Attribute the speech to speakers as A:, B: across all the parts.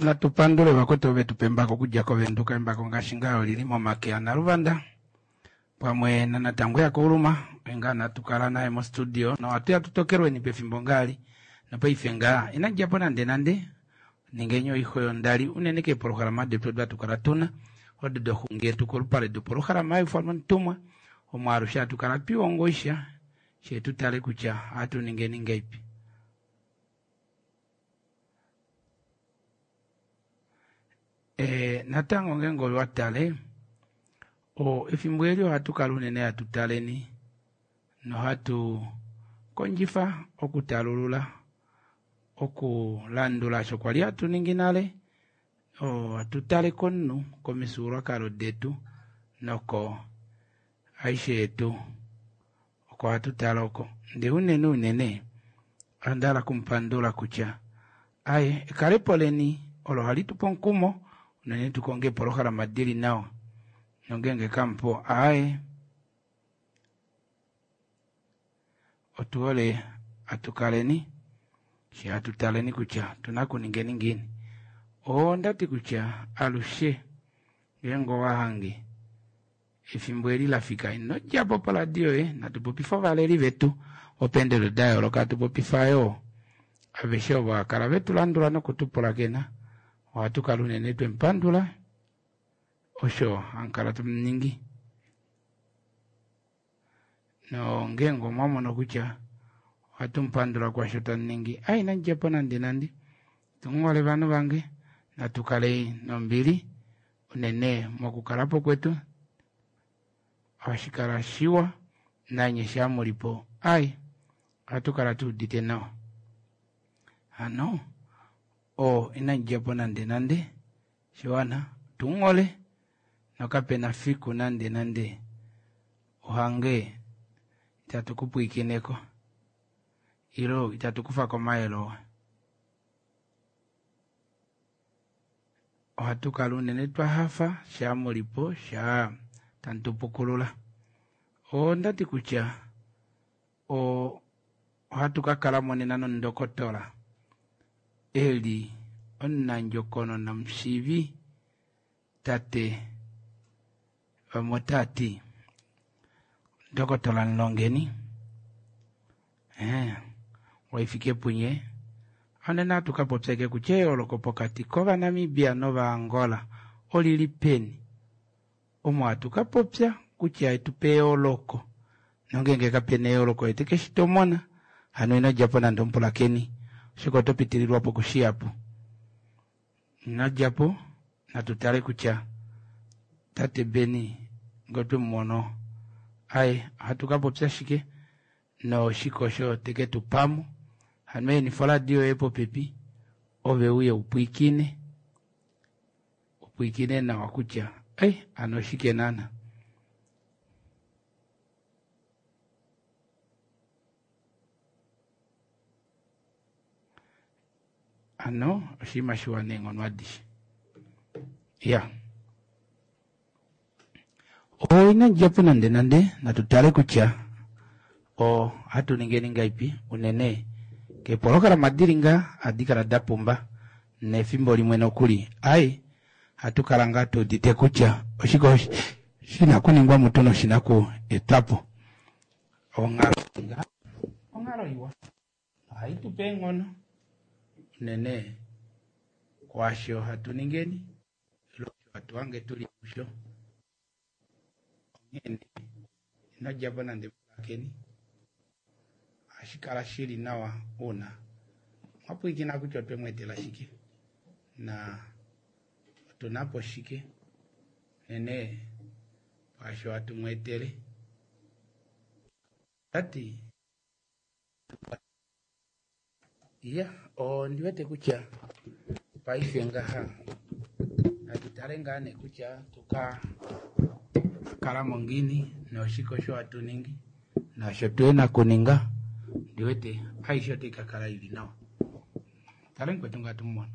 A: Natu pandule vakwetu ove tu pa embako okudja koVenduka. Embako ngaashi ngaa oli li momake aNaluvanda pamwe naNatangwe yaKauluma. Oye ngaa natu kala naye mostudio nohatu ya tu tokelweni pefimbo ngaali nopaife ngaa ina dja po nande nande. Ningeni oixo yondali unene keepolohalama detu odo hatu kala tuna odo doxungi yetu kolupale dopolohalama haiufanwa Omutumwa omo alushe hatu kala twihongo isha shee tu tale kutya ohatu ningeni ngaipi. E, natango ngeenge owa tale o efimbo eli ohatu kala unene hatu taleni nohatu kondjifa okutalulula okulandula osho kwali hatu ningi nale ohatu tale komunhu komifyuululwakalo detu noko aishe yetu oko hatu tale oko ndee unene unene onda hala okumupandula kutya aye ekalepo leni olo hali tupe omukumo unene tukonge eepolohalama dili nawa nongeenge kamupo aaye otuhole atukaleni she hatu taleni kutya otuna okuningeni ngiini. Ondati kutya alushe ngeenge owahange efimbo eli lafika ino djapo poradio yoye natu popife ovaleli vetu vopeendodo da yooloka hatu popifa yoo aveshe ovo hakala vetu landula nokutupulakena ohatu kala unene twemupandula osho hamukala tamuningi nongeenge omwamono kutya ohatu mupandula kwaasho tamuningi ai inamudjapo nande nande tumuhole ovanhu vange natu kale nombili unene mokukalapo kwetu ohashi kala shiwa nanye shaa mulipo ai ohatu kala tuudite nawa hano oo inamudjapo nande nande shiwana tumuhole nokapena fiku nande nande uhange itatu kupwiikineko ilo itatu kufa komayele oo ohatu kala unene twahafa shaa mulipo shaa tamu tupukulula ondati kutya ohatu kakala nena nomundokotola eli omunandjokonona omushiivi tate vamwe otaati ndokotola Mulongeni Waifikepunye onena ohatu kapopya ashike kutya eyooloko pokati kovanamibia novangola olili peni omo hatu kapopya kutya etupe eyooloko nongeenge kapena eyooloko ete keshitomona hano ino djapo nande omupulakeni oshoka oto pitililwapo kushihapu ino djapo natu tale kutya tate Beni ngee otwemumono aye ohatu kapopya shike noshike osho teke tupamo hano ehenifa oradio yoye popepi ove uye upwiikine upwiikine nawa kutya ei hano oshike naana. Hano oshinima shiwa neenghono adishe ya ina djapo nande nande natu tale kutya ohatu ningeni ngaipi unene keepolohalama dili ngaa ohadi kala da pumba nefimbo limwe nokuli ai ohatu kala ngaa tuudite kutya oshike shina okuningwa mutu noshina okuetwapo onghalo ngaa onghalo iwa ohai tupe eenghono unene kwaasho hatu ningeni ile osho hatu hange tuli musho onghene ino djapo nande pulakeni ohashi kala shili nawa uuna mwapwiikina kutya otwe mu etela shike na otuna po shike unene kwaasho hatu mu etele tati iya ondi wete kutya paife ngaha natu tale ngaa nee kutya tuka kalamo ngiini noshike osho hatu ningi naasho tuyena okuninga ndiwete aishe otai kakala ili nawa tale mukwetu ngaa tumumono.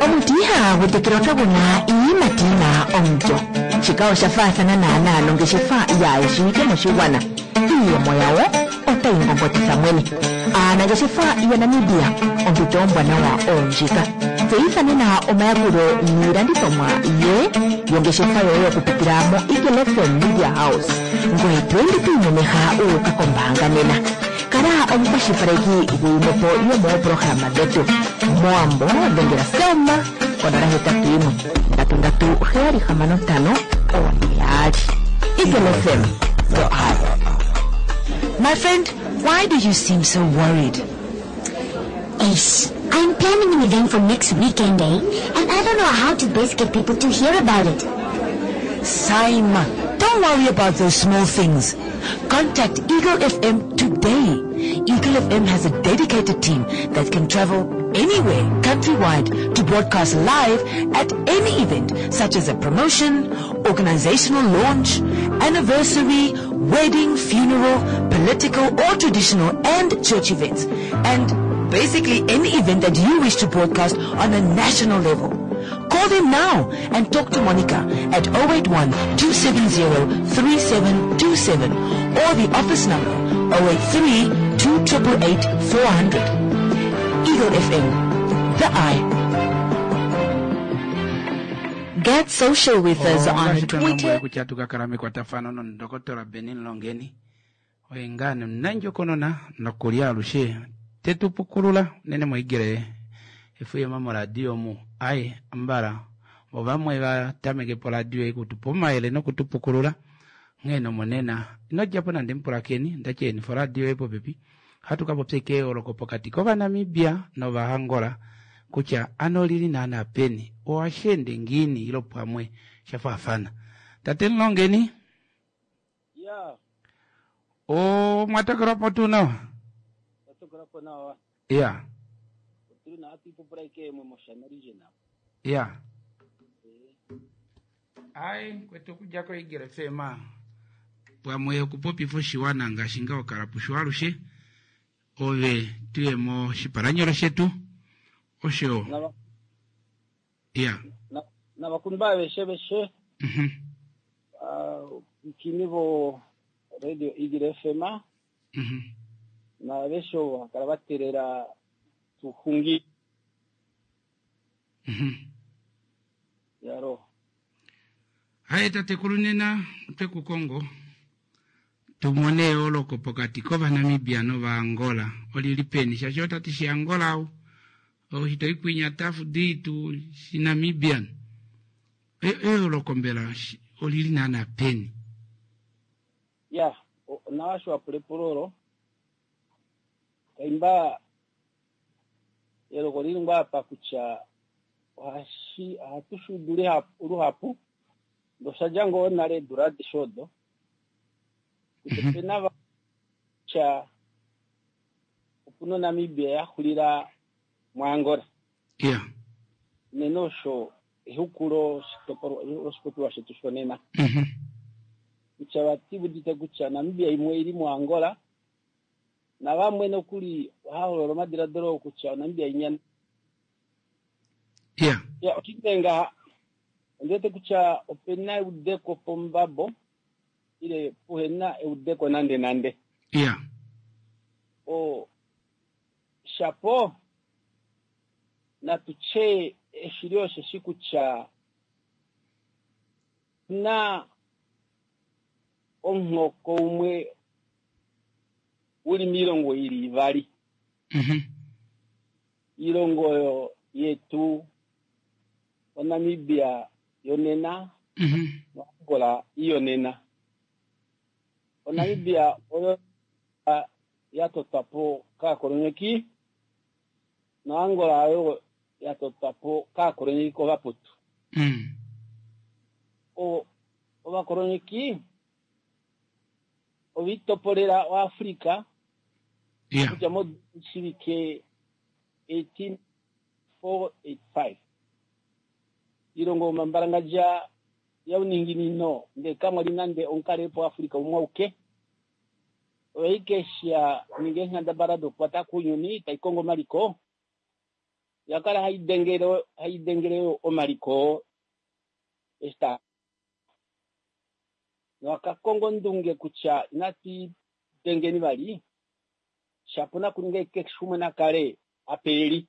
B: Omuti ihaagu tekelwa kagu na iiyimati yi na omulyo. Shika osha faathana naanaa nongeshefa yaayeshiwike moshigwana. Iiyemo yawo otayi ngongotitha mwene. Aanangeshefa yaNamibia, ompito ombwanawa oondjika. Tseyitha nena omayakulo niilandithomwa ye yongeshefa yoye okupitila moEagle FM Media House. Ngoye to ende to imemeha wu uka kombaanga nena. Kala omukwashilipaleki guyimwepo yomoopolohalama dhetu. Mowambo dhengela Selma ko 081 337 6542. Eagle FM, the eye.
C: My friend, why do you seem so worried?
D: Ace, I'm planning an event for next weekend, eh? And I don't know how to best get people to hear about it.
C: Saima, don't worry about those small things. Contact Eagle FM today. Eagle FM has a dedicated team that can travel anywhere countrywide to broadcast live at any event such as a promotion, organizational launch, anniversary, wedding, funeral, political or traditional and church events. And basically any event that you wish to broadcast on a national level. Call them now and talk to Monica at 081 270 3727 or the office number 083 288 400. Eagle FM, the eye.
B: Get social with us on
A: Ongaashi twa lombwele
B: Twitter.
A: kutya atu ka kala mekwatafano nomudokotola Benny Mlongeni oye ngaa nomunandjokonona nokuli alushe te tu pukulula unene moigele efuyema moradio omu aye ambala ovamwe va tameke poradio ei kutupa omayele nokutupukulula nghee nomonena ino djapo nande mupulakeni ndatyeni foradio yoye popepi ohatu ka popya eyooloko pokati kOvanamibia nOvaangola kutya ano olili naana peni ohashi ende ngiini ilo pamwe sha faafana. Tate Mlongeni
E: Ya,
A: omwa tokelwa po tuu nawa?
E: tatokola po nawa.
A: Ya,
E: Otuli na hatu ipupula ike yemwe moshana region.
A: ya. Ai, kwetu okudja koEagle FM pamwe okupopifa oshiwana ngaashi ngaho kala pusho alushe ove tuye moshipalanyolo shetu osho
E: Nava
A: ya
E: navakumba aveshe veshe ikini vo Radio Eagle FM naaveshe ovo hakala vatelela tuhungi yaro.
A: Haye tatekulu nena otwe ku kongo tumone eyooloko pokati kOvanamibia nOvaangola olili peni shaashi otati shiAngola au oshitoikwinya tafu ditu shiNamibian eyooloko mbela olili naana peni?
E: Ya, nawasho wapula epulo olo kaimba eloko lili ngoo apa kutya ohashi ohatu shuudu luhapu ndoshadja ngoo nale eedula adishe odo kutya opena kutya opuna oNamibia yaxulila muAngola.
A: Ya.
E: Unene osho exukulo loshipopiwa shetu shonena. Kutya vati udite kutya Namibia imwe ili muAngola navamwe nokuli ohaholola omadiladilo kutya Namibia inya.
A: Ya.
E: Ya, oshike ngaha ondiwete kutya opena eudeko pombabo ile puhena eudeko nande nande.
A: Ya.
E: O shapo natutye eshili osheshi kutya na omuhoko umwe uli miilongo ili ivali. Iilongo oyo yetu oNamibia yonena noAngola iyonena. ONamibia oyo yatotwa po kaakolonyeki noAngola oyo yatotwa po kaakolonyeki kovaputu. Ovakolonyeki ovitopolela oAfrica kutya moshivike 18485 ilongo omambalangadja yauninginino ndee kamwali nande omukalelipo waAfrica umwe auke oyaike sha ninga eenghendabala dokukwata kuuyuni taikongo omaliko yakala haidengele omaliko eshi nowakakonga ondunge kutya inatu dengeni vali shapo nakuninga keshe umwe nakale apa eli.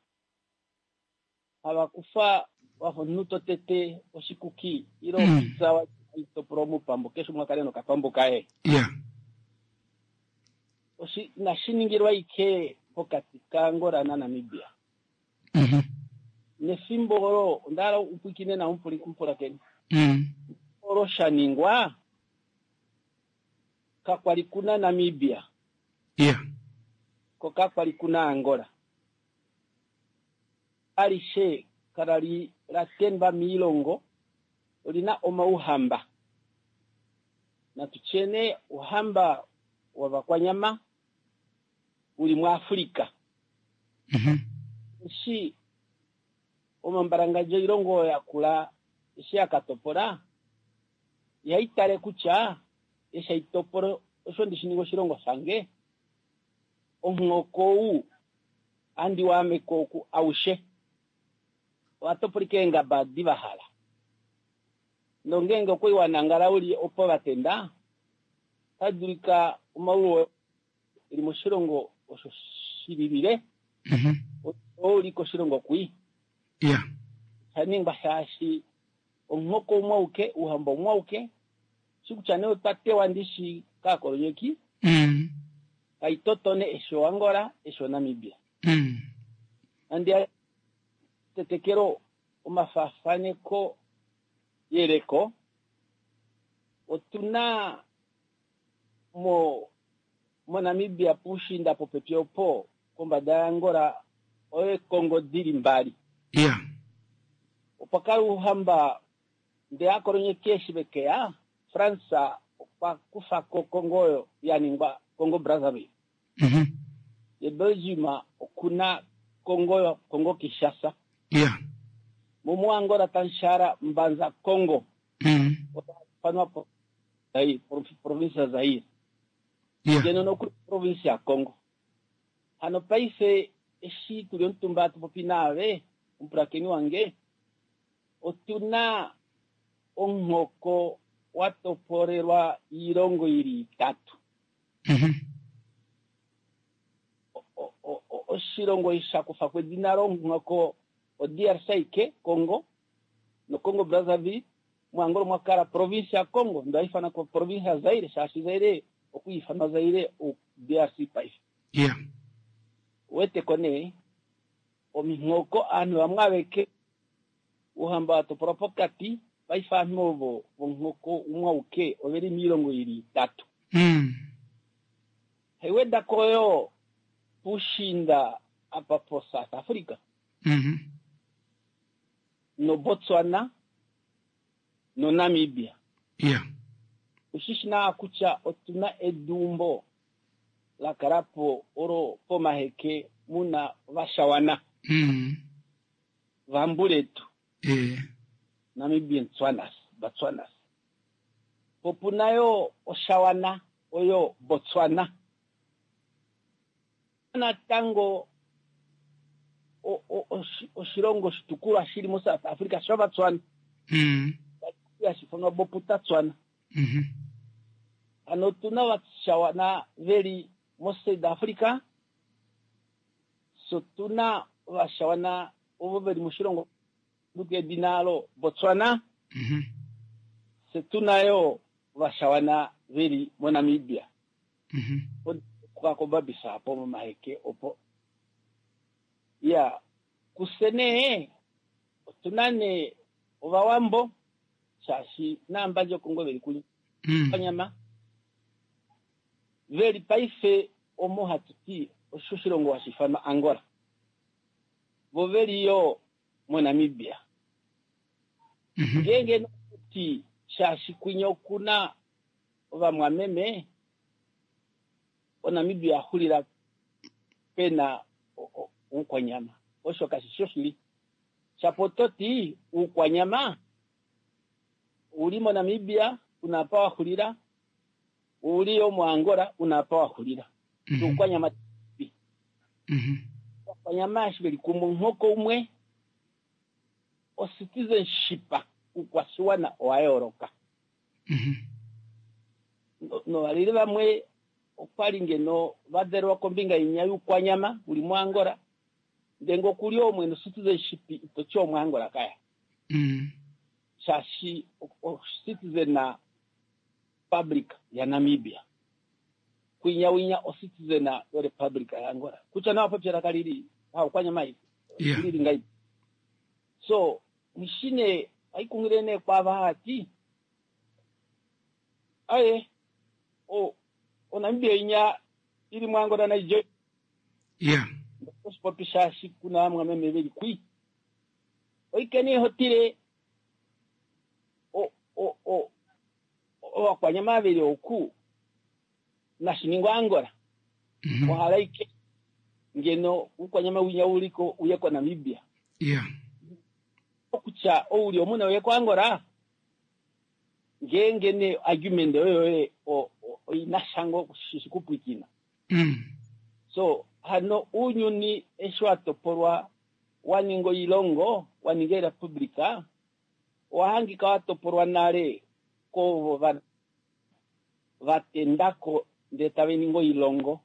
E: Hava kufa wafa omunhu to tete oshikuki ile opizza wa topola omupambo keshe umwe akale nokapambo kaye.
A: Ya.
E: Inashi ningilwa ike pokati kaAngola naNamibia. Nefimbo olo onda hala upwikine na omupulakeni. Olo sha ningwa kakwali kuna Namibia.
A: Ya.
E: Ko kakwali kuna Angola. Alishe kala li la tendwa miilongo olina omauhamba. Natu tyene uhamba wavakwanyama uli muAfrika. Eshi omambalangadjo oilongo oyo yakula eshi yakatopola ihai tale kutya eshi aitopola osho ndishi ninga oshilongo shange omuhoko ou andi waameko oku aushe owatopolika eengaba adi vahala nongenge okwali wanangala uli opo vatenda otadulika omaulu eli moshilongo osho shililile ouli koshilongo kwii.
A: Ya.
E: Shaningwa shaashi omuhoko umwe auke ouhamba umwe auke shi kutya nee otwa tewa ndishi kaakolonyeki kaitotone eshi oAngola eshi oNamibia. Nandi tetekelo omafaafaneko yeleko otuna moNamibia puushinda popepi opo kombada yaAngola oyo Kongo dili mbali.
A: Ya.
E: Opa kala ouhamba ndee aakolonyeki eshi vekeya France okwa kufa ko Kongo oyo ya ningwa Congo Brazzaville. Ye Belgium okuna Kongo Kongo Kinshasa.
A: Ya.
E: Mo Angola Tanshara Mbanza Kongo. Otafanwa po Zaire, province ya Zaire.
A: Ya.
E: Ngeno nokuli province ya Kongo. Hano paife eshi tuli omutumba tupopi naave omupulakeni wange otuna omuhoko wa topolelwa iilongo ili itatu. Oshilongo sha kufa kwedina lomuhoko o-DRC ike Congo no Congo Brazzaville muAngola mwa kala province ya Congo ndo haifana ko province ya Zaire shaashi Zaire okwiifanwa Zaire o-DRC paife.
A: Ya.
E: Weteko nee omihoko aanhu vamwe aveke ouhamba wa topolwa pokati paife aanhu ovo vomuhoko umwe auke oveli miilongo ili itatu. Haiwedako yo puushinda apa po South Africa. No Botswana no Namibia.
A: Ya.
E: Oshishi naa kutya otuna edumbo la kala po olo pomaheke muna vashawana. Vambuletu. Namibian Tswanas, Batswanas. Popuna yo oshawana oyo Botswana. Natango oshilongo shitukulwa shili mo South Africa shovatswana. Yashifanwa Boputa Tswana. Ano otuna vashawana veli mo South Africa. So tuna vashawana ovo veli moshilongo edina alo Botswana. Se tuna yo vashawana veli moNamibia. Okakobabisa apo momaheke opo. Ya kusene otuna ne ovawambo shaashi naambandje Kongo veli kunya nyama veli paife omo hatuti osho oshilongo hashiifanwa Angola. Vo veli yo moNamibia. Ngeenge nokuti shaashi kwinya okuna ovamwameme oNamibia xulila pena oukwanyama. Osho kashi shoshili. Shapo toti oukwanyama uli moNamibia unapa waxulila, uli yo moAngola unapa waxulila. Oukwanyama oukwanyama eshi veli kumwe omuhoko umwe o-citizenship oukwashiwana owa yooloka. Novaleli vamwe okwali ngeno vadelwa kombinga inya youkwanyama uli moAngola. Ndele ngee okuli oo mwene citizenship itoti omwaangola kaya. Shaashi o-citizen na Republic yaNamibia. Kwinya winya o-citizen yoRepublic yaAngola. Kutya nawa popya elaka lili haukwanyama lili ngai. So nishine aikungile ne kwava hati aye o oNamibia inya ili mwangola na Nigeria. Oshipopi shaashi kuna vamwe veli kwi. Oikene hotile o o o ovakwanyama veli oku nashiningwa Angola. Ohala ike ngeno ukwanyama winya uliko uye ko Namibia. Okutya ouli omuna uye ko Angola ngeenge ne argument oyo oina shango shikupwikina. So hano uunyuni eshi wa topolwa wa ninga oilongo wa ninga erepublika owa hangika wa topolwa nale kovo vatendako ndele tava ningi oilongo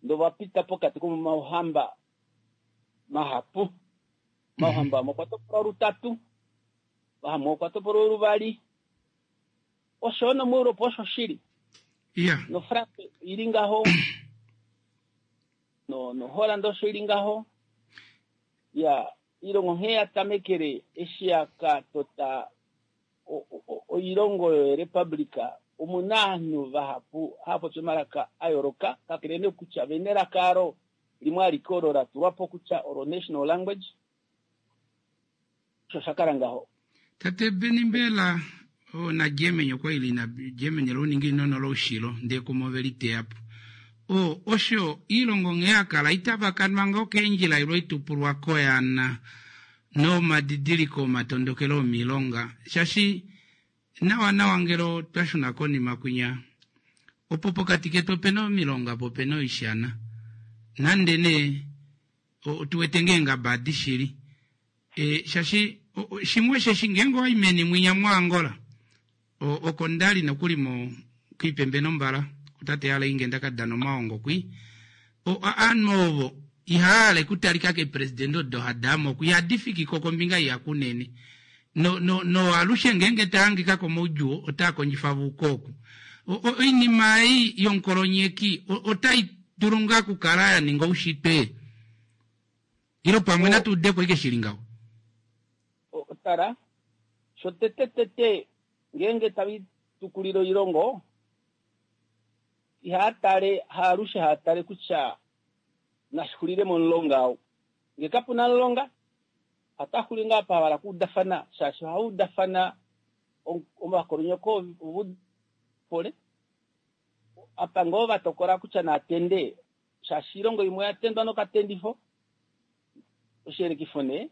E: ndo vapita pokati komauhamba mahapu. Mauhamba amwe okwa topolwa lutatu, amwe okwa topolwa luvali. Osho nomuEuropa osho shili. No France ili ngaho no Holland osho ili ngaho. Ya ilongo nghee ya tamekele eshi yakatota oilongo yorepublika omuna ovanhu vahapu hava popi omalaka a yooloka kakele nee kutya vena elaka alo limwe alike olo la tulwa po kutya olo national language. Osho sha kala ngaho.
A: Tate Beni mbela na Germany okwa ili na Germany louninginino loushilo ndee kumo veli teyapo. Osho iilongo nghee yakala itavakanwa ngoo keendjila ilwe itupulwa koyana nomadidiliko omatondokelo omilonga shaashi nawa nawa ngelo twashuna konima kwinya opo pokati ketu opena omilonga po opena oishana nande nee otuwete ngeengaba adishili shaashi shimwe sheshi ngeenge owayi meni mwinya mwaAngola oko ndali nokuli mo kuipembe nombala kutate yale nge ndakadana omaongo kwi aanhu ovo ihaale kutalika keepresidente odo hadamo ku ihadi fikiko kombinga iya kunene no alushe ngeenge tahangika komaudjuu otaa kondjifa vukoku. Oinima ei yonkolonyeki otai dulu ngaa kukala ya ninga oushitwe ilo pamwe natuudeko ike shili ngaho.
E: Tala sho tete tete ngeenge tavi tukulile oilongo ihaatale haalushe haatale kutya nashixulile momulonga ou nge kapuna mulonga ataxuli ngaa pahala kuudafana shaashi ohaudafana ovakolonyeko pole apa ngoo vatokola kutya natende shaashi ilongo imwe oyatendwa nokatendifo oshiyelekifo nee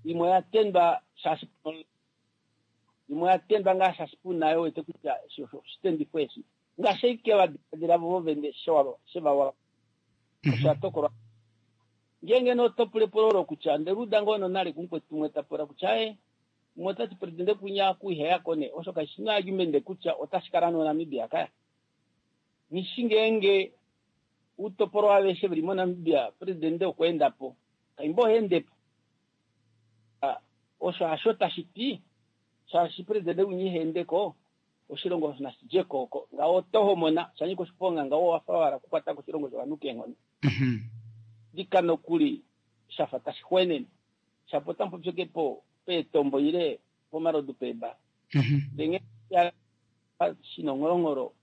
E: imwe oyatendwa shaashi imwe oyatendwa ngaa shaashi puna wete kutya oshitendifo eshi ngaashi ike vadiladila vo vene shevawa osho atokolwa. Ngeenge notopulepulo olo kutya ndeluda ngoo nonale kumukwetu umwe tapula kutya aye umwe otati presidente kunya kuiheyako ne osho kashi na argument kutya otashi kala noNamibia kaya. Nishi ngeenge utopolwa aveshe veli moNamibia presidente okweendapo kaimbo ohendepo. Osho hasho tashi ti shaashi presidente winya ihendeko oshilongo nashidjeko oko ngaho otohomona shanyika oshiponga ngaho wafa wala kukwata koshilongo shovanhu keenghono. Dika nokuli shafa tashi xwenene shapo tamupopyekepo peetombo ile pomalodu peeba. Ndenge shinongholongholo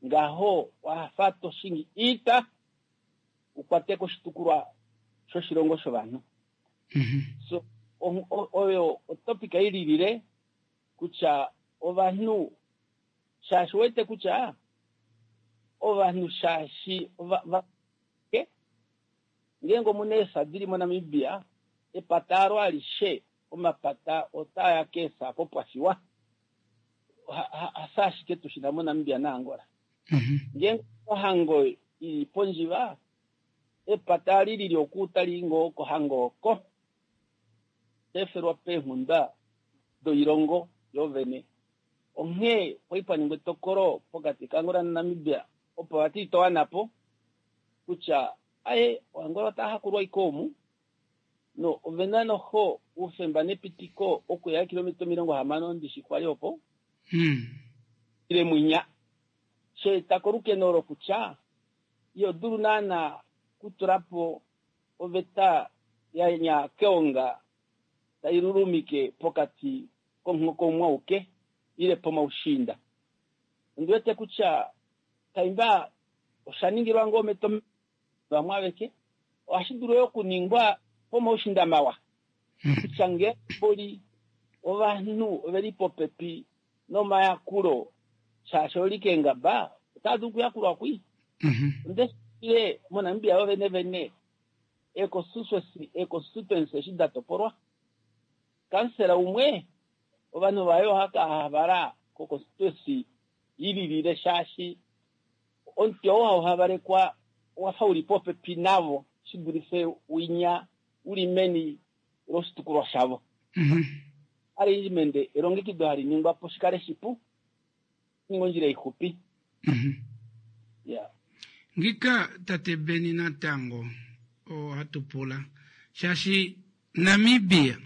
E: ngaho wafa toshingi iita ukwate koshitukulwa shoshilongo shovanhu. So oyo otopic ililile kutya ovanhu shaashi wete kutya ovanhu shaashi ngeenge omuna eesa dili moNamibia epata alo alishe omapata otaaya keesa kopwafiwa hasa ashike tushina moNamibia naAngola. Ngeenge ohango ili pondjiva epata ali lili oku tali ngoo kohango oko tefelwa peenghunda doilongo yovene. Onghee kwali paningwa etokolo pokati kaAngola naNamibia opo vati itowanapo kutya Aye, Oangola otava hakulwa ashike omu, no ovena noho oufemba nepitiko okuya eekilometa 60 ndishi kwali opo, ile mwinya. Sha eta kolukeno olo kutya iho dulu naana kutula po oveta ya nyaa keonga tai lulumike pokati komuhoko umwe auke ile pomaushiinda. Ondi wete kutya kaimba osha ningilwa ngoo metomheno vamwe aveke, ohashi dulu yo okuningwa pomaushiinda mawa kutya ngee mboli ovanhu oveli popepi nomayakulo shaashi oli keengaba otava dulu okuyakulwa kwii. Onde moNamibia yo vene vene eeconstituency eshi da topolwa, kansela umwe ovanhu vaye oha ka havala koconstituency i lilile shaashi omuti oo hau havalekwa owa fa u li popepi navo shi dulife winya u li meni loshitukulwa shavo. Arrangement elongekido hali ningwa po shi kale shipu, ninga ondjila ixupi. Yeah.
A: Ngika tate Beni natango ohatu pula shaashi Namibia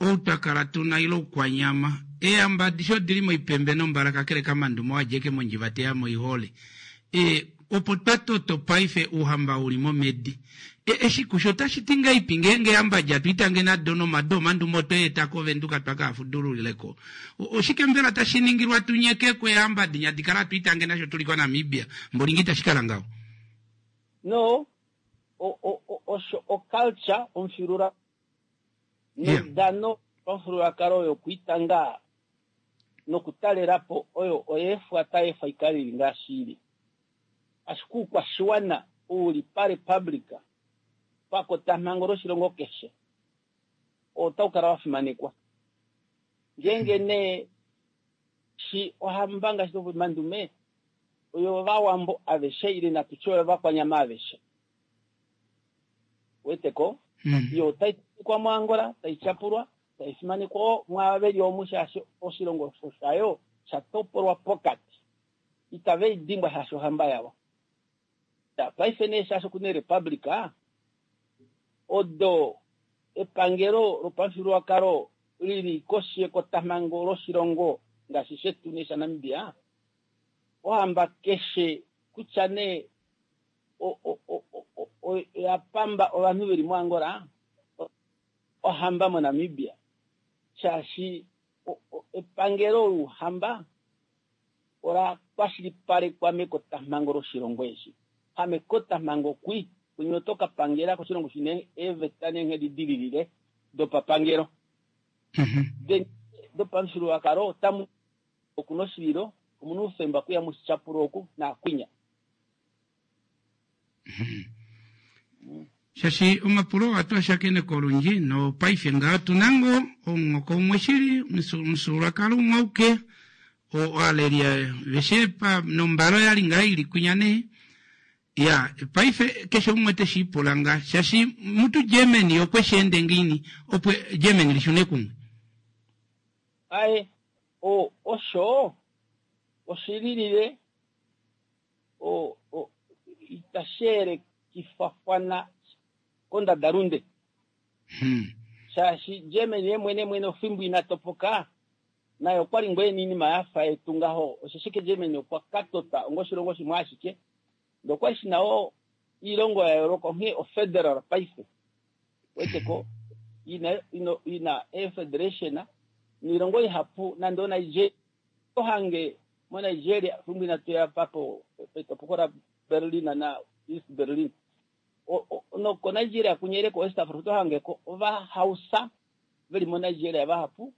A: ou twa kala tuna ile oukwanyama eehamba adishe odili moipembe nombala kakele kaMandume oo adja eke mondjiva teya moihole e, opo twa toto paife ouhamba uli momedi e, eshi kusho otashi ti ngaipi ngeenge eehamba dja tu itange nado nomado omandume otwe eta koVenduka twa ka fudululileko oshike mbela tashi ningilwa tu nyekeko eehamba dinya di kala tu itange nasho tuli koNamibia mbolingi itashi kala ngaho
E: No, osho oculture omufyuulula nodano pamufyuululwakalo yokwiitanga nokutalela po oyo oyeefwa tai efwa ikale ili ngaashi ili. Ashike oukwashiwana ou li parepublika pakotamhango loshilongo keshe otau kala wa fimanekwa. Ngeenge nee shi ohamba ngaashi Mandume oyo Ovawambo aveshe ile natu tye oyo Ovakwanyama aveshe. Weteko? Yo otai fimanekwa moAngola, tai tyapulwa, tai fimanekwa mwaava ve li omu shaashi oshilongo osho shayo sha topolwa pokati. Itave i dimbwa shaashi ohamba yavo. Paife nee shaashi oku na erepublika, odo epangelo lopamufyuululwakalo li li koshi yekotamhango loshilongo ngaashi shetu nee shaNamibia, ohamba keshe kutya nee oya pamba ovanhu ve li moAngola, ohamba moNamibia, shaashi epangelo louhamba ola kwashilipalekwa mekotamhango loshilongo eshi. Hamekotamhango kwi, kunye oto ka pangela koshilongo shina eeveta neenghedi di lilile dopapangelo. Dopamufyuululwakalo otamu okuna oshililo, omuna oufemba okuya mushityapula oku naakwinya.
A: Shaashi omapulo ohatu a shakeneke olundji nopaife ngaa otu na ngoo omuhoko umwe shili, omufyuululwakalo umwe auke, oaleli aveshe nombala oya li ngaa ili kwinya nee. Ya, paife keshe umwe te shi ipula ngaa shaashi mutu Germany okwe shi ende ngiini opo Germany li shune kumwe?
E: Aye, osho oshi lilile itashi yelekifafana kondadalunde. Shaashi Germany ye mwene mwene ofimbo ina topoka, naye okwa li ngoo e na oinima ya fa yetu ngaho. Osheshi ke Germany okwa ka tota onga oshilongo shimwe ashike, ndee okwa li shi na wo oilongo ya yooloka, onghee ofederal paife. Weteko, ina eefederation noilongo ihapu nande oNigeria. Ohange moNigeria fimbo inatu ya pa petopoko laBerlin na East Berlin. NokoNigeria kunyele koWest Africa oto hange ko Ovahausa ve li moNigeria vahapu.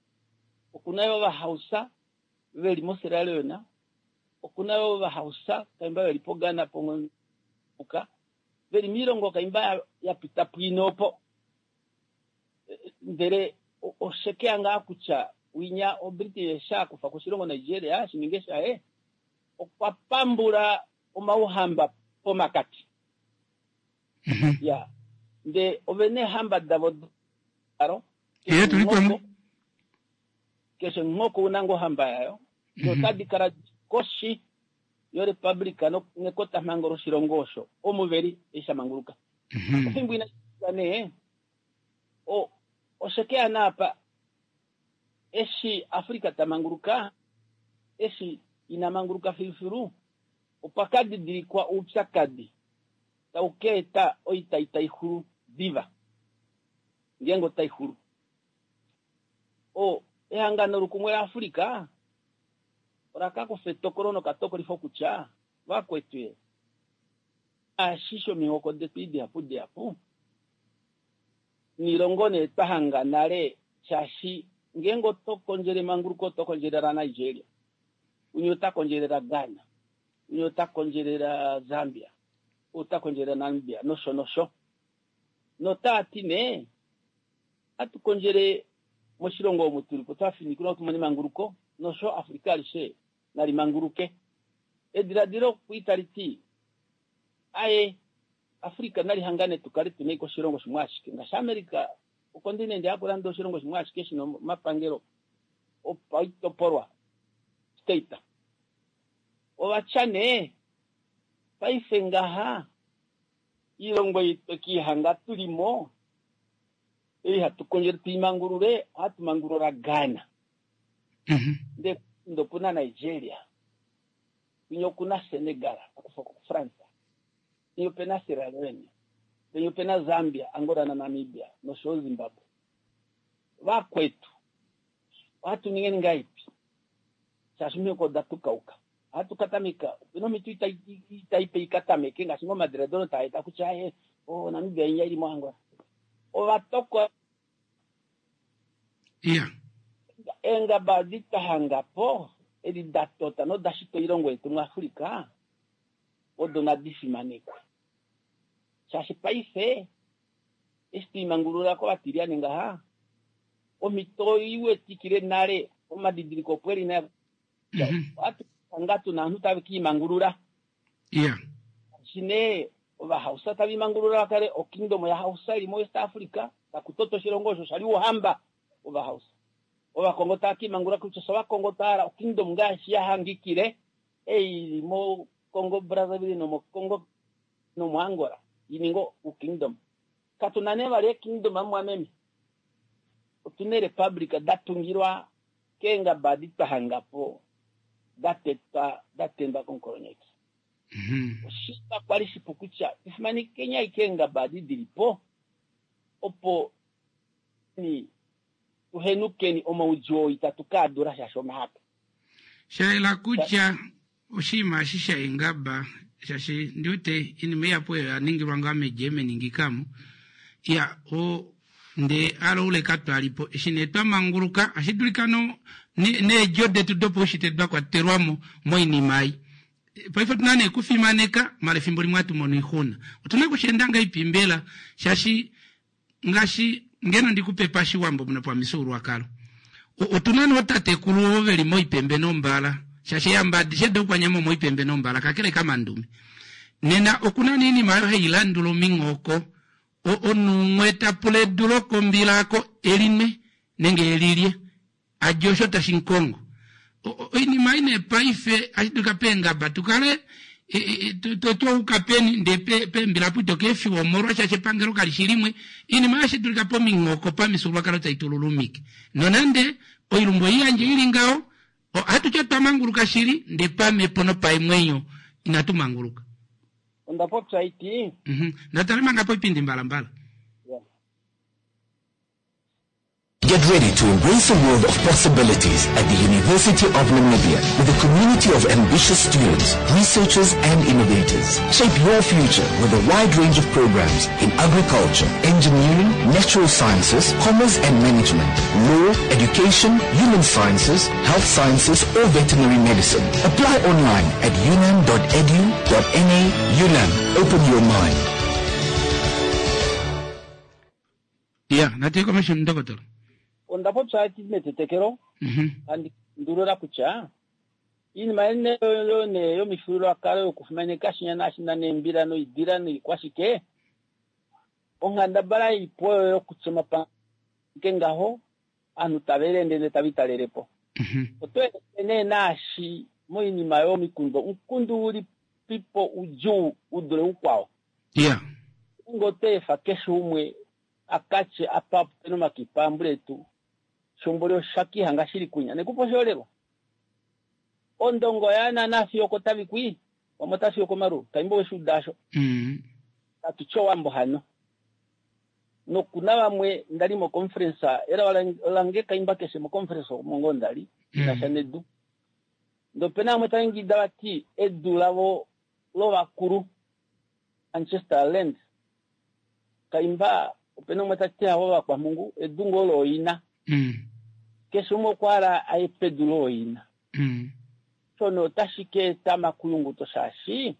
E: Oku na yo Ovahausa ve li moSierra Leone. Oku na yo Ovahausa kaimba ve li poGhana pongoka ve li moilongo kaimba ya pita pwiine opo. Ndele oshekeya ngaa kutya winya oBritain eshi a kufa koshilongo Nigeria shi ninge shaye, okwa pambula omauhamba pomakati. Ya, ndee ove na eehamba davo dalo. Keshe omuhoko una ngoo ohamba yayo, notadi kala koshi. yorepublika nekotamhango loshilongo osho omu veli eshi sha manguluka. Ofimbo ina nee oshe ke ya naapa eshi Afrika ta manguluka, eshi ina manguluka filufilu, opa ka didilikwa oupyakadi tau ka eta oita itai xulu diva, ngeenge otai xulu. Ehangano lokumwe laAfrika ola ka kufa etokolo nokatokolifo kutya vakwetu eshi shomihoko detu dihapu dihapu noilongo nee twa hanga nale, shaashi ngeenge oto kondjele emanguluko oto kondjelela Nigeria, umwe ota kondjelela Ghana, umwe ota kondjelela Zambia, ota kondjelela Namibia nosho nosho. Notaa ti nee hatu kondjele moshilongo omu tuli po twa finikinwa tumone emanguluko nosho Afrika alishe nali manguluke. Ediladilo kui tali ti aye Afrika nali hangane tu kale tuna ashike oshilongo shimwe ashike ngaashi America okontinente yakulanda oshilongo shimwe ashike shina omapangelo opaitopolwa state. Ovatya nee paife ngaha iilongo ei twekihanga tulimo ei hatu kondjele tuimangulule, ohatu mangulula Ghana. Ndee okuna Nigeria, kwinya okuna Senegal, akufa ko France, kwinya opena Sierra Leone, kwinya opena Zambia, Angola na Namibia nosho Zimbabwe. Vakwetu ohatu ningeni ngaipi shaashi omihoko oda tukauka. Ohatu katameka opena omhito itaipe ikatameke ngaashi ngoo omadiladilo taa eta kutya aye Namibia inya ili moAngola. Ovatokola eengaba edi twa hanga po edi da tota noda shita oilongo yetu muAfrika odo nadi fimanekwe, shaashi paife eshi twiimangulula kovatilyane ngaha omhito iwetikile nale omadidiliko opo eli naye ohatu hanga tuna ovanhu tave kiimangulula. Shaashi nee Ovahausa tava imangulula va kale okingdom yaHausa ili moWest Africa, taku toto oshilongo osho sha li ouhamba wOvahausa. Ovakongo tava ka imangulula kutya fye Ovakongo twa hala okingdom ngaashi ya hangikile ei ili moCongo Brazzaville nomoCongo nomoAngola i ninge okingdom. Katu na nee vali eekingdom mumwameme, otu na eerepublika da tungilwa keengaba edi twa hanga po da tetwa da tendwa komukolonyeki. Oshinima kwali shipu kutya tufimanekeni ashike eengaba edi dili po opo ni tuhenukeni omaudjuu oo itatu ka dula shaashi omahapu.
A: Sha yela kutya oshinima eshi shaengaba shaashi ndi wete iinima ihapu oyo ya ningilwa ngaa meGermany ngikamo ya o ndee aloule katwalipo eshi nee twa manguluka ashi dulika no needjo detu dopaushitwe da kwatelwamo moinima ei. Paife otuna nee kufimaneka mala efimbo limwe hatu mono oixuna. Otuna kusheenda ngahelipi mbela shaashi ngaashi ngeno ndikupe pashiwambo nopamifyuululwakalo otuna nee ootatekulu ovo veli moipembe nombala shaashi eehamba adishe doukwanyama omoipembe nombala kakele kamandume. Nena okuna nee oinima oyo hai landula ominghoko omunhu umwe ta pula edu lokombila ako elinwe nenge elilye alye osho tashi mukongo. Oinima ei nee paife ohashi dulika peengaba tu kale twauka peni ndee peembila apo ito ka efiwa omolwa shaashi epangelo kali shi limwe. Oinima ohashi dulika pominghoko pamifyuululwakalo tai tu lulumike. Nonande oilumbu oiyandje ili ngaho, ohatu ti otwa manguluka shili ndee pamhepo nopaemwenyo inatu manguluka.
E: Onda popya iti.
A: Natale manga poipindi mbalambala.
F: Get ready to embrace a world of possibilities at the University of Namibia with a community of ambitious students, researchers and innovators. Shape your future with a wide range of programs in agriculture, engineering, natural sciences, commerce and management, law, education, human sciences, health sciences or veterinary medicine. Apply online at unam.edu.na. UNAM, open your mind.
A: Ya, natu komesho ndokotola.
E: Onda popya ati metetekelo handi ndulula kutya iinima yo nee yomifyuululwakalo yokufimaneka shinya naashinda neembila noidila noikwashike, onghandabala ilipo oyo yokutya omapange ngaho ovanhu tava elende ndele tava italele po. Oto eleke nee naashi Moinima yomikundu, omukundu ulipipo udjuu u dule ukwao? Ngeenge otwa efa keshe umwe a ka tye apa ope na omakipa ambuletu, shomboli osha kihanga shili kunya. Nekupa oshiholelwa. Ondongo oya naana fiyo okotavi kwii, vamwe otava fiyo okomaruru. Kaimba oweshi uda asho. Natu tye Owambo hano. Noku na vamwe nda li moconference, elao lange kaimba keshe moconference omo ngoo nda li, ina sha nedu. Ndee ope na vamwe tava ingida vati edu lavo lovakulu, Ancestor land, kaimba ope na umwe ta ti havo ovakwamhungu, edu ngoo looina. Keshe umwe okwa hala aye pedu looina. Shono otashi ka eta omakuyunguto shaashi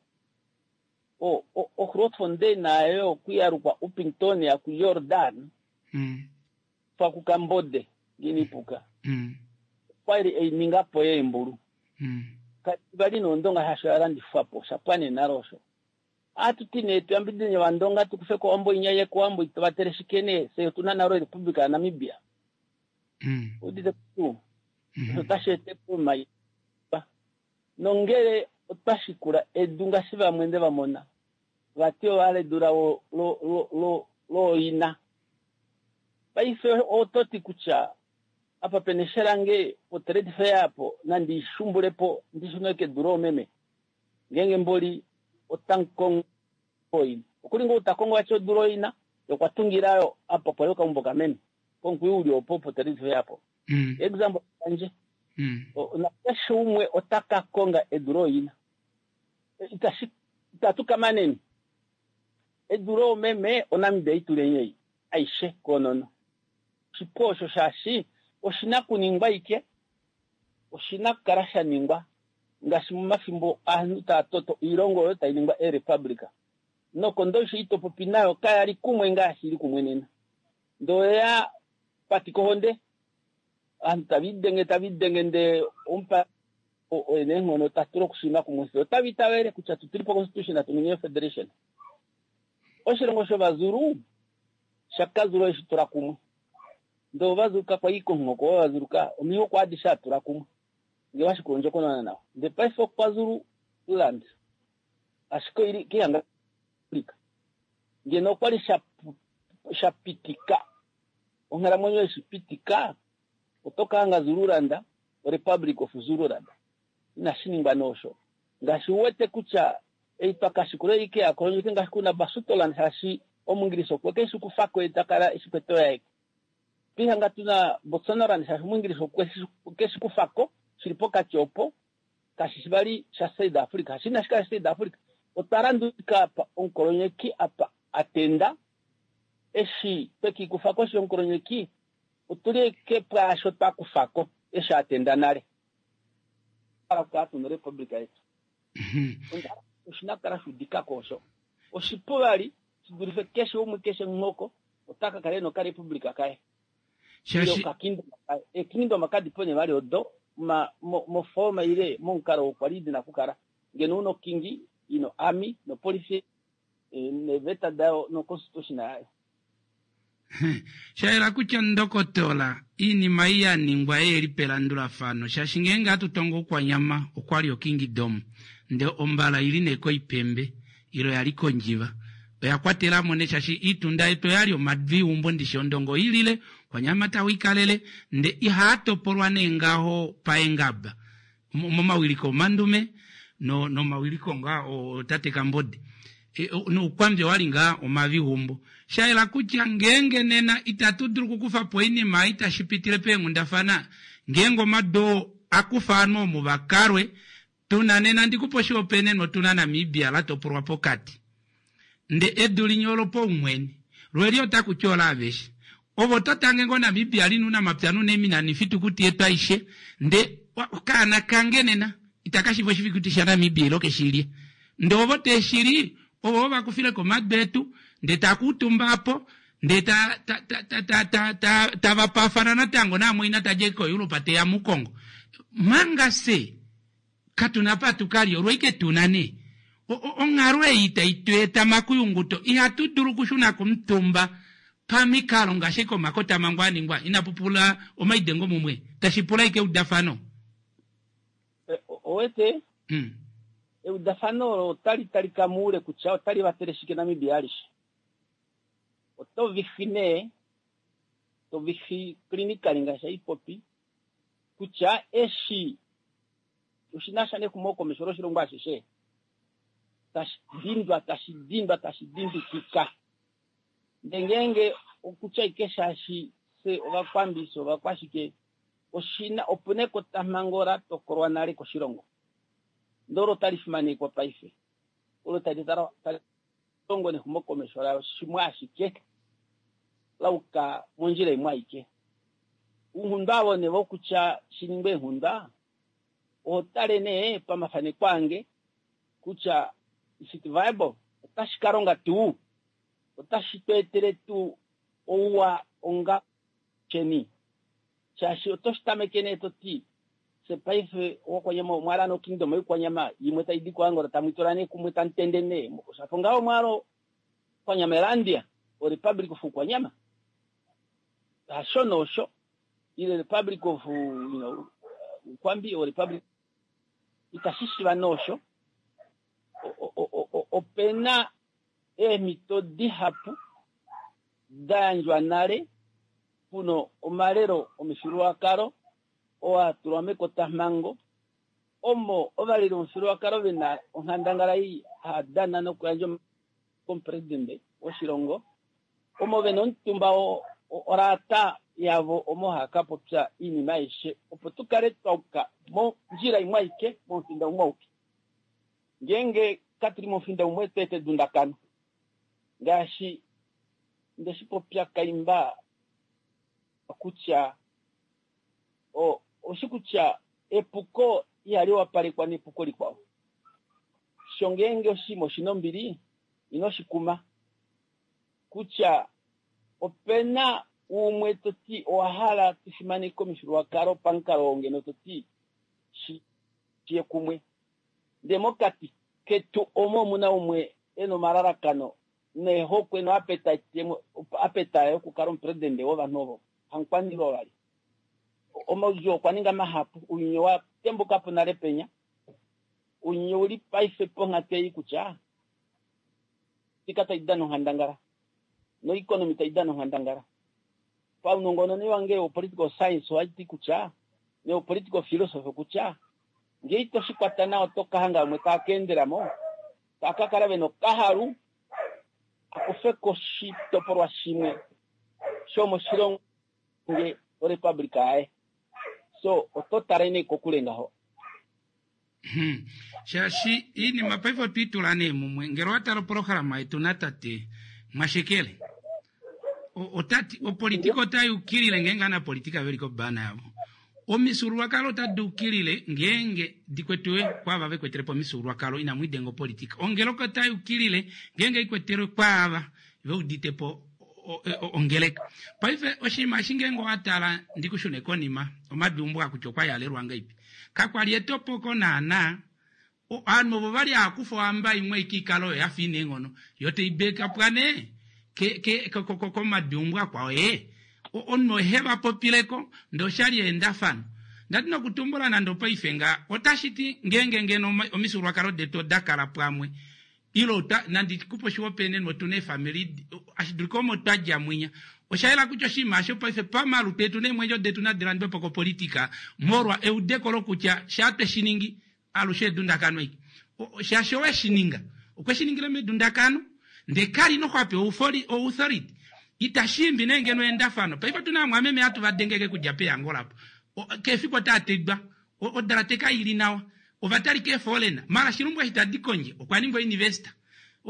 E: oGrootfontein nayo okuyalukwa Upington kuJordan fa kuKambode nginipuka okwali ei ninga po yeembulu. Vali noondonga shaashi oya landifwa po, sha pwa nee nale osho. Ohatu ti nee tuyambidide ovandonga tu kufe ko Owambo inya ye kOwambo itovatele shike nee, fye otuna nale Republika yaNamibia. Udite tuu? Osho otashi ete po omaipa. Nongele otwa shikula edu ngaashi vamwe nde va mona, vati ova hala edu lavo looina. Paife oto ti kutya apa pena eshe lange potrade fair apo nandi shumbule po ndi shune kedu loomeme. Ngeenge mboli ota kongo oina. Okuli ngoo ta kongo vati edu looina, ye okwa tungila yo apa pwali okaumbo kameme. Pomukwiyu uli opo potrade fair apo. Example yandje. Nakeshe umwe ota ka konga edu looina. Itatu ka maneni. Edu loomeme oNamibia ituleni ei aishe koonono. Oshipu osho shaashi oshina kuningwa ike, oshina kukala sha ningwa ngaashi momafimbo aanhu taa toto oilongo oyo tai ningwa eerepublika. Nokondo isho itopopi nayo kaya li kumwe ngaashi ili kumwe nena. Ndee oya pati kohonde, ovanhu tava idenge tava idenge ndee omupa oye neenghono ta tula okushima kumwe fye otava itavele kutya tu tuli po constitution atu ningi federation. Oshilongo shovazulu shakazulu eshi tula kumwe ndee ovazulu kakwa i komuhoko wovazulu ka omihoko adishe a tula kumwe ngee washikula ondjokonona nawa. Ndee paife okwazulu land ashike oili kehanga Afrika ngeno okwali sha pitika onghalamwenyo yeshi pitika oto ka hanga Zululand oRepublic of Zululand. Inashi ningwa nee osho. Ngaashi u wete kutya ei twa ka shikula ei ke ya kolonyeke ngaashi kuna Basutoland shaashi Omungilisi okwe ke shi kufa ko ye ta kala eshi kwete oyaye. Otwa ihanga tuna Botswanaland shaashi Omungilisi okwe ke shi kufa ko shili pokati opo kashi shi vali sha South Africa. Shaashi inashi kala sha South Africa. Otwa landulika apa omukolonyeki apa a tenda eshi twe ki kufa koshi yomukolonyeki otuli eke pwaasho twa kufa ko eshi a tenda nale. Hala okukala tuna orepublika yetu. Oshina okukala sha udika ko osho. Oshipu vali shi dulife keshe umwe keshe omuhoko ota ka kala ena okarepublika kaye. Ile okakingdom kaye. Eekingdom kadi po nee vali odo moforma ile momukalo oo kwali dina okukala. Ngeno una okingi, ino army, nopolifi neeveta dayo noconstitution yayo.
A: Sha yela kutya ndokotola, iinima ei ya ningwa ei li pelandulafano, shaashi ngeenge hatu tongo Oukwanyama okwa li okingidom, ndee ombala i li nee koipembe, ile oya li kOndjiva. Oya kwatela mo nee shaashi iitunda yetu oya li omadviumbo ndishi Ondongo oi lile, Oukwanyama tau ikalele, ndee ihaa topolwa nee ngaho paengaba. Momawiliko omandume no nomawiliko ngaa ootate Kambode nOukwambi owa li ngaa omavigumbo. Sha yela kutya ngeenge nena itatu dulu okukufa po oinima ei tashi pitile peenghundafana, ngeenge omadu oo a kufa ovanhu omu va kalwe, tu na nena ndi kupe oshihopaenenwa otu na Namibia la topolwa pokati. Nde edu linya olopaumwene, lweli otaku ti olaaveshe. Ove oto tange ngoo Namibia lina ounamapya nounaimuna noifitukuti yetu aishe, nde okaana kange nena itaka shiiva oshifitukuti shaNamibia ile oke shi lye. Nde ovo te shi li, ovo va kufile ko omadu etu, nde taa kuutumba apo, nde ta, ta, ta, ta, ta, ta, ta, tava paafana natango naamwaina ta dje koEuropa te ya muKongo. Manga fye katu na apa tu ka lye, olwoike tu na nee. Onghalo ei tai tu eta makuyunguto, ihatu dulu okushuna komutumba pamikalo ngaashi ashike omakotamhango a ningwa, inapu pula omaidengo mumwe, tashi pula ashike eudafano.
E: Owete eudafano olo otali talika muule kutya otali vatele shike Namibia alishe. Oto vihi nee, to vihi clinically ngaashi haipopi kutya eshi oshinasha nexumokomesho loshilongo ashishe tashi dindwa tashi dindwa tashi dindikika. Ndee ngeenge okutya ike shaashi fye ovakwambi fye ovakwashike oshina opuna ekotamhango la tokolwa nale koshilongo ndee olo tali fimanekwa paife olo tali tali longo nexumokomesho layo shimwe ashike lauka mondjila imwe aike. Ounghundwa avo nee vokutya shiningwe eenghundwa oho tale nee pamafaneko ange kutya is it viable otashi ka longa tuu otashi tu etele tuu ouwa onga sheni shaashi oto shi tameke nee to ti fye paife owakwanyama omwala no kingdom yoikwanyama imwe tai di koAngola tamu tula nee kumwe tamu tende nee oshafa ngaho omwalo Kwanyamelandia o Republic of Ukwanyama hasho nosho ile Republic of you know Ukwambi o Republic itashi shiva nosho opena eemhito dihapu da yandjwa nale puno omalelo omifyuululwakalo oo a tulwa mekotamhango omo ovaleli vomufyuululwakalo ve na onghandangala ei haa dana nokuyandja komupresidente woshilongo omo ve na omutumba olaata yavo omo haa ka popya oinima aishe opo tu kale twa yuka mondjila imwe aike momufinda umwe auke. Ngeenge katu li momufinda umwe otwa eta edundakano ngaashi nde shi popya kaimba kutya oshi kutya epuko ihali wapalekwa nepuko likwao. Sho ngeenge oshinima oshina ombili ino shi kuma kutya opena umwe to ti owa hala tu fimaneke omifyuululwakalo pamukalo oo ngeno to ti shi ye kumwe ndee mokati ketu omo omuna umwe ena omalalakano neehokwe noapetite yokukala omupresidente wovanhu ovo hamukwaniilwa vali. Omaudjuu okwa ninga mahapu, ounyuni owa tembuka po nale penya. Ounyuni ouli paife ponghatu ei kutya tika tai dana onghandangala noeconomy tai dana onghandangala. Paunongononi wange wopolitical science ohai ti kutya neopolitical philosophy kutya ngee ito shi kwata nawa oto ka hanga vamwe tava ka endela mo tava ka kala vena okahalu a kufe ko oshitopolwa shimwe shomoshilongo nge orepublika yaye. So oto tale nee kokule ngaho.
A: Shaashi iinima paife otwe i tula nee mumwe. Ngele owa tala opolohalama yetu natate Mwashekele, ota ti opolitika otai ukilile ngeenge anapolitika ve li kobana yavo. Omifyuululwakalo otadi ukilile ngeenge di kwetiwe kwaava ve kwetele po omifyuululwakalo, inamu i denga opolitika. Ongeleka otai ukilile ngeenge i kwetelwe kwaava ve udite po ongeleka. Paife oshinima eshi ngeenge owa tala ndi ku shune konima, omaduumbo a kutya okwa yalelwa ngaipi. Kakwa li etopoko naanaa. Ovanhu ovo vali hava kufa ohamba imwe aike ikale oyo ya fa ina eenghono, yo tai bekapwa nee komaduumbo akwao ee. Omunhu ohe va popileko ndee oshali eendafano. Ndati nokutumbula nande opaife nga otashi ti ngeenge ngeno omifyuululwakalo detu oda kala pwamwe ile ota nandi kupe oshihopaenenwa otu na eefamili ashi dulika omo twa dja mwinya. Osha yela kutya oshinima osho paife pamalutu etu neemwenyo detu nadi landwe po kopolitika molwa eudeko lokutya shaa twe shi ningi alushe edundakano aike. Shaashi owe shi ninga okwe shi ningile medundakano ndee kali noho a pewa authority. Itashi imbi nee ngeno eendafano. Paife otu na aamwameme hatu va dengeke kudja peyangola apo. Keshe efiku otaa tidwa. Odalate kai li nawa. Ova talika eefoolena. Mara Shilumbu eshi tadi kondje okwa ningwa ounivesta.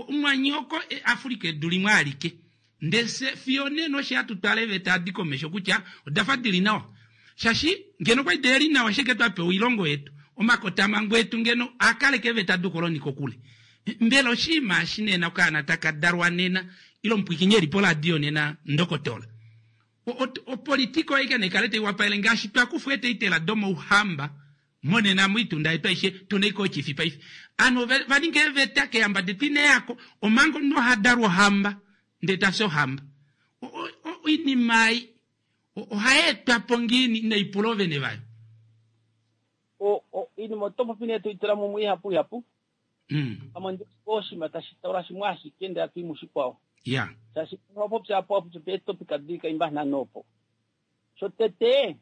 A: Mwanyoko Africa edu limwe alike. Ndee fye fiyo onena osho hatu twala eeveta adi komesho kutya oda fa di li nawa. Shaashi ngeno okwali de li nawa ashike twa pewa oilongo yetu, omakotamhango etu ngeno a kaleka eeveta doukoloni kokule. Mbela oshinima eshi nena okaana taka dalwa nena ile omupwikinyi e li poradio nena Ndokotola? Opolitika oyo aike nai kale tai wapalele ngaashi twa kufwa eetaitela domouhamba Monena moitunda yetu aishe tuna iko ochifi paife. Ovanhu ova ninga eeveta keehamba detu ina yako omanga omunhu oha dalwa ohamba ndee ta fi ohamba. Oinima ei ohai etwa po ngiini inai pula oovene vayo?
E: Oinima oto popi nee toitula mumwe ihapu ihapu. Pamwe ondi oshinima tashi taula shimwe ashike ndele atu i mushikwao. Shaashi owa popya apo wa popya eetopika dili kaimba nhano opo. Shotete,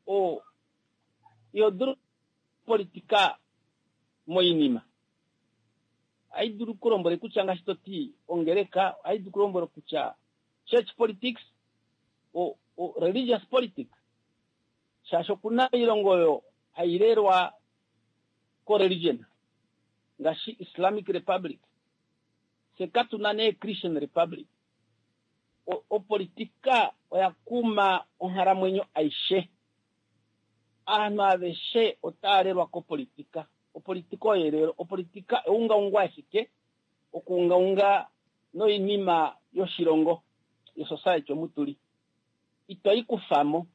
E: o iho dulu politika moinima. Ohai dulu kulombwele kutya ngaashi to ti ongeleka, ohai dulu kulombwela kutya church politics, o, o religious politics. Shaashi oku na oilongo oyo hai lelwa ko-religion, ngaashi Islamic Republic. Fye katu na nee Christian Republic. O, opolitika oya kuma onghalamwenyo aishe. Ovanhu aveshe otava lelwa kopolitika. Opolitika oyo elelo. Opolitika eungaungo ashike okuungaunga noinima yoshilongo, yosociety omu tu li. Ito i kufa mo.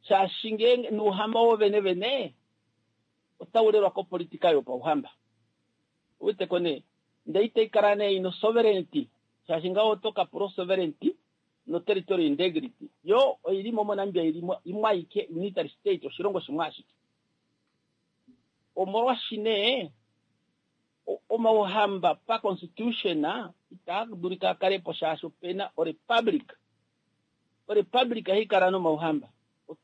E: Shaashi ngeenge nouhamba wo vene vene otau lelwa kopolitika yopauhamba. Ouwete ko nee? Ndele itai kala nee ina osovereignty, shaashi ngaho oto ka pula osovereignty noterritorial integrity. Yo oi li mo moNamibia i li mo imwe aike, unitary state, oshilongo shimwe ashike. Omolwashi nee omauhamba pa constitution itaa dulika a kale po shaashi ope na orepublic. Orepublic ihai kala nomauhamba.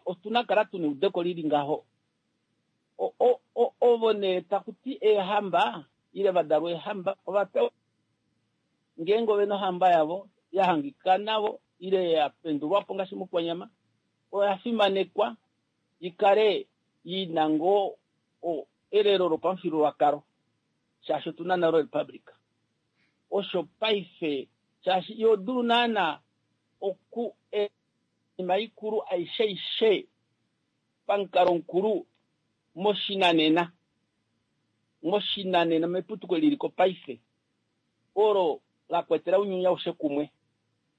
E: Otu na kala tu na eudeko li li ngaho. Ovo nee taku ti eehamba ile va dalwa eehamba ova pewa ngeenge ove na ohamba yavo ya hangika navo ile ya pendulwa po ngaashi mOkwanyama, oya fimanekwa i kale i na ngoo elelo lopamufyuululwakalo shaashi otu na nale orepublika. Osho paife shaashi iho dulu naana oku oinima ikulu aishe aishe pamukalo mukulu moshinanena, moshinanena meputuko eli li ko paife, olo la kwetela ounyuni aushe kumwe.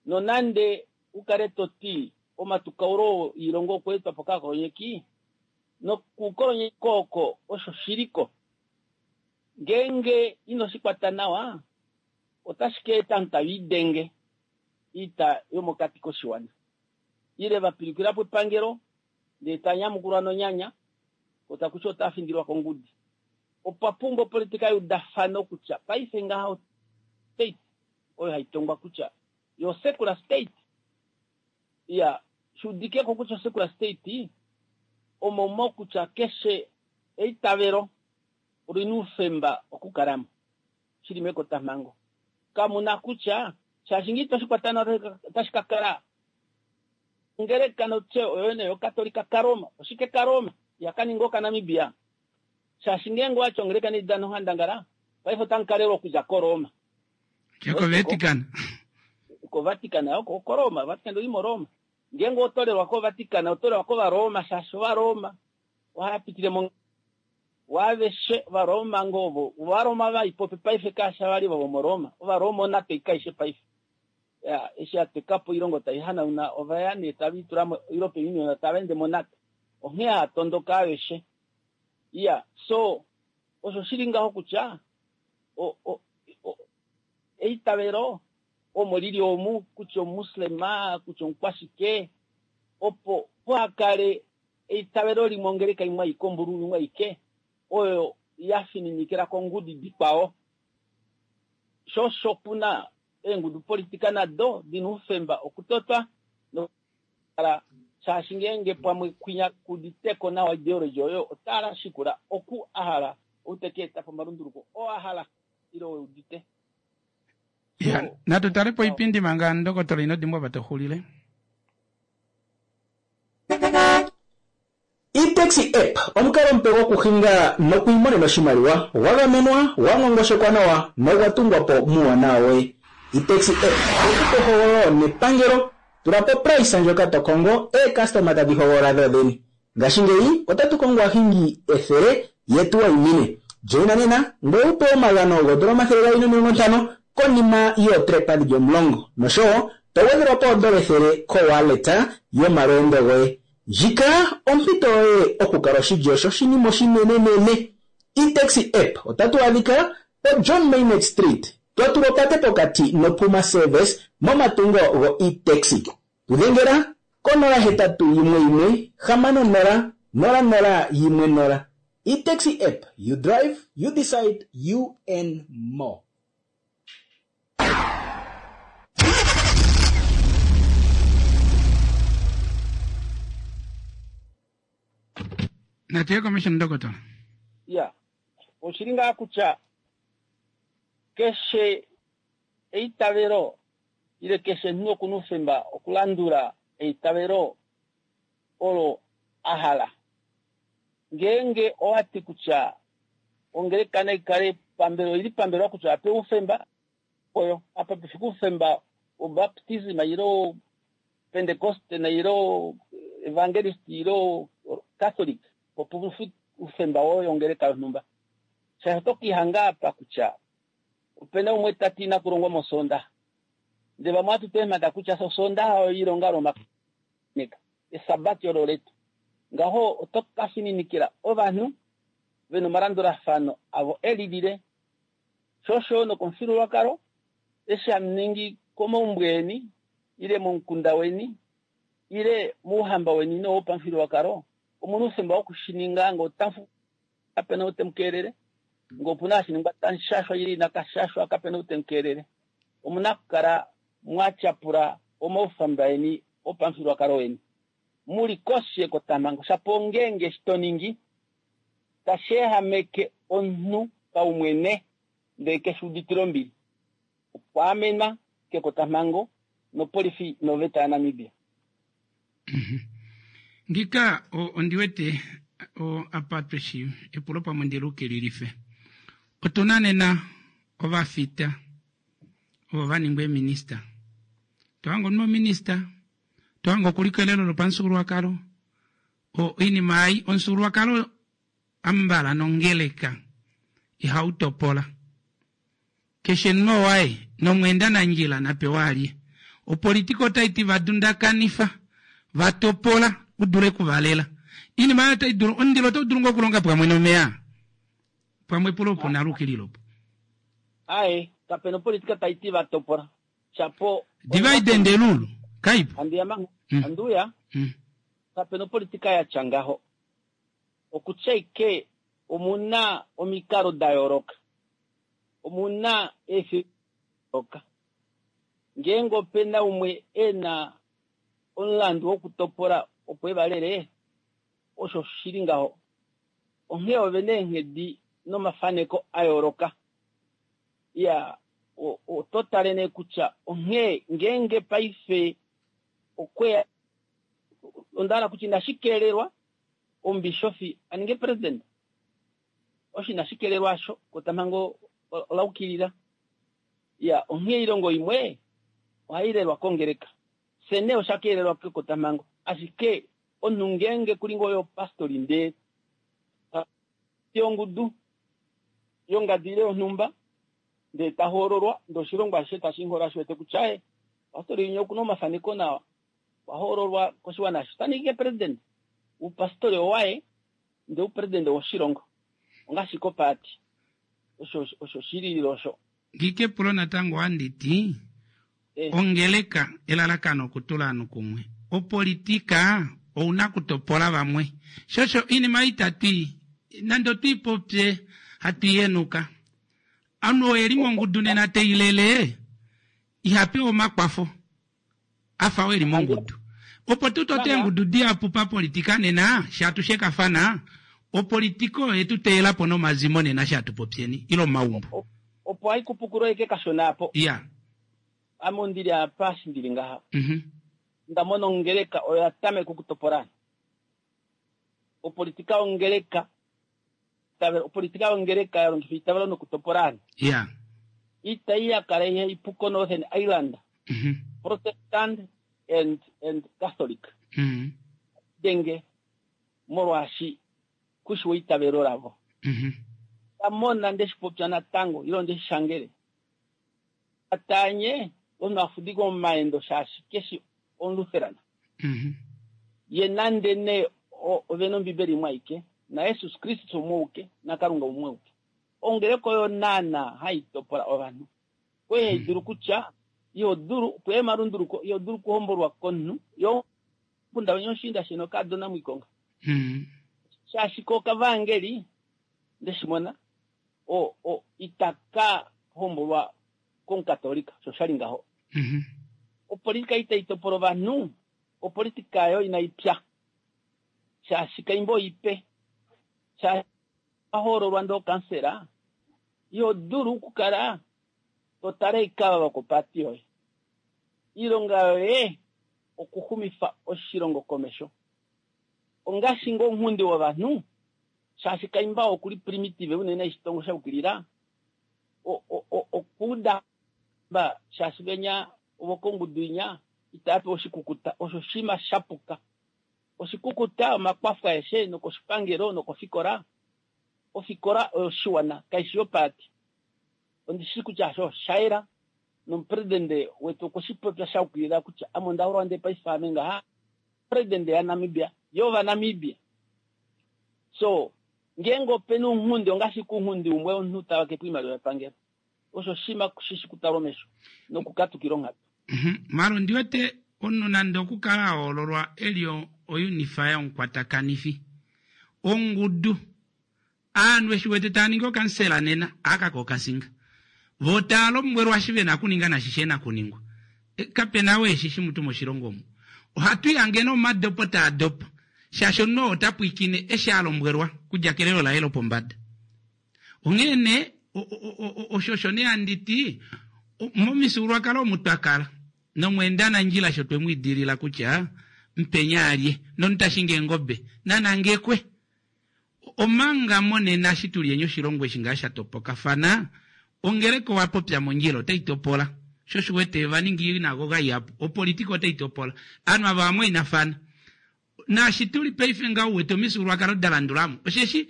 E: Nonande u kale to ti omatukaulo oilongo okwa etwa po kaakolonyeki, nokukolonyeka oko osho shi li ko. Ngeenge ino shi kwata nawa, otashi ka eta ovanhu tave lidenge oita yomokati koshiwana. Ile va pilukila po epangelo ndele ta nyamukulwa nonyanya, ko taku ti otava findilwa kongudi. Opwa pumbwa opolitika yeudafano kutya paife ngaha state oyo hai tongwa kutya yo secular state. Iya, shi udike ko kutya secular state omo mo kutya keshe eitavelo oli na oufemba okukala mo. Shi li mekotamhango. Kamu na kutya shaashi ngee ito shi kwata nawa otashi ka kala Ongeleka notye oyo nee yoKatolika kaRoma. Oshike kaRoma? Ihaka ninga okaNamibia. Shaashi ngeenge owati ongeleka nai dane onghandangala, paife otamu ka lelwa okudja koRoma.
A: Dja koVatican.
E: KoVatican, oko koRoma. Vatican oi moRoma. Ngeenge oto lelwa koVatican, oto lelwa kOvaroma, shaashi Ovaroma ohava pitile mo waaveshe Ovaroma ngoo ovo. Ovaroma vai popi paife kaashi vali ovo vomoRoma. Ovaroma onato aishe paife. Ya, eshi ya teka po oilongo tai hanauna, ova ya nee tave i tula moEuropean Union, tava ende moNATO. Onghee haa tondoka aveshe. Iya, so, osho shi li ngaho kutya, o, o, o, eitavelo omo li li omu, kutya omuMuslema, kutya omukwashike, opo puha kale eitavelo limwe ongeleka imwe aike, ombululu imwe aike, oyo ya fininikila kongudi dikwao. Sho osho pu na eengudupolitika nado di na oufemba okutotwa nokukala shaashi ngeenge pamwe kwinya kuditeko nawa ideology oyo ota shikula oku a hala ou te ka eta po omalunduluko oo a hala ile oo e udite.
A: Ya, natu tale po oipindi manga Ndokotola ino dimbwa apa to xulile.
G: E-taxi app omukalo omupe gokuhinga nokwiimonena oshimaliwa, gwa gamenwa, gwa ngongoshekwa nawa nogwa tungwa po muuwanawa woye. E-taxi app oye ku pa ehogololo nepangelo, tula po oprice ndjoka to kongo, eecustoma tadhi hogolola dhodhene. Ngashingeyi otatu kongo aahingi 100 ye tu wayimine. Joina nena ngoye wu pewe omagano goodola 250 konima yootrepa dhili omulongo noshowo to gwedhelwa po oodola 100 kowallet yomalweendo goye. Ndjika ompito yoye okukala oshilyo shoshinima oshinenenene. E-taxi app otatu adhika poJohn Maynard Street, twa tulwa opate pokati noPuma Service momatungo go-e-taxi. Tu dhengela ko 081 160. 00 1 0. E-taxi app, you drive, you decide, you earn more.
A: Natu ye komesho ndokotola.
E: Ya, oshili ngaa kutya keshe eitavelo ile keshe omunhu oku na oufemba okulandula eitavelo olo a hala. Ngeenge owa ti kutya ongeleka nai kale pambelewa, oi li pambelewa kutya oya pewa oufemba, oyo apa pe fike oufemba wobaptism ile Pentecoste ile Evangelist ile Catholic, opo pu oufemba woye ongeleka yonhumba. Shaashi oto ke lihanga apa kutya opena umwe ta ti inaku longwa mOsoondaxa. Ndele vamwe ohatu tu eemhata kutya Osoondaxa oyo oilonga lomakaneka, Esabati olo letu. Ngaho oto ka fininikila ovanhu ve na omalandulafano avo e lilile. Sho osho nokomufyuululwakalo, eshi hamu ningi komaumbo eni, ile momukunda weni, ile mouhamba weni nowopamufyuululwakalo, omu na oufemba woku shi ninga ngee otamu kape na ou te mu keelele. Ngee opu na hashi ningwa tamu shashwa ile inaka shashwa, kape na ou te mu keelele. Omu na okukala mwa tyapula omaufemba eni opamufyuululwakalo weni mu li koshi yekotamhango, shapo ongeenge eshi to ningi tashi ehameke omunhu paumwene ndele keshi uditile ombili. Okwa amenwa kekotamhango nopolifi noveta yaNamibia.
A: Ngika ondi wete apa tweshi epulo pamwe ndi lukililife. Otu na nena ovafita ovo va ningwa eeminista. To hanga omunhu ominista, to hanga okuli kelelo lopamufyuululwakalo. Oinima ei omufyuululwakalo ambala nongeleka ihau topola. Keshe munhu owaye, nomweenda nandjila na pewe alye. Opolitika otai ti va dundakanifa, va topola, u dule ku va lela. Iinima oyo otai dulu, omundilo otau dulu ngoo okulonga pwamwe nomeya? Pamwe epulo opo nalo ukilile opo.
E: Ae, kapena opolitika tai ti va topola. Shapo.
A: Divide and rule, kaipo.
E: Andiya manga, andiuya. Kapena opolitika ya tya ngaho. Okutya ike omu na omikalo da yooloka, omu na eefilosofia da yooloka. Ngeenge ope na umwe e na omulandu wokutopola opo e va lele, osho shi li ngaho. Onghee ove na eenghedi nomafaneko a yooloka. Iya, oto tale nee kutya onghee ngeenge paife okwe ya, onda hala kutya inashi keelelwa omubishofi a ninge president. Osho inashi kelelwa asho, ekotamhango ola ukilila. Iya, onghee oilongo imwe ohai lelwa kongeleka. Fye nee osha keelelwa kekotamhango, ashike omunhu ngeenge kuli ngoo oye opastori ndee ta ti ongudu yongadi ile yonhumba ndee ta hoololwa ndee oshilongo ashishe tashi mu hoolola shi wete kutya ee pastori winya okuna omafaneko nawa okwa hoololwa koshiwana ashishe ota ningi president. Oupastori owaye ndee oupresident owoshilongo ongaashi kopaati osho osho shililile osho.
A: Ngike epulo natango ohandi ti ongeleka elalakano okutula ovanhu kumwe opolitika ouna okutopola vamwe sho osho oinima ei itatu i nande otwi popye hatu i henuka omunhu oo eli mongudu nena teilele iha pewa omakwafo a fa oo eli mongudu opo tu tote eengudu dihapu papolitika nena shatu shekafana opolitika oyo yetu teyela po nomazimo nena shatu popyeni ile omaumbo.
E: Opo hai kupukula eke kashona apo.
A: Iya.
E: Ame ondi li apa eshi ndi li ngaha. Onda mona ongeleka oyo ya tameka okutopola ovanhu. Opolitika yongeleka, opolitika yongeleka ya longifa eitavelo nokutopola ovanhu.
A: Iya.
E: Itai ya kala ihai pu koNorthern Ireland. Protestant and, and Catholic. Denge, molwaashi kushi weitavelo lavo. Nda mona nde shi popya natango, ile onde shi shangele. Atanye, omunhu a fudika omaendo shaashi keshi Omulutheran. Ye nande nee ove na Ombibeli imwe aike, naJesus Kristus umwe auke, naKalunga umwe auke. Ongeleka oyo naana hai topola ovanhu. Oyo hai dulu kutya, iho dulu, opo emalunduluko, iho dulu okuhombolwa komunhu, yo omukunda weni oshiinda sheni okaadona mwiikonga. Shaashi ko okavaangeli ndeshimona o o itaka hombolwa komukatolika osho shali ngaho. Opolitika itai topola ovanhu, opolitika yo inai pya. Shaashi kaimba oipe. Shaashi wa hoololwa ndee okansela, iho dulu okukala to tale oikava vokopaati yoye. Oilonga yoye okuxumifa oshilongo komesho. Ongaashi ngoo ounghundi wovanhu, shaashi kaimba oku li primitive unene eshi tongo sha yukilila, okuuda shaashi venya vokongudu inya itava pewa oshikukuta, osho oshinima sha puka. Oshikukuta, omakwafo aeshe nokoshipangelo nokofikola. Ofikola oyoshiwana, kaishi yopaati. Ondi shii kutya hasho osha yela, nomupresidente wetu okwe shi popya sha yukilila kutya ame onda hoololwa ndee paife ame ngaha presidente yaNamibia, yOvanamibia. So, ngeenge ope na ounghundi, ongaashi ashike ounghundi umwe womunhu ta vake po oimaliwa yepangelo. Osho oshinima shi shi kutalwa omesho nokukatukila onghatu.
A: Mara ondi wete omunhu nande okukala a hoololwa e li oyunifa yomukwatakanifi ongudu, aanhu eshi wete taa ningi okansela nena, aka ko okasinga. Vo taa lombwelwa eshi ve na okuninga nashi shihe na kuningwa. Kape na oo eshi shi mutu moshilongo omu. Ohatu ihange nomadopo taa dopa, shaashi omunhu oo ota pwiikine eshi a lombwelwa kudja kelelo laye lopombada. Onghee nee, osho osho nee handi ti, momifyuululwakalo omu twa kala, nomweendanandjila sho twe mu idilila kutya mupenya alye, nomuntu ta shingi eengobe, na nangekwe. Omanga monena eshi tu li oshilongo eshi ngaa sha topokafana, ongeleka owa popya mondjila otai topola. Sho osho u wete va ninga oinagoga ihapu, opolitika otai topola. Ovanhu ava ovamwainafana. Naashi tu li paife ngaho u wete omifyuululwakalo da landula mo, osheshi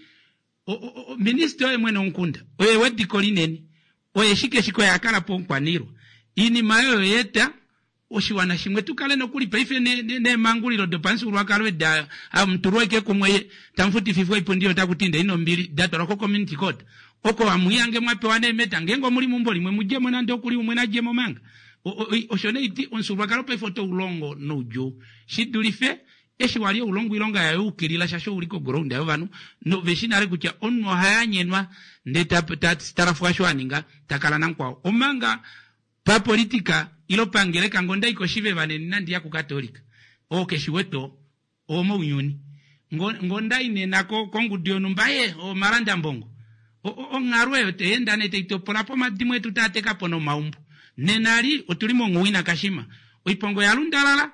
A: Minista oye mwene womukunda, oye wediko linene, oye shike shike oye a kala po omukwaniilwa. Iinima oyo oya eta oshiwana shimwe tu kale nokuli paife neemangulilo dopamufyuululwakalo edi hamu tulwa ashike kumwe tamu futififwa oipundi otaku ti indeni nombili, da twalwa ko-community court oko hamu ihange mwa pewa neemeta ngeenge omuli meumbo limwe mu dje mo nande okuli umwe na dje mo manga. Osho nee iti omufyuululwakalo paife otau longo noudjuu shi dulife Eshi wa li ou longo oilonga ya yukilila shaashi ou li koground yovanhu nove shi nale kutya omunhu oha yanyenwa ndee ta, ta talafwa osho a ninga ta kala namukwao. Omanga papolitika ilo pangeleka ngee onda i koshiveva nena inandi ya kukatolika oo keshi wete oo owomounyuni. Ngo, ngee onda i nena ko, kongudu yonhumba ee omalandambongo. O, o, onghalo eyo tai enda nee tai topola po omadimo etu taa teka po nomaumbo. Nena li otu li monghuwina kashima. Oiponga oya lundalala,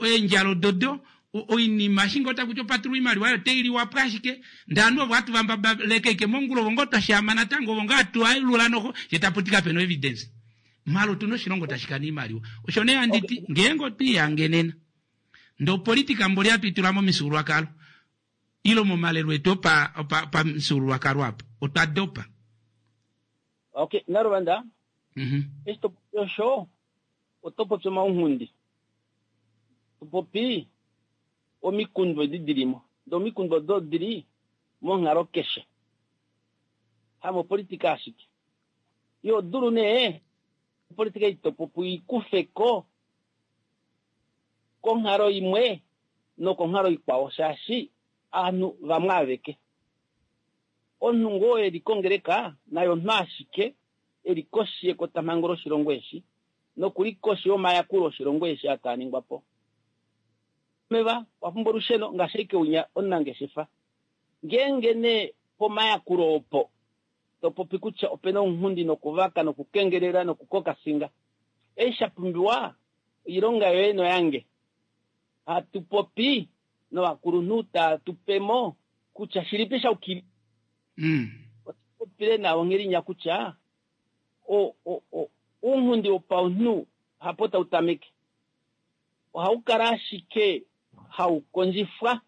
A: eendjala ododo, oinima eshi ngoo taku ti opa tulwa oimaliwa oyo otai liwa po ashike, ndee ovanhu ovo hatu va mbabaleke ashike mongula ovo ngoo twa shaama natango ovo ngoo hatu alula noho, shee tapu ti kapena o-evidence. Maala otuna oshilongo tashi kana oimaliwa. Osho nee handi ti ngeenge otwe ihange nena ndee opolitika mboli hatu i tula momifyuululwakalo ile momalelo etu opa opamufyuululwakalo apa otwa dopa.
E: Okay, Naluvanda, eshi to popi osho Oto popi omaunghundi. To popi omikundu edi di li mo. Ndee omikundu odo odi li monghalo keshe. Hamopolitika ashike. Iho dulu nee opolitika ei to popi ui kufe ko konghalo imwe nokonghalo ikwao shaashi ovanhu vamwe aveke. Omunhu ngoo e li kongeleka naye omunhu ashike e li koshi yekotamhango loshilongo eshi noku li koshi yomayakulo oshilongo eshi aa taa ningwa po. Omeva, owa pumbwa olusheno ngaashi ashike unya omunangeshefa. Ngeenge nee pomayakulo opo to popi kutya ope na ounghundi nokuvaka nokukengelela nokukokasinga, eshi sha pumbiwa oilonga yoye noyange. Hatu popi novakulunhu taa tu pe mo kutya shilipi sha yukilila. Ota popile nawa onghelinya kutya o, o, o, ounghundi wopaunhu hapo tau tameke. Ohau kala ashike hau kondjifwa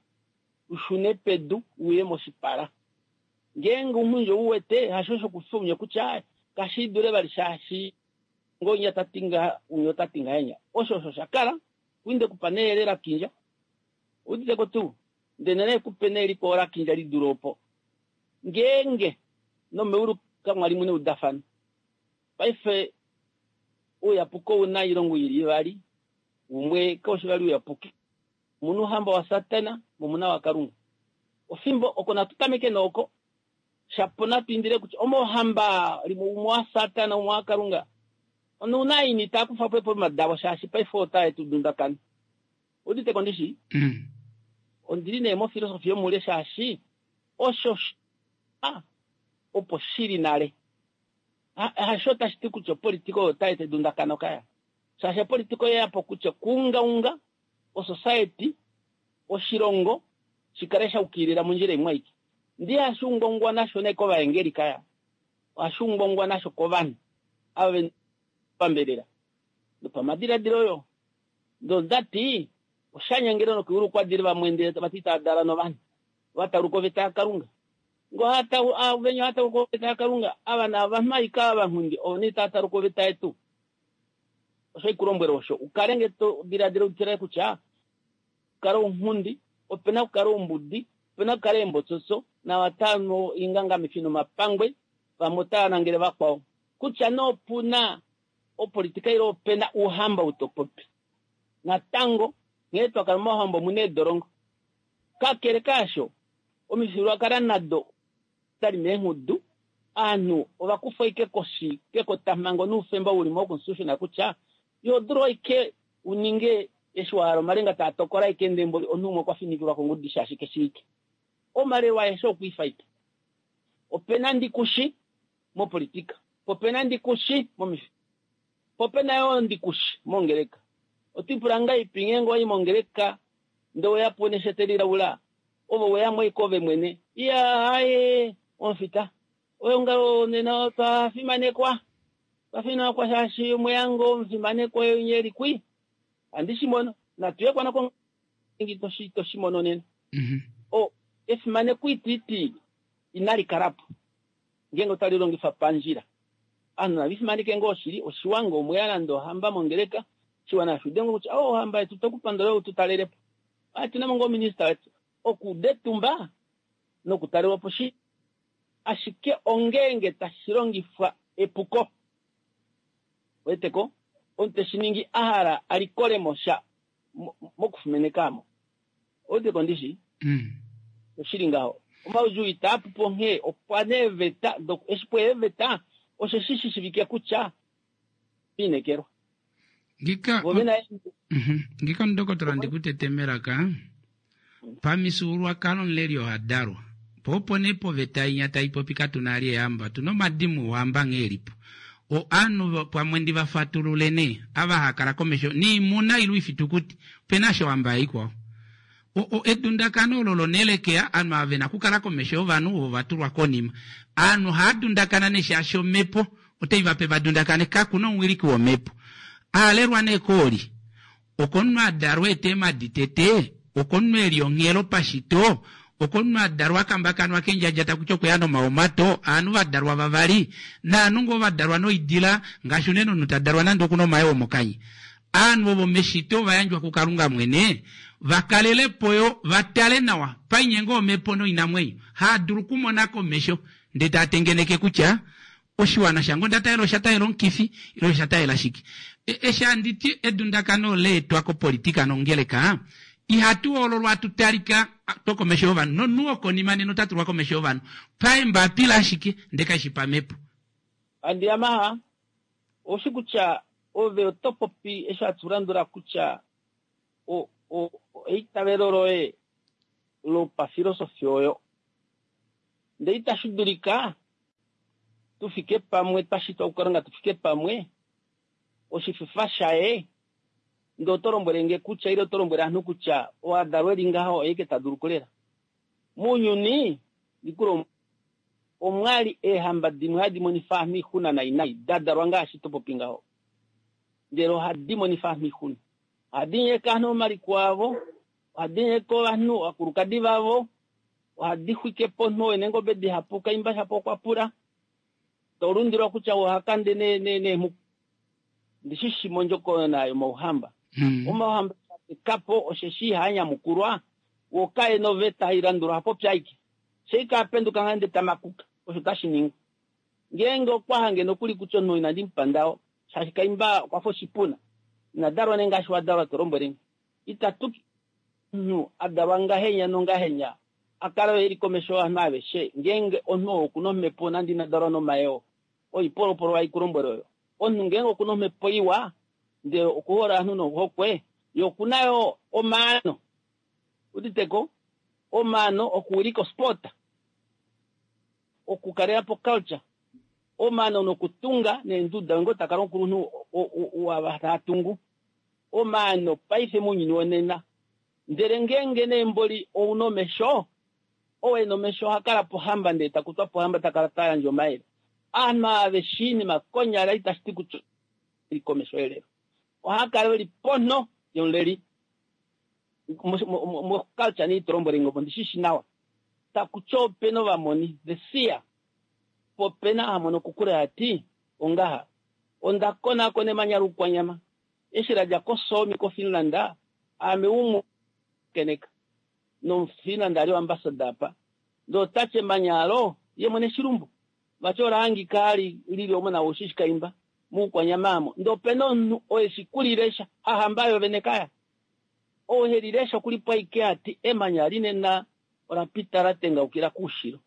E: u shune pedu u ye moshipala. Ngeenge ounghundi ou wete, hasho shokufya ounye kutya kashi dule vali shaashi ngoo winya ta ti ngaha, winya ota ti ngahenya. Osho osho sha kala, kuinde kupa neyele la kindja. Oudite ko tuu? Ndele ne ku pe nee likwao la kindja li dule opo. Ngeenge nomeulu kamwa li mu neudafano. Paife ouyapuki ou na oilonga i li ivali, umwe kau shi vali ouyapuki. Omu na ouhamba waSatana mo omu na waKalunga. Ofimbo oko natu tameke nooko, shapo natu indile kutya omohamba limwe umwe waSatana umwe waKalunga. Onouna ini taa kufa po eepoluma davo shaashi paife otae tu dundakana. Udite ko ndishi? Ondili nee mofilosofi yomule shaashi osho sha opo shili nale. Hasho tashi ti kutya opolitika oyo otai eta edundakano kaya. Shaashi opolitika oye ya po kutya okuungaunga osociety, oshilongo, shi kale sha ukilila mondjila imwe aike. Ndee ihashi ungaungwa nasho nee kovaengeli kaya. Ohashi ungaungwa nasho kovanhu ava ve pambelela nopamadiladilo yo. Ndee onda ti, osha nyangela nokeulu kwa dile vamwe ndele tava ti tava dala novanhu. Va tauluka oveta yaKalunga. Ngo ha venya oha tauluka oveta yaKalunga, ava naava ashike ava vanghundi ovo nee tava tauluka oveta yetu. Osho haiku lombwele osho, u kale nge to diladila u tile kutya kala ounghundi, ope na okukala oumbudi, ope na okukala eembotsotso, naava tava nu oingangamifi nomapangwe, vamwe otava nangele vakwao. Kutya nee opu na opolitika ile ope na ouhamba ou to popi. Natango, nghee twa kala momauhamba omu na eedolongo. Kakele kaasho, omifyuululwakalo nado oda li meengudu. Ovanhu ova kufwa ashike koshi kekotamhango noufemba ou li moconstitution kutya iho dulu ashike u ninge eshi wa hala omalenga taa tokola ashike ndee mboli omunhu umwe okwa finikilwa kongudi shaashi ke shiivike. Omalelo aeshe okwa ifa ashike. Ope na ndikushi mopolitika, po pe na ndikushi momifyuululwakalo, po pe na yoo ndikushi mongeleka. Oto ipula ngahelipi ngeenge owa i mongeleka ndee oweya po neshete lilaula, ove oweya mo ashike ove mwene? Iyaa aaye omufita, eongalo nena otwa fimanekwa. Otwa fimanekwa shaashi omweya ngoo omufimanekwa oye e li kwi. Ohandi shi mono. Natu ye kwana kongeleka to shi mono nena. O, efimaneko itiiti inali kala po. Ngeenge otali longifwa pandjila. Ovanhu nava fimaneke ngoo oshili, oshiwa ngee omweya nande ohamba mongeleka, oshiwana nashi ude ngoo kutya, oh, ohamba yetu otwe ku pandula ou tu talele po. Otu na mo ngoo minista wetu. Okuuda etumba nokutalelwa po shi, ashike ongeenge tashi longifwa epuko. Wete ko? Omunhu te shi ningi a hala a likole mo sha mokufimaneka mo. Oudeko ndishi? Oshili ngaho. Omaudjuu itaa pu po onghee opwa neeveta doku eshi pwa eeveta osheshi shi shivike kutya linekelwa.
A: Ngika
E: Vo vena
A: Ngika omudokotola ndi ku tete melaka. Pamifyuululwakalo omuleli oha dalwa. Po opo nee poveta inya tai popi katu na ali eehamba, otu na omadimo ouhamba nghee e li po. O Aanhu pamwe ndi va fatulule nee, ava haa kala komesho niimuna ile oifitukuti, ope na ashike ohamba ya ikwao. O, o, edundakano olo lonelekea, aanhu ava ve na okukala komesho yovanhu ovo va tulwa konima. Aanhu ohaa dundakana nee shaashi omhepo otai va pe va dundakane, kaku na omuwiliki womhepo. A alelwa nee kooli. Okomunhu a dalwa e eemhadi tete, okomunhu e li onghelo pashito, okomunhu a dalwa a kambakanwa kendjadja taku ti okwe ya nomaomato, aanhu va dalwa vavali, naanhu ngoo va dalwa noidila, ngaashi unene omunhu ta dalwa nande oku na omayoo mokanya. Aanhu ovo meshito ova yandjwa kuKalunga mwene va kalele po yo va tale nawa painyengo yomhepo noinamwenyo, haa dulu okumona komesho ndee taa tengeneke kutya Oshiwana shange onda talela osha talela omukifi ile osha talela shike. Eshi handi ti edundakano ola etwa kopolitika nongeleka, ihatu hoololwa hatu talika twokomesho yovanhu nomunhu wokonima nena ota tulwa komesho yovanhu paembapila ashike ndee kashi pamhepo.
E: Handi Yamaha, oushi kutya ove oto popi eshi hatu landula kutya o, o, eitavelo loye lopafilosofi oyo. Ndele itashi dulika tu fike pamwe, twa shitwa kuKalunga tu fike pamwe, oshififa shaye, ndele oto lombwele nge kutya, ile oto lombwele ovanhu kutya, oo a dalwa e li ngaha oye ike ta dulu okulela. Mounyuni, ndi ku lombwele, omwa li eehamba dimwe hadi monifa ovanhu oixuna nai nai, da dalwa ngaashi to popi ngaho. Ndele ohadi monifa ovanhu oixuna. Ohadi nyeka ovanhu omaliko avo, ohadi nyeka ovanhu ovakulukadi vavo, Ohadi xwike po omunhu oo e na eengobe dihapu, kaimba shapo okwa pula. To lundilwa kutya oha kande neemhuku. Ndi shi shi mondjokonona yomauhamba. Omauhamba eshi a teka po osheshi ihaa nyamukulwa, wo kae na oveta hai landulwa, oha popi aike. Fye ika a penduka ngaa ndele ta makuka, osho tashi ningwa. Ngeenge okwa hange nokuli kutya omunhu inandi mu pa ndawo, shaashi kaimba okwa fa oshipuna, ina dalwa nee ngaashi wa dalwa to lombwele nge. Itatu omunhu a dalwa ngahenya nongahenya. A kala e li komesho yovanhu aveshe, ngeenge omunhu oo oku na omhepo nande ina dalwa nomayoo, oipolopolo hai ku lombwele oyo. Omunhu ngeenge oku na omhepo iwa, ndele oku hole ovanhu nohokwe, ye oku na yo omaano. Udite ko? Omaano okuwilika osport, okukalela po culture, omaano nokutunga neenduda, ngoo ta kala omukulunhu waava tava tungu. Omaano paife mounyuni wonena. Ndele ngeenge nee mboli ou na omesho, ou e na omesho oha kala pohamba ndele ta kutwa pohamba ta kala ta yandje omayele. Ovanhu ava ve shii oinima konyala itashi ti kutya ove li komesho yelelo. Ohava kala ve li ponho yomuleli. Moculture nee ito lombwele nge opo ndi shi shi nawa. Taku ti ope na ovamoni, the seer, po ope na ha mono kokule ha ti, Ongaha, onda konaakona emanya loukwanyama. Eshi la dja koSoomi koFinland, aame umwe keneka nomuFinland a li oambassador apa, ndee ota ti emanya alo ye mwene shilumbu vati ola hangika li lili omo nawa ushishi kaimba moukwanyama aamo ndee opena omunhu oo eshi kuli lesha hahamba yo vene kaya ou heli lesha okuli po aike ati emanya linena ola pita la tengaukila koushilo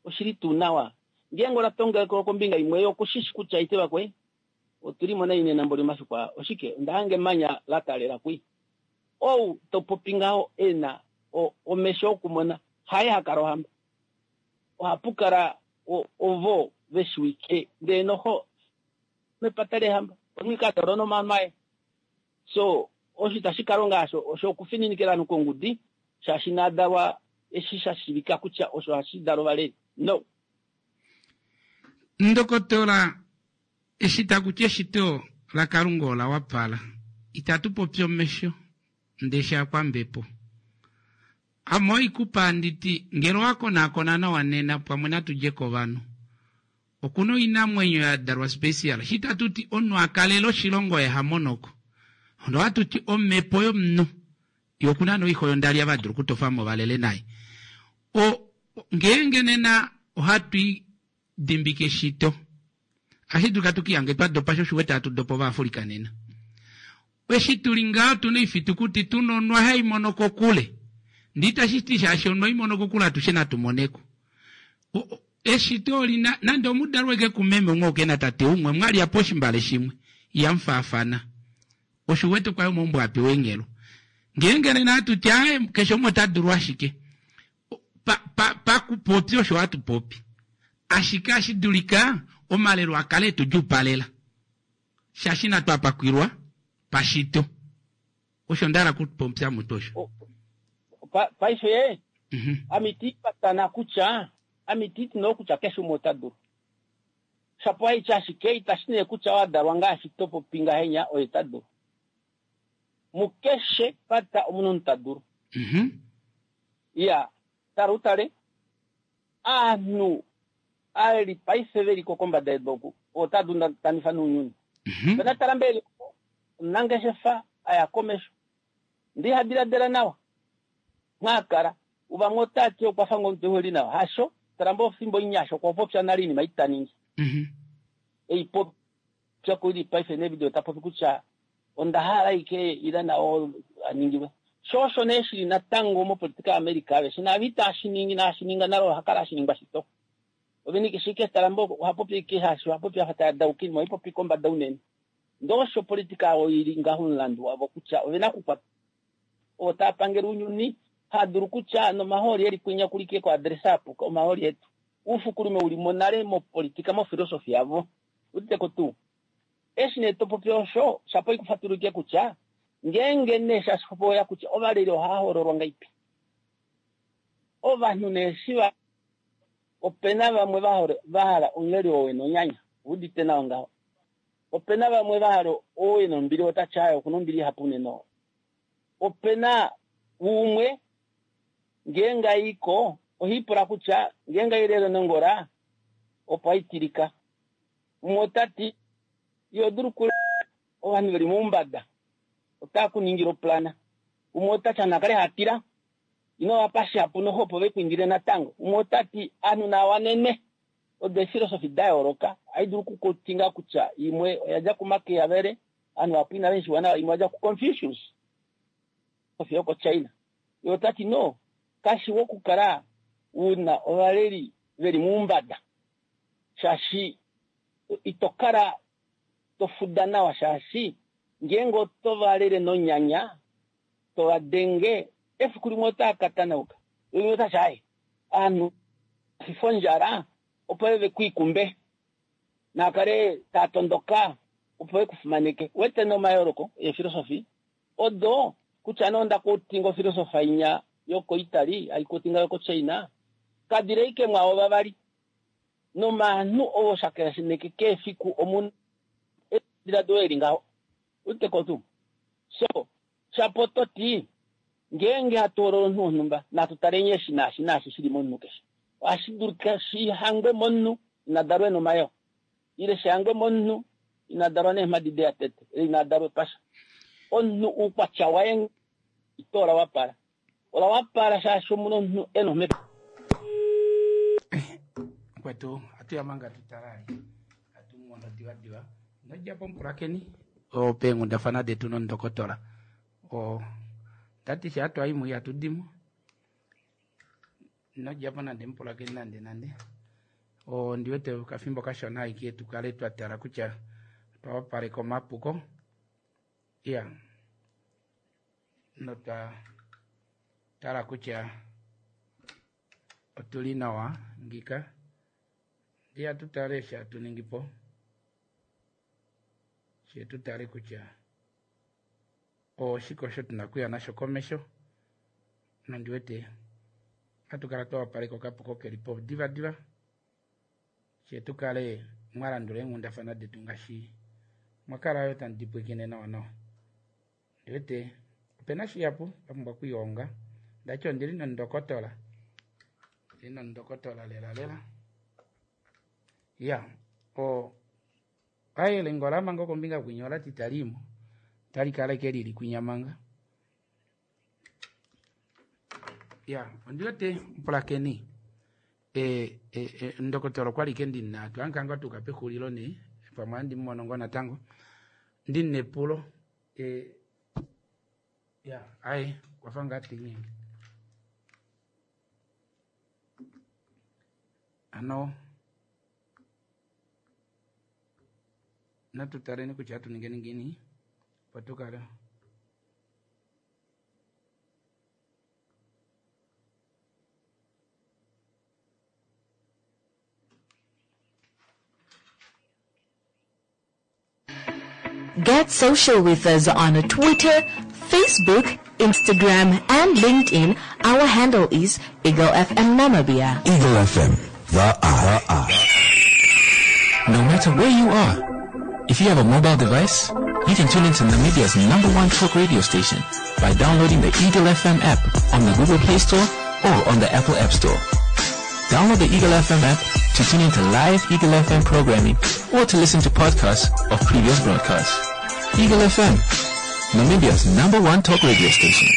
E: oshili tuu nawa ngeenge ola tongelekwa kombinga imwe ye okushishi kutya ite vakwe Otu li mo nai nena mboli omafiku aa. Oshike? Onda hanga emanya la taalela kwi. Ou to popi ngaho e na o, omesho okumona, haye ha kala ohamba. Ohapu kala o, ovo ve shiwike, ndele noho mepata leehamba. Omunhu ike a dalwa nomaano aye. So, osho itashi kala onga hasho, osho okufininikila ovanhu kongudi, shaashi ina dalwa eshi sha shivika kutya osho hashi dala ovaleli. No.
A: Ndokotola Eshi taku ti eshito laKalunga ola wapala, itatu popi omesho, ndele akwambepo. Ame oikupa handi ti, ngele owa konaakona nawa nena pwamwe natu dje kovanhu. Okuna oinamwenyo ya dalwa special. Eshi tatu ti omunhu a kalele oshilongo oye ha monoko. Onda ohatu ti omhepo yomunhu. Ye okuna noixo yondali ava dulu okutofa mo valele naye. O, ngeenge nena ohatu i dimbike eshito. Ashi dulika tu kihange twa dopa sho oshiwete hatu dopa Ovaafrika nena. Eshi tuli ngaho tuna oifitukuti tuna onwa hai mono kokule. Ndee itashi ti shaashi onwa hai mono kokule atushe natu moneko. Eshito olina nande omudalwa eke kumeme umwe oke na tate umwe mwalya poshimbale shimwe ihamu faafana. Osho uwete okwa ya omaumbo a pewa eenghelo. Ngeenge nena hatu ti aaye keshe umwe ota dulu ashike. Pa, pa, pakupopi osho hatu popi. Ashike ashi dulika omalelo a kale etu djuupalela. Shaashi inatu a pakwilwa pashito. Osho nda hala kupopya mutu osho.
E: Pa, paife, ame iti patana kutya, ame iti ti noo kutya keshe umwe ota dulu. Shapo haitya ashike itashi nee kutya owa dalwa ngaashi to popi ngahenya oye ta dulu. Mukeshe pata omu na omunhu ta dulu. Iya, tala utale, aanhu aaleli paife ve li ko kombada yedu oku, otaa dundakanifa nounyuni. Pena tala mbeli omunangeshefa a ya komesho, ndee iha diladila nawa nghee a kala. Vamwe otaa ti okwa fa ngoo omunhu ehe li nawa. Hasho, tala mboo fimbo omunyasha okwa popya nale oinima ei ta ningi. Ei popya kuli paife neevidio ta popi kutya onda hala aike ila nao a ningilwe. Sho osho nee shili natango mopolitika yaAmerica aveshe naava itashi ningi naashi ninga nale oha kala hashi ningwa shito. Ovene keshe ike tala mbo oha popi ike hashi oha popi afa taya dauka oinima ohai popi kombada unene. Ndee osho opolitika yavo ili ngaho omulandu wavo kutya ovena okukwata ovo tava pangele ounyuni hava dulu kutya nomahooli eli kwinya kulike ko address apuka omahooli etu. Uufukulume uli mo nale mopolitika mofilosofi yavo. Uditeko tuu? Eshi nee to popi osho, shapo ikufatululike kutya ngeenge nee shashi oya kutya ovaleli ohava hoololwa ngaipi. Ovanhu nee eshi va opena vamwe va hala omuleli oo ena onyanya, udite nawa ngaho. Opena vamwe va hala oo ena ombili ota ti aaye okuna ombili ihapu unene oo. Opena umwe ngeenge aiko ohiipula kutya ngeenge ailele nongola opo aitilika. Umwe ota ti, Iho dulu oku ovanhu ve li moumbada otava ku ningile oplana. Umwe ota ti, Ovanhu nava kale hava tila, ino va pa shihapu noho opo ve ku indile natango. Umwe ota ti, Ovanhu nava wanenwe. Odo eefilosofi da yooloka. Ohai dulu okukutinga kutya imwe oya dja kuMachiavelli, ovanhu vahapu inave shi shiiva nawa, imwe oya dja kuConfucius, filosofi yokoChina. Ye ota ti, No! Kashiwa okukala u na ovaleli ve li moumbada shaashi ito kala to fuda nawa shaashi ngeenge oto va lele nonyanya, to va denge, efiku limwe otaa ka tanauka. Limwe otashi aye ovanhu fifa ondjala opo ve ku ikumbe naa kale taa tondoka opo ve ku fimaneke. Wete nee omayooloko eefilosofi odo kutya nee onda quotinga ofilosofa inya yokoItaly hai quotinga yokoChina kadili ashike mwaavo vavali nomaanhu ovo shakeneke keshe efiku omuna ediladilo eli ngaho. Udite ko tuu? So, shapo oto ti ngeenge hatu hoolola omunhu wonhumba natu taleni eshi naashi naashi shi li momunhu keshe. Ohashi dulika shi hangwe momunhu ina dalwa e na omayoo ile shi hangwe momunhu ina dalwa neemhadi deya tete ile ina dalwa epasha. Omunhu oukwatya waye ito ola wapala. Ola wapala shaashi omuna omunhu e na omhepo.
A: Mukwetu, atu ya manga tu tala atu mono diva diva. Ino dja po mupulakeni peenghundafana detu nondokotola. O ndati sha twa imwe ihatu dimo. Ino dja po nande mupulakeni nande nande. O ndi wete okafimbo kashona aike tu kale twa tala kutya otwa wapaleka omapuko. Iya. Notwa tala kutya otuli nawa ngika. Ndiya tu tale sha tu ningi po. She tu tale kutya oshike osho tuna okuya nasho komesho. Nondi wete ohatu kala twa wapaleka okapuko keli po diva diva. She tu kale mwa landula eenghundafana detu ngaashi mwa kala yo tamu di pwilikine nawa nawa. Ndi wete opena shihapu twa pumbwa okwiihonga. Ndati ondili nondokotola. Ondili nondokotola lela lela. Ya, o aye ngola manga kombinga kwinya olati talimo. Tali kala ike lili kwinya manga. Ya, ondi wete mpulakeni. E, e, e, ndokotola okwa li ke ndina twankanga tuka pexulilo nee pamwe andi mumono ngoo natango ndina epulo e, ya aye kwafa ngaa tinyenge ano natu taleni kutya atu ningeni ngiini opo tu kale
C: Get social with us on Twitter, Facebook, Instagram, and LinkedIn. Our handle is Eagle FM Namibia.
F: Eagle FM, the eye.
H: No matter where you are, if you have a mobile device, you can tune into Namibia's number one talk radio station by downloading the Eagle FM app on the Google Play Store or on the Apple App Store. Download the Eagle FM app to tune into live Eagle FM programming or to listen to podcasts of previous broadcasts. Eagle FM, Namibia's number one talk radio station.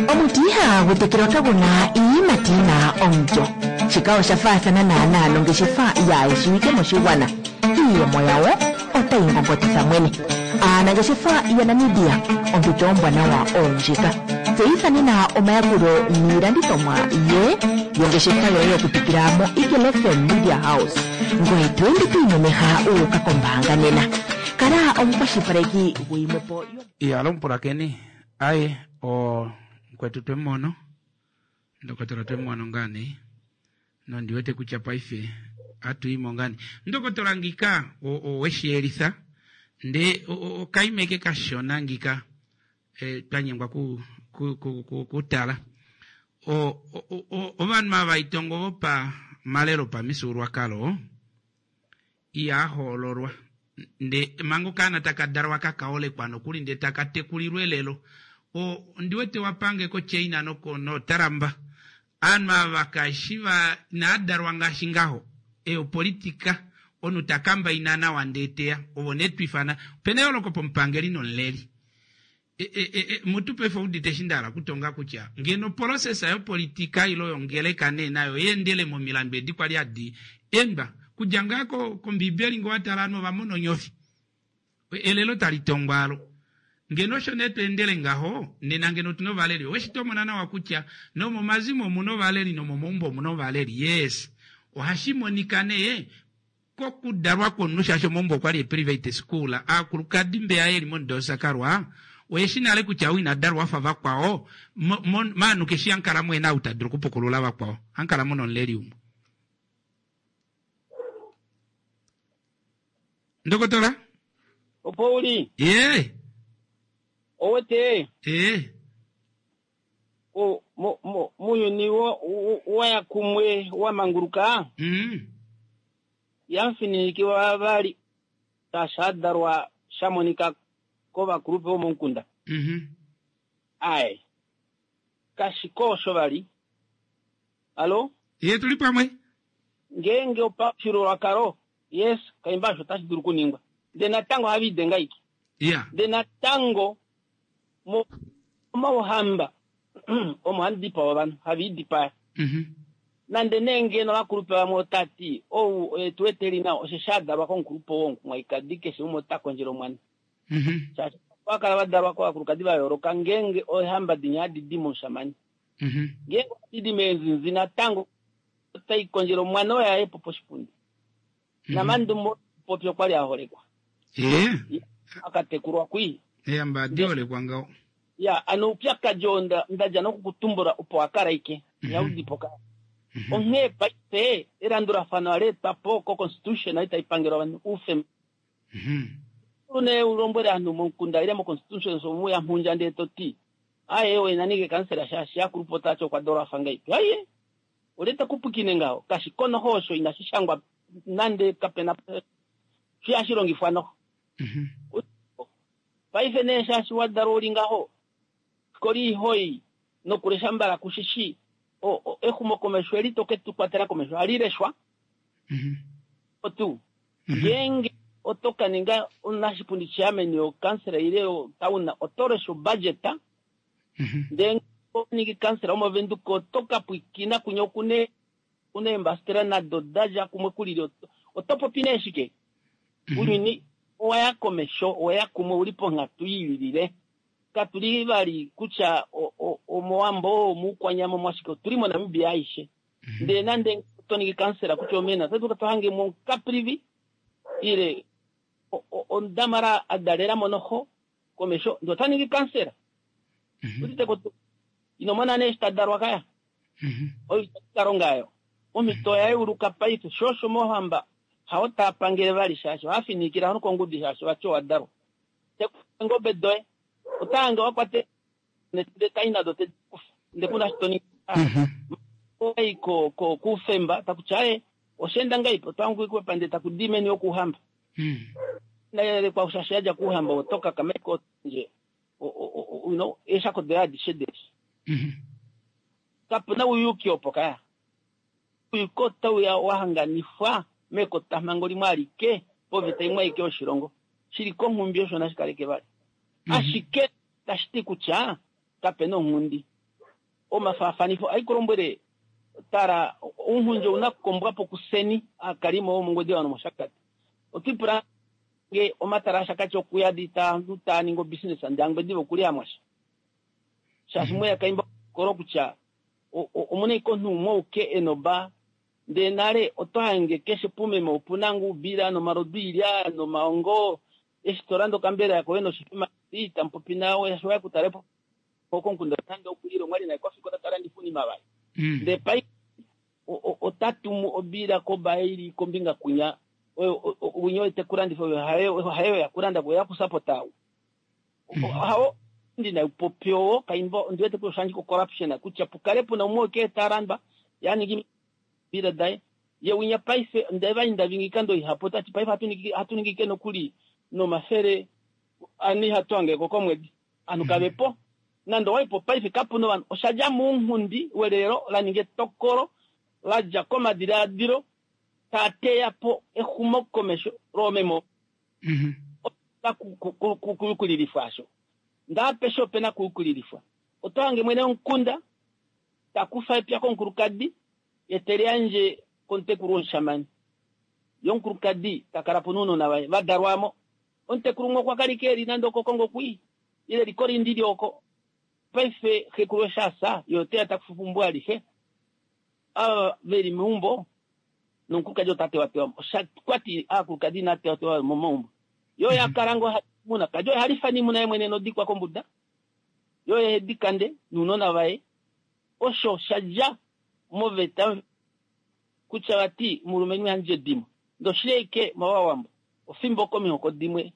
B: Omuti ihagu tekelwa kagu na iiyimati yi na omulyo. Shika osha faathana naanaa nongeshefa yaayeshiwike moshigwana. Iiyemo yawo otayi ngongotitha mwene. Aanangeshefa yaNamibia, ompito ombwanawa oondjika. Tseyitha nena omayakulo niilandithomwa ye yongeshefa yoye okupitila moEagle FM Media House. Ngoye to ende to imemeha wu uka kombaanga nena. Kala omukwashilipaleki guyimwe po yo.
A: Iya, alo mupulakeni. Aye, o mukwetu twe mu mono. Ndokotola twe mu mono ngaa nee. Nondi wete kutya paife atu yi mo ngaa nee. Ndokotola ngika owe shi yelitha nde okaime ke kashona ngika e, twa nyengwa ku, ku, ku, ku, kutala. O, o, o, ovanhu ava itongo vopa malelo pamifyuululwakalo ihaa hoololwa nde manga okaana taka dalwa kaka holekwa nokuli nde taka tekulilwa elelo. O, ondi wete wa pange koChina noko noTrump. Aanhu ava kashi va inaa dalwa ngaashi ngaho. E opolitika omunhu ta kambaina nawa ndee teya. Ovo nee twifana. Opena eyooloko pomupangeli nomuleli. E, e, e, e, mutu paife oudite eshi nda hala okutonga kutya ngeno oprocessa yopolitika ilo yongeleka nee nayo yeendele momilandu edi kwali hadi endwa kudja ngaa ko, kombiibeli ngee wa tala ovanhu ova mona onyofi. Elelo tali tongwa alo. Ngeno osho nee to endele ngaho, nena ngeno otu na ovaleli. Oweshi tomona nawa kutya nomomazimo omu na ovaleli nomomaumbo omu na ovaleli. Yes. Ohashi monika nee kokudalwa kwomunhu shaashi omaumbo okwa li eeprivate school. Aakulukadi mbeya ye li mondoosa kalwa oye shi nale kutya ou ina dalwa a fa vakwao, maanhu keshi hamu kala muhe na ou ta dulu okupukulula vakwao. Hamu kala mu na omuleli umwe. Ndokotola?
E: Opo u li?
A: Ee.
E: Owete?
A: Ee.
E: O, mo, mo, muuyuni wa ya kumwe wa manguluka, yamufininikwa vavali sha dalwa sha monika kovakulupe vomomukunda. Ae. Kashi ko osho vali. Alo?
A: Ye tuli pamwe.
E: Ngeenge opafyuululwakalo, yes, kaimba osho otashi dulu okuningwa. Ndele natango ohava idenga ike. Ndele natango momauhamba omo hamu dipawa ovanhu, hava idipaya. Nande nee ngeno ovakulupe vamwe ota ti, ou oye tu wete nawa, osheshi a dalwa komukulupe oo womukumwaikadi, keshe umwe ota kondjele omwana. Shaashi ova kala va dalwa kovakulukadi va yooloka ngeenge eehamba dinya hadi di momushamane. Ngeenge ohadi di meenzinzi natango otai kondjele omwana oye aye po poshipundi. Namandumo popi okwa li a holekwa. Akatekulwa kwii.
A: Eehamba hadi holekwa ngaho.
E: Ya, ano oupyakadi oo nda dja nokukutumbula opo wa kala ike. Ihau di po kala. Onghee paife elandulafano ala etwa po ko-constitution ei tai pangele ovanhu oufemba. Une u lombwele ovanhu momukunda ile mo-constitution omu ya mhundja ndee to ti, aye oye na ninge kansela shaashi akulupe ota ti okwa dalwa afa ngahelipi. Aye, olye te ku pwikine ngaho? Kashi ko noho osho inashi shangwa nande kapena shi hashi longifwa noho. Paife nee shaashi wa dalwa uli ngaho, fikola ihoi nokulesha mbala kushishi, exumokomesho eli to ke tu kwatela komesho ohali leshwa. Otu ngeenge oto ka ninga omunashipundi chairman yokansela ile yotown oto lesha obudget, ndee ningi kansela womovenduka oto ka pwikina kunya okune eembasitela nado da dja kumwe kulili, oto popi nee shike? Ounyuni owa ya komesho, owa ya kumwe, uli ponghatu i lilile. Katu li vali kutya omowambo, omuukwanyama, omwashike, otuli moNamibia aishe. Ndele nande to ningi kansela kutya omena, oto dulu to hange mo Caprivi ile omudamara a dalela mo noho komesho, ndee ota ningi kansela. Udite ko tuu? Ino mona nee eshi ta dalwa kaya? Oyo itatu ka longa ayo. Omhito oya yeuluka paife, sho osho mohamba hao taa pangele vali shaashi ohaa fininikile ovanhu kongudi shaashi vati owa dalwa. Tekula eengobe doye, ota hange wa kwata ndee tai nado te di kufa ndee kuna shi to ningi. Owai ko ko kuufemba taku ti aye osha enda ngahelipi otwa hange ndee taku di meni yokuuhamba. Nayelekwa shaashi yadja kuuhamba oto kakama iko nje you know eeshako doye adishe deshi. Kapuna ouyuki opo kaya. Ouyuki otau ya wa hanganifwa mekotamhango limwe alike poveta imwe aike yoshilongo. Shili konghumbi osho nashi kaleke vali. Ashike tashi ti kutya kapena onghundi. Omafaafanifo aikulombwele tala ounghundi ouna okukombwa po kuseni aakalimo womongwediva nomoshakati. Otwipula nge omatala ashakati okuyadi taanhu taa ningi obusiness ndee angwediva okuli amwasha. Shaashi mweya kaimba kolo kutya omuna ike omunhu umwe ouke enoba ndee nale oto hange keshe pumeme opuna ngoo ubila nomalodu ilya nomaongo eshi to landa okambela koye noshifima tamupopi nawe shaashi waya kutale po komukunda nande okulila omwali naye kofikola ta landifa oinima vali. Ndee paife ota tumu obila koba ili kombinga kunya oyo winya oyo tekulandifa oyo hayo yakulanda ko yakusapota au. Hao ndina upopi oo kaimba ndiwete kutya oshandji ko corruption kutya pukale puna umwe ke ta landwa ya ningi bila daye ye winya paife ndeva inda vingi kando ihapo tati paife hatu ningi ke nokuli nomafele ani hatu ange ko komwedi anu kavepo nande owaipo paife kapuna ovanhu oshadja mounghundi welelo la ninga etokolo la dja komadilaadilo taa teya po exumokomesho loomemo kuyukulilifwa asho ndaapeshe opena kuyukulilifwa oto hange mwene womukunda takufa epya komukulukadi ye te liyandje komutekulu womushamane ye omukulukadi takala po nounona vaye vadalwamo omutekulu umwe okwa kala ike eli nande okokongo kwii. Ile eliko lindi oko. Paife xekulu eshi a fya, ye ote ya ta kufa eumbo alishe. Ava ve li meumbo nomukulukadi ota tewatewa mo. Osha kwati aakulukadi inaa tewatewa mo momaumbo. Ye oye a kala ngoo ha imuna. Kadi oye ha lifa niimuna ye mwene nodikwa kombuda. Ye oye he di kande nounona vaye. Osho sha dja moveta kutya vati omulumenhu iha ndje edimo. Ndee oshili ashike mOvawambo, ofimbo komihoko dimwe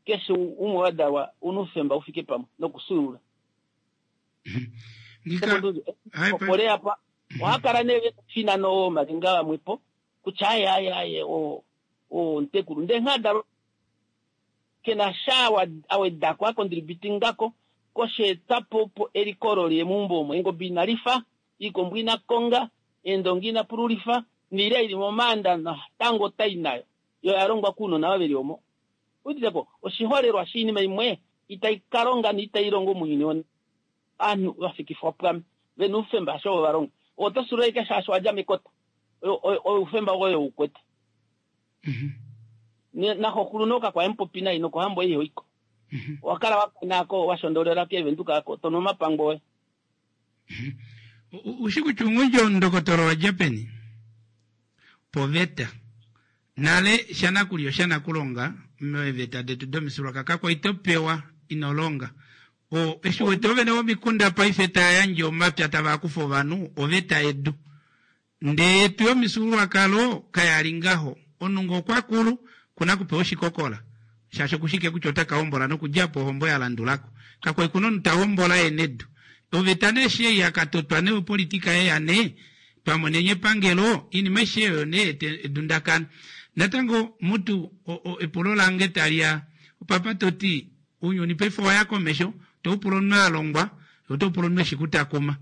E: keshe umwe wa dalwa una oufemba ufike pamwe nokusuulula. Ole apa oha kala nee vena ofinano omalenga vamwepo kutya aye aye aye o omutekulu ndee nghee adalwa kena sha awedako akontributingako kosheetwapo opo eliko olo liye meumbo omo. Eengobe ina lifa, iikombo ina konga, eendongi ina pululifa, niilya ili momaanda natango otai nayo yo oya longwa kuunona ava veli omo. Uditeko oshiholelwa shoinima imwe itai ka longa noitai longo mounyuni wonena. Ovanhu va fikifwa pwame ve na oufemba hasho ovo va longa. Ove oto sulula ashike shaashi owa dja mekota. Oufemba woye ou kwete. Naxokulu no kakwa emupopi nai nokohambo ei hoiko. Owa kala wa kana ko wa shondolela keevenduka ako to nu omapangwe oye.
A: Ushi kutya oungundja omundokotola owa dja peni? Poveta. Nale shanakulya oshanakulonga meeveta detu domifyuululwakalo kakwa ito pewa ino longa. O, eshi wete oovene vomikunda paife taa yandje omapya tava kufa ovanhu oveta yedu. Ndee yetu yomifyuululwakalo kaya li ngaho. Omunhu ngee okwa kulu, okuna okupewa oshikokola, shaashi okushi ike kutya ota ka hombola nokudja po ohombo ya landula ko. Kakwali kuna omunhu ta hombola e na edu. Oveta nee eshi ei ya ka totwa nee opolitika yeya nee, twa moneni epangelo, oinima aishe oyo nee ya eta edundakano. Natango mutu epulo lange tali ya opapa to ti, Ounyuni paife owa ya komesho, to u pula omunhu a longwa, oto u pula omunhu eshi kutakuma.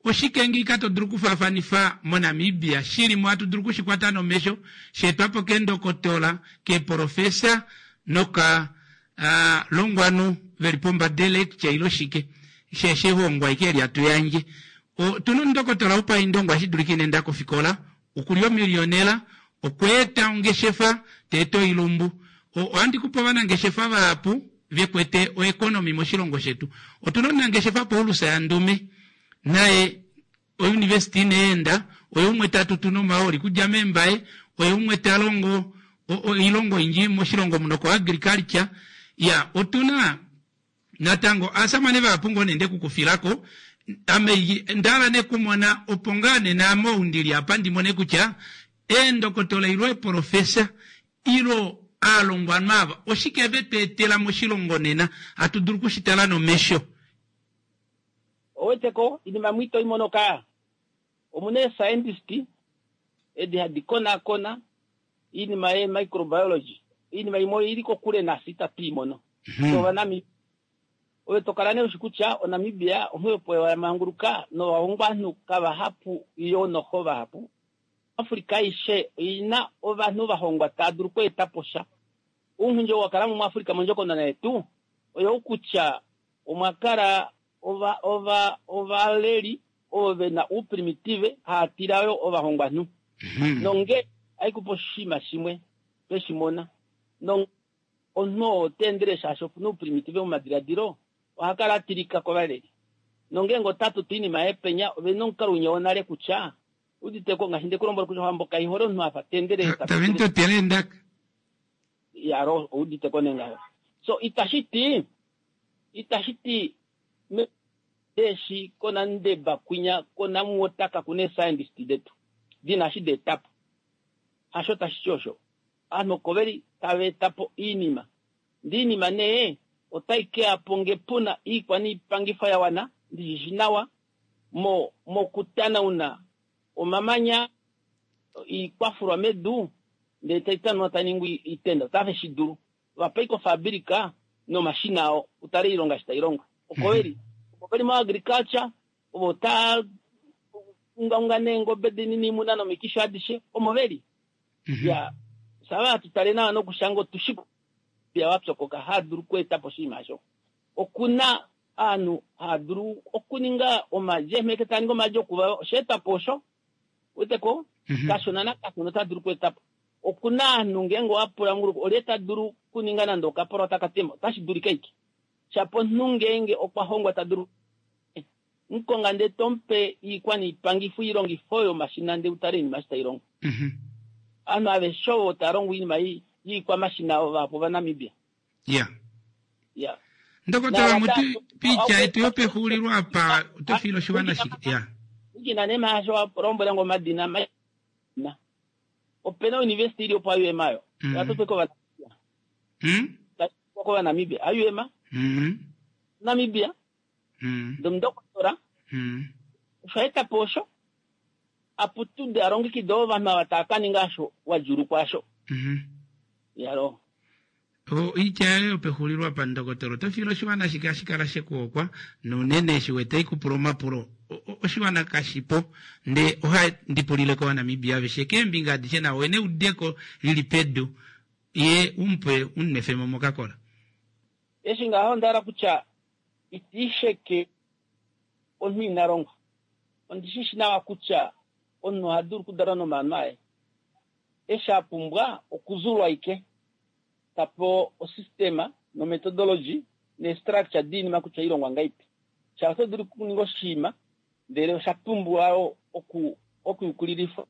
A: Oshike ngiika to dulu okufaafanifa moNamibia shi li mo hatu dulu okushi kwata nomesho, sha etwa po keendokotola, keeprofesa noka longwanhu ve li pombada electure ile oshike, shaashi ehongo aike eli hatu yandje. Otu na omundokotola wopaindongo ohashi dulika ina enda kofikola, Oku li omiliyonela, okwa eta ongeshefa, ta eta oilumbu. Ohandi ku pe ovanangeshefa vahapu ve kwete oekonomi moshilongo shetu. Otu na omunangeshefa Paulus Yandume, naye ouniversity ina enda, oye umwe ta tutu nomahooli kudja mEmbaye, oye umwe ta longo oilonga oyindji moshilongo muno koagriculture. Ya, otu na Natango aasamane vahapu ngoo nee nde ku kufilako, ame nda hala nee kumona opo ngaa nena ame ou ndili apa ndi mone kutya eendokotola ilo eeprofesa ilo aalongwanhu ava oshike ve tu etela moshilongo nena hatu dulu kushi tala nomesho.
E: Oweteko inima imwe ito i mono kaa. Omuna eescientist edi hadi konaakona iinima yee microbiology, iinima imwe oili kokule nafye itatu i mono. Fye Ovanamibia. Ove to kala nee ushi kutya oNamibia onghee opo ya manguluka novahongwanhu kavahapu yoo noho vahapu. Africa aishe oina ovanhu va hongwa tava dulu okweeta po sha. Ounghundi oo wa kala mo muAfrica mondjokonona yetu oyou kutya omwa kala ova ova ovaleli ovo ve na ouprimitive haa tila yo ovahongwanhu. Nonge haikupa oshinima shimwe twe shi mona. No omunhu oo ota endele shaashi oku na ouprimitive momadiladilo, oha kala a tilika kovaleli. Nongeenge ota tutu oinima yaye penya, ove na omukalo winya wonale kutya, udite ko, ngaashi nde ku lombwela kutya ohambo kai hole omunhu a fa ta endelele ta
A: Tave mutotele eendaka.
E: Yalo, oudite ko nee ngaho. So, itashi ti, itashi ti me eshi kOnandeba kwinya kOnamwater kaku na eescientist detu di na eshi da eta po. Hasho tashi ti osho. Ovanhu oko ve li tava eta po oinima. Ndee oinima nee otai ke ya po nge pu na oikwaniipangifo ya wana, ndi shi shi nawa, mo, mokutanauna omamanya, oikwafulwa medu, ndee tai tanaunwa tai ningwa oitenda. Otave shi dulu. Va pa ashike ofabilika nomashina ao, u tale oilonga eshi tai longwa. Oko ve li. Ovo ve li moagriculture, ovo taa ungaunga neengobe dinini, oimuna nomikisho adishe, omo ve li. Ya, sava hatu tale nawa nokushanga otu shi kutya wa pyokoka haa dulu okweeta po oshinima osho. Oku na ovanhu haa dulu okuninga omaadi, eemheke taa ningi omaadi okuvava, osha etwa po osho. Uwete ko? Kashona nakashona ota dulu okweeta po. Oku na ovanhu ngeenge owa pula mongulu olye ta dulu okuninga nande okapolo taka tema, otashi dulika ashike. Shapo omunhu ngeenge okwa hongwa ta dulu mukonga ndee tomupe iikwa niipangifo iilongifo yomashina ndee utale iinima eshi tai longo. Ovanhu aveshe ovo tava longo oinima yiikwamashina vahapu Ovanamibia.
A: Ya.
E: Ya.
A: Ndokotola mutu piitya yetu yopexuulilo apa oto fiile oshiwana shike? Ya.
E: Nikina nee maasho wa lombwela ngo omadina ma opena university ili opo IUM ayo. Ya totwe kOvanamibia. KOvanamibia. IUM. Namibia. Ndomudokotola. Osho a eta po osho a putude a longekide ovanhu ava tava ka ninga osho wa djuulukwa osho. Yalo.
A: Oitya yoye yopexulilo apa ndokotola oto fiile oshiwana shike hashi kala she ku hokwa nounene eshi wete ikupula omapulo oshiwana kashipo ndee oha ndi pulile kOvanamibia aveshe keembinga adishe navo ene eudeko lili pedu ye umupe umunwefemo mokakola.
E: Eshi ngaho onda hala kutya iti sheke omunhu ina longwa. Ondi shi shi nawa kutya omunhu oha dulu okudalwa nomaano aye. Eshi a pumbwa okuzulwa ashike, ta pewa osystema nomethodology neestructure diinima kutya ohai longwa ngahelipi. Shaashi oto dulu okuninga oshinima ndele osha pumbiwa yo okuyukulilifwa,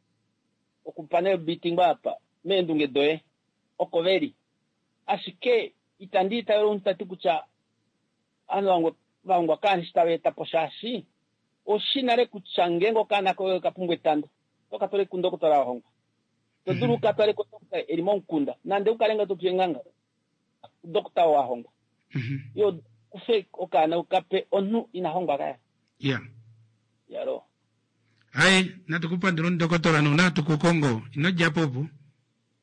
E: okupanel beatingwa apa meendunge doye oko ve li. Ashike itandi itavele omunhu ta ti kutya ovanhu va hongwa kaanhu eshi tava eta po shaashi oushi nale kutya ngeenge okaana koye oka pumbwa etando oto ka twala kundokotola wa hongwa. Ito dulu u ka twale kudokota e li momukunda nande u kale ngoo to tu eenganga kudokota oo a hongwa. Ye kufe okaana u ka pe omunhu ina hongwa kaya.
A: Ya.
E: Yalo.
A: Hai, natu ku pandula omudokotola nouna hatu ku kongo. Ino dja po opo.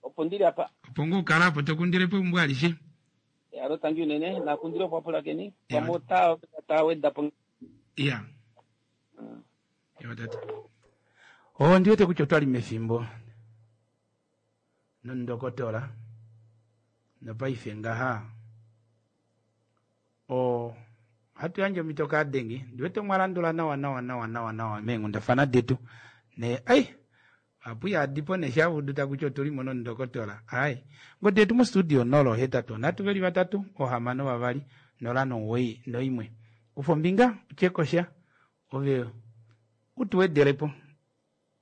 E: Opo ndi li apa.
A: Opo ngoo kala apo to kundile po eumbo alishe.
E: Yalo, tangi unene. Nakundile opo apulakeni. Pamwe ota ta weda po.
A: Ya. Ewa tate. Oh, ndi wete kutya otwali mefimbo nondokotola nopaife ngaha o ohatu yandje omhito kaadengi ndi wete omwa landula nawa nawa nawa nawa nawa meenghundafana detu ne ai Apu yadipo ne sha udu takuti otuli mo nomundokotola. Ai. Ngodi yetu mostudio 083 3 6 2 0 91. Kufa ombinga utye ko sha ove u tu wedele po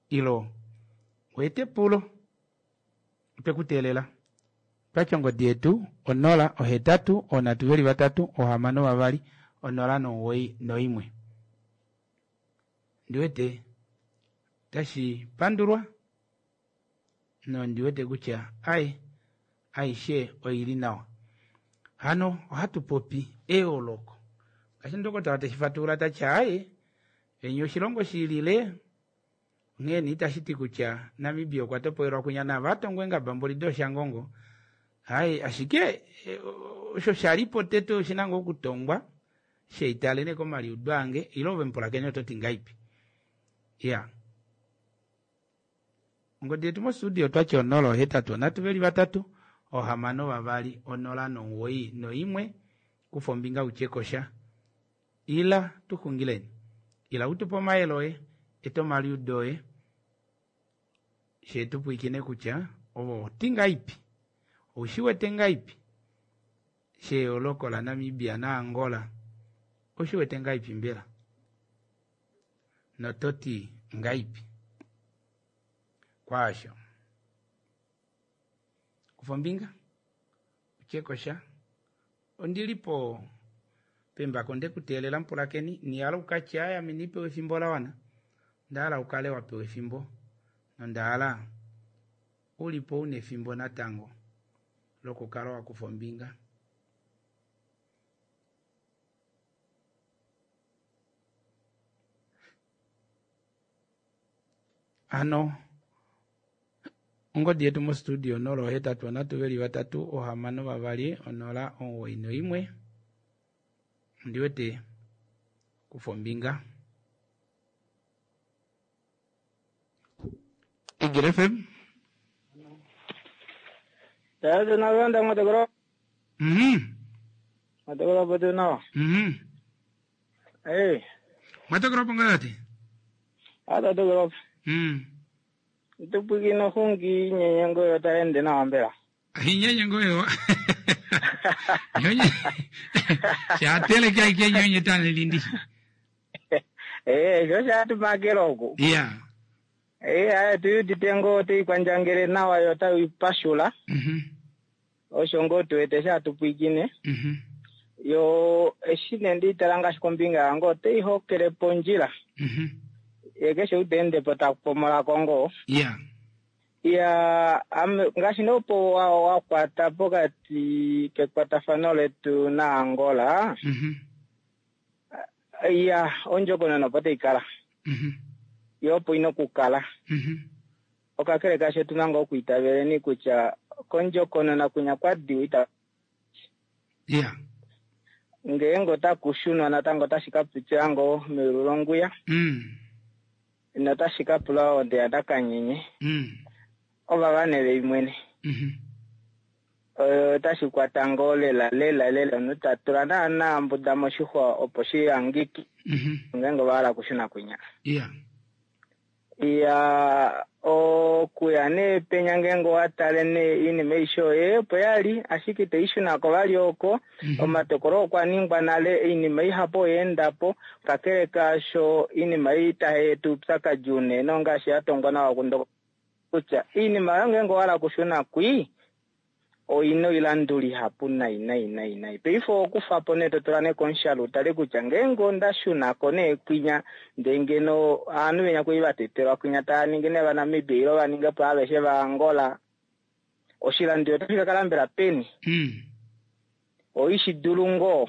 A: ilo u ete epulo. Otwe ku teelela. Twati ongodi yetu 0 8 3 6 2 0 91. Ndi wete tashi pandulwa nondi wete kutya ai aishe oi li nawa. Hano ohatu popi eyooloko. Ngaashi ndokotola teshi fatulula ta ti aaye, venya oshilongo shi lile, onghee nee itashi ti kutya Namibia okwa topolelwa kwinya nava a tongwa eengaba mboli dooshangongo. Aaye, ashike osho sha li po tete oshi na ngoo okutongwa, sheitale nee komaliudo ange, ile ove mupulakeni oto ti ngaipi? Ya. Ongodi yetu mostudio otwati 0 8 3 2 6 2 0 91. Kufa ombinga utye ko sha. Ila tu xungileni. Ila u tu pe omayele oye, eta omaliudo oye, she tu pwiikine kutya ove oti ngaipi, ou shi wete ngaipi sheyooloko laNamibia naAngola, ou shi wete ngaipi mbela? Noto ti ngaipi kwaasho? Kufa ombinga, utye ko sha. Ondi li po pembako nde ku teelela mupulakeni, nihala u ka tye, Aye, ame inandi pewa efimbo la wana. Onda hala u kale wa pewa efimbo, nonda hala u li po u na efimbo natango lokukala wa kufa ombinga. Hano ongodi yetu mostudio 083 3 6 2 0 91. Ondi wete kufa ombinga. Eagle FM.
I: Tayari tunavyoenda Mwatogoro. Mwatogoro hapo tunao. Eh,
A: Mwatogoro hapo ngati?
I: Hata togoro. Tupwikino hungi nyenyengo yo taende nawa mbela.
A: Nyenyengo yo. Nyonye. Shateleke aike nyonye tanilindi.
I: Eh, sho shatumakela oku.
A: Yeah.
I: Eh, aya tuyudite ngoo teikwandjangele nawa yo taipashula. Osho ngoo tuwete shatupwikine. Yo eshi nee ndiitala ngaashi kombinga yange otaihokele pondjila. Ye keshe ou ta ende po ta pomolako ngoo.
A: Yeah.
I: Ya ame ngaashi nee opo wa, wa kwata pokati kekwatafano letu naAngola. Ya ondjokonona opo tai kala. Yo opo ina okukala. Okakele kaasho otu na ngoo okwiitaveleni kutya kondjokonona kwinya kwa diwa ita
A: Yeah.
I: ngeenge otaku shunwa natango otashi ka pitila ngoo meyulu longuya. Notashi ka pula onde yaNakanyenye. Ova vane imwene. Otashi kwata ngoo lela lela lela omunhu ta tula naana mbuda moshixwa opo shi hangike. Ngeenge ova hala okushuna kwinya.
A: Yeah.
I: Ya okuya nee penya ngeenge owa tale nee oinima aishe oye opo ya li ashike itai shuna ko vali oko. Omatokolo okwa ningwa nale, oinima ihapu oya enda po. Kakele kaasho oinima ei tai eta oupyakadi unene ongaashi ya tongwa nawa kundokotola kutya oinima oyo ngeenge owa hala okushuna kwii oina oilanduli ihapu nai nai nai nai. Paife okufa po nee to tula nee komushalo utale kutya ngeenge onda shuna ko nee kwinya ndee ngeno ovanhu venya kwali va tetelwa kwinya tava ningi nee vaNamibia ile va ninge po aveshe vaAngola, oshilanduli otashi ka kala mbela peni? Oishi dulu ngoo?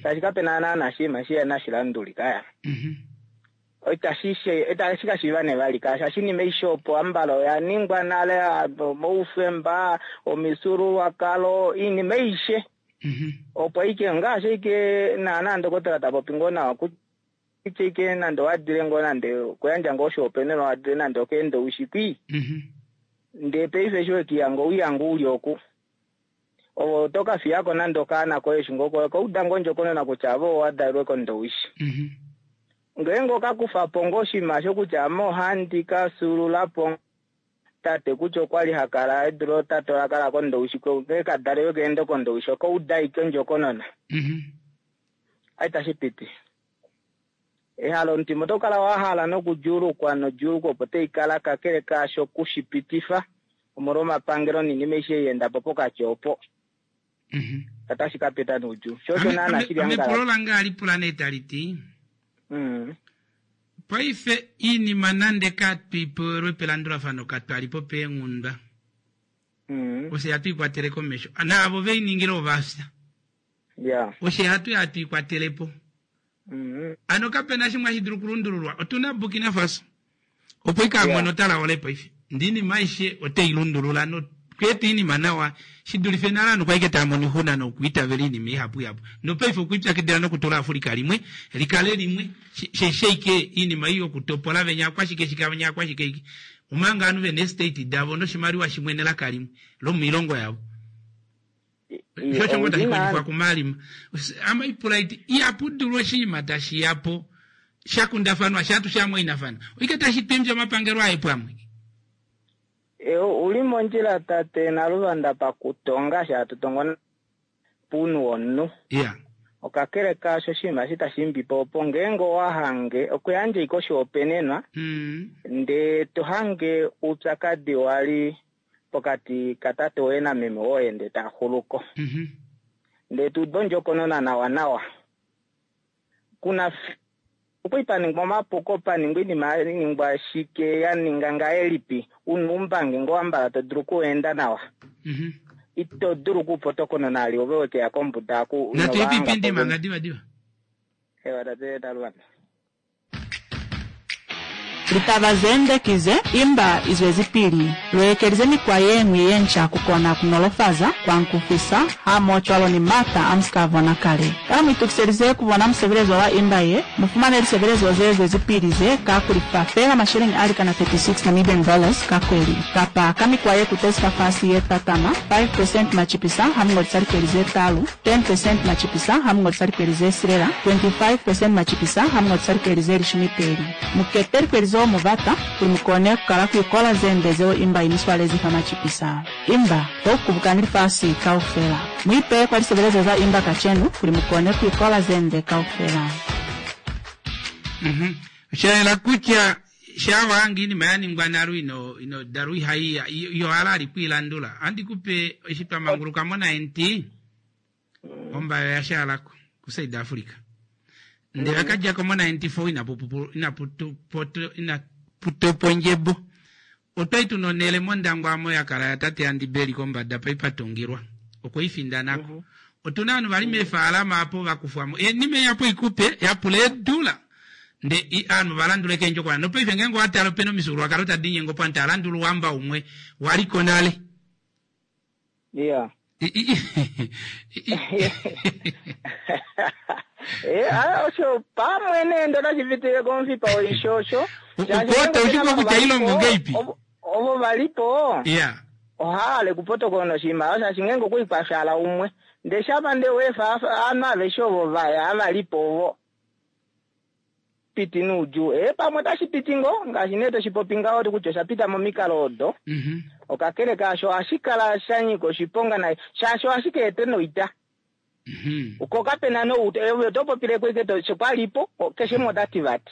I: Shaashi kape na naana oshinima shihena oshilanduli kaya. Itashi itashi ka shiiva nee vali kaya shaashi oinima aishe opo ambala oya ningwa nale, omaufemba, omifyuululwakalo, oinima aishe opo ashike ongaashi ashike naana ndokotola ta popi ngoo nawa kutya ashike nande owa dile ngoo nande okuyandja ngoo oshihopaenenwa wa dile nande okeenda oushikwi ndee paife eshi wekihanga owihanga uli oku ove oto ka fiyako nande okaana koye eshi ngoo okauda ngoo ondjokonona kutya ave owa dalelwe kOndowishi. Ngeenge oka kufa po ngoo oshinima osho kutya ame ohandi ka fyuulula po tate kutya okwa li ha kala edu lootate ola kala kOndowishi, ngeenge ka dalelwe keende kOndowishi oka uda ashike ondjokonona. Itashi piti. Ehalo lomutima oto kala wa hala nokudjuulukwa nodjuulukwa opo tai kala kakele kaasho ku shi pitifa omolwomapangelo noinima aishe ei ya enda po pokati opo. Otashi ka pita noudjuu. Sho osho naana shili
A: Ame epulo lange ohali pula nee tali ti, paife iinima nande katwi pewelwe pelandulafano katwa li po peenghundwa, ofye hatu i kwatele komesho, naavo ve i ningile ova fya. Ofye hatu hatu i kwatele po. Ano kape na shimwe hashi dulu okulundululwa. Otu na Burkina Faso. Opo ike a mona otala ole paife. Ndee iinima aishe ote i lundulula nokweeta iinima nawa shi dulife nale ovanhu kwali ike tava mono oixuna nokwiitavela iinima ihapu ihapu. Nopaife okwiipyakidila nokutula Africa limwe li kale limwe she ike iinima ei yokutopola venya akwashike shike venya akwashike ike omanga ovanhu vena eestate davo noshimaliwa shimwe nelaka limwe lomoilongo yavo. Sho osho ngoo tashi kondjifwa kuMalima. Ame ipula iti, ihapu dulu oshinima tashi ya po sha kundafanwa sha atu shamwainafana. Oike tashi twimbya omapangelo aye pwamwe.
I: U li mondjila tate Naluvanda pakutonga sha hatu tongo pounhu womunhu.
A: Yeah.
I: Okakele kaasho oshinima eshi tashi imbi po opo ngeenge owa hange okuyandja ashike oshihopaenenwa ndee to hange oupyakadi wa li pokati katate woye nameme woye ndee taa xulu ko. Ndee to uda ondjokonona nawanawa. Kuna okwali pa ningwa omapuko, pa ningwa oinima ya ningwa shike, ya ninga ngahelipi, u na oumbangi ngoo ambala to dulu okuenda nawa. Ito dulu okuupotokonona ali ove we ke ya kombuda aku
A: Natu ye piipindi manga diva diva.
I: Ewa tate Naluvanda.
J: Litaba ze nde ki ze, Imba i zwezipili. Lu ekelize mikwa ye ñwi ye nca ku kona ku nolofaza, ku ankufisa, hamohocwalo ni m'ata a mu si ka bona kale. Kana mu itukiselize ku bona musebelezo wa imba ye? Mu fumane lisebelezo ze zwezipili ze ka ku lifa feela masheleñi a likana 36 Namibian dollars ka kweli, kapa ka mikwa ye kutezi fafasi ye tatama, 5 percent macipisa ha mu ngolisa likweli ze talu, 10 percent macipisa ha mu ngolisa likweli ze silela, 25 percent macipisa ha mu ngolisa likweli ze lishumi peli. Mu kete likweli zeo mu bata kuli mu kone ku kala ku ikola ze nde zeo imba i mi swalezi fa macipisa. Imba, to kubukani lifasi kaufela. Muipeye kwa lisebelezo za Imba kacenu kuli mukone kuikola zende kaufela.
A: Osha yela kutya shaa inima ya ningwa nale ino ino dalwa ihaiya yo hala ali kwiilandula andi kupe eshi twa manguluka mo 90 ombayo oya shaalako ku South Africa ndele akadjako mo 94 inapu inapu inaputopo ondjebo otwali tuna onhele mondangwa amo ya kala ya tate Andibeli kombada pai patungilwa okwe i findanako otuna ovanhu vali meefaalama apo vakufwamo enima ei apo ikupe yapula eedula nde ovanhu valandula keendjokonona nopaife ngeenge owatala opena omifyuululwakalo tadi linyenge opo ovanhu tava landula ouhamba umwe waliko nale.
I: Yeah. Eh, ah, osho pamwe nee ndo tashi pitile komufipa woishosho.
A: Ukota ushiko kutya ilongo ngeipi?
I: Ovo valipo.
A: Yeah.
I: Ohaale kupotokona oshimaliwa shaashi ngeenge okwa kwafyala umwe ndee shapa ndee weefa ovanhu aveshe ovo vaya avalipo ovo piti noudjuu ee pamwe otashi piti ngoo ngaashi nee toshi popi ngaho kutya osha pita momikalo odo okakele kaasho ohashi kala sha nyika oshiponga nai shaashi ohashi ka eta noita ko kapena nouta ove oto popileko ike to kwalipo keshe umwe ota ti vati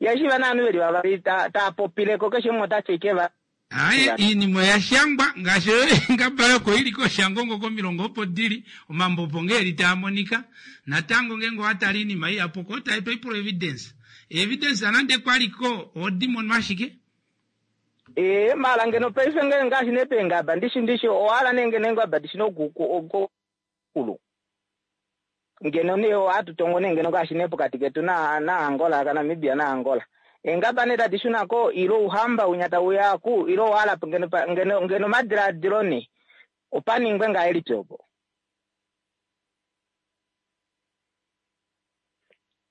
I: ihashi va naanhu veli vavali taa popileko keshe umwe ota ti ike va
A: Aye, iinima oya shangwa ngaashi eengaba yoko ili kOshangongo komilonga opo dili, omambo opo ngee eli taa monika. Natango ngeenge owa tale iinima ihapu oko ota etwa oipula evidence. Evidence nande kwa li ko ohodi mono ashike.
I: Ee, maala ngeno paife nge ngaashi nee peengaba ndishi ndishi owa hala nee ngeno eengaba dishi noku ku kulu. Ngeno nee ohatu tongo nee ngeno ngaashi nee pokati ketu na na Angola ka Namibia na Angola. Eengaba nee tadi shuna ko ile ouhamba winya tau ya ku ile owa hala ngeno ngeno ngeno omadilaadilo nee opa ningwe ngahelipi opo.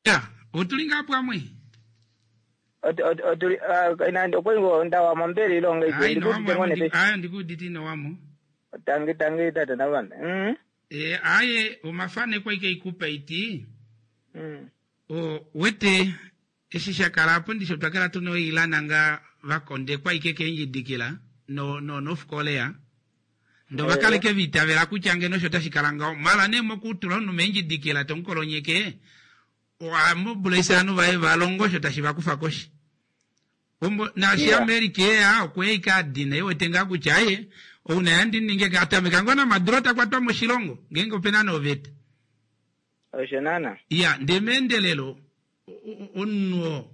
A: Ya, otuli ngaa pwamwe?
I: Otuli okwali ngoo ndawamo mbela ile ongahelipi? Ndikuudite ngoo nee paife.
A: Aye, ndikuudite ino wamo.
I: Tangi tangi tate Navanda. Mm.
A: Eh, aye omafaneko aike ikupa iti. O wete eshi sha kala apo ndishi otwa kala tuna oilana nga vakondekwa ike keendjidikila no no North Korea. Ndo va kaleke va itavela kutya ngeno osho tashi kala ngaho. Mala nee mokutula omunhu meendjidikila tomukolonyeke, oha mobilize ovanhu vaye va longe osho tashi va kufa koshi. Ombo, naashi
I: Yeah.
A: America eya okweya ike adina e wete ngaa kutya aye ou naye andi ninge ka atameka ngoo naMaduro ta kwatwa moshilongo ngeenge opena nee oveta.
I: Osho naana.
A: Iya, ndee meendelelo omunhu oo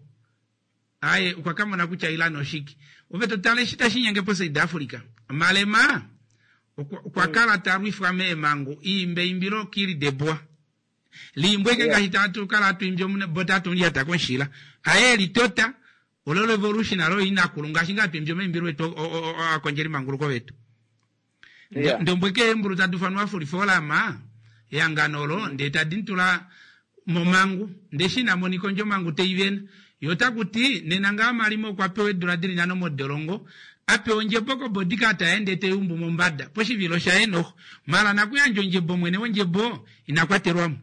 A: aye okwa ka mona kutya Iran oshike. Ove to tale eshi tashi nyenge poSouth Africa. Malema okwa, okwa kala ta lwifwa meemangu iimbe eimbilo Kili de Bois. Liimbwe ike ngaashi tatu kala hatu imbi omune bo tatu lyata koshila. Aye elitota olo revolution alo inakulu ngaashi ngaa hatu imbi omaimbilo etu ovakondjeli manguluko vetu.
I: Yeah.
A: Ndombwe ke eembulu tadi ufanwa Afriforum ehangano olo ndee tadi mutula momangu ndee eshi ina monika ondjo omangu teivena ye ota kuti nena ngaa Malima okwa pewa eedula dili nhano modolongo a pewa ondjebo ko bodyguard yaye ndee teiumbu mombada poshivilo shaye noho mala nakuyandja ondjebo mwene wondjebo ina kwatelwamo.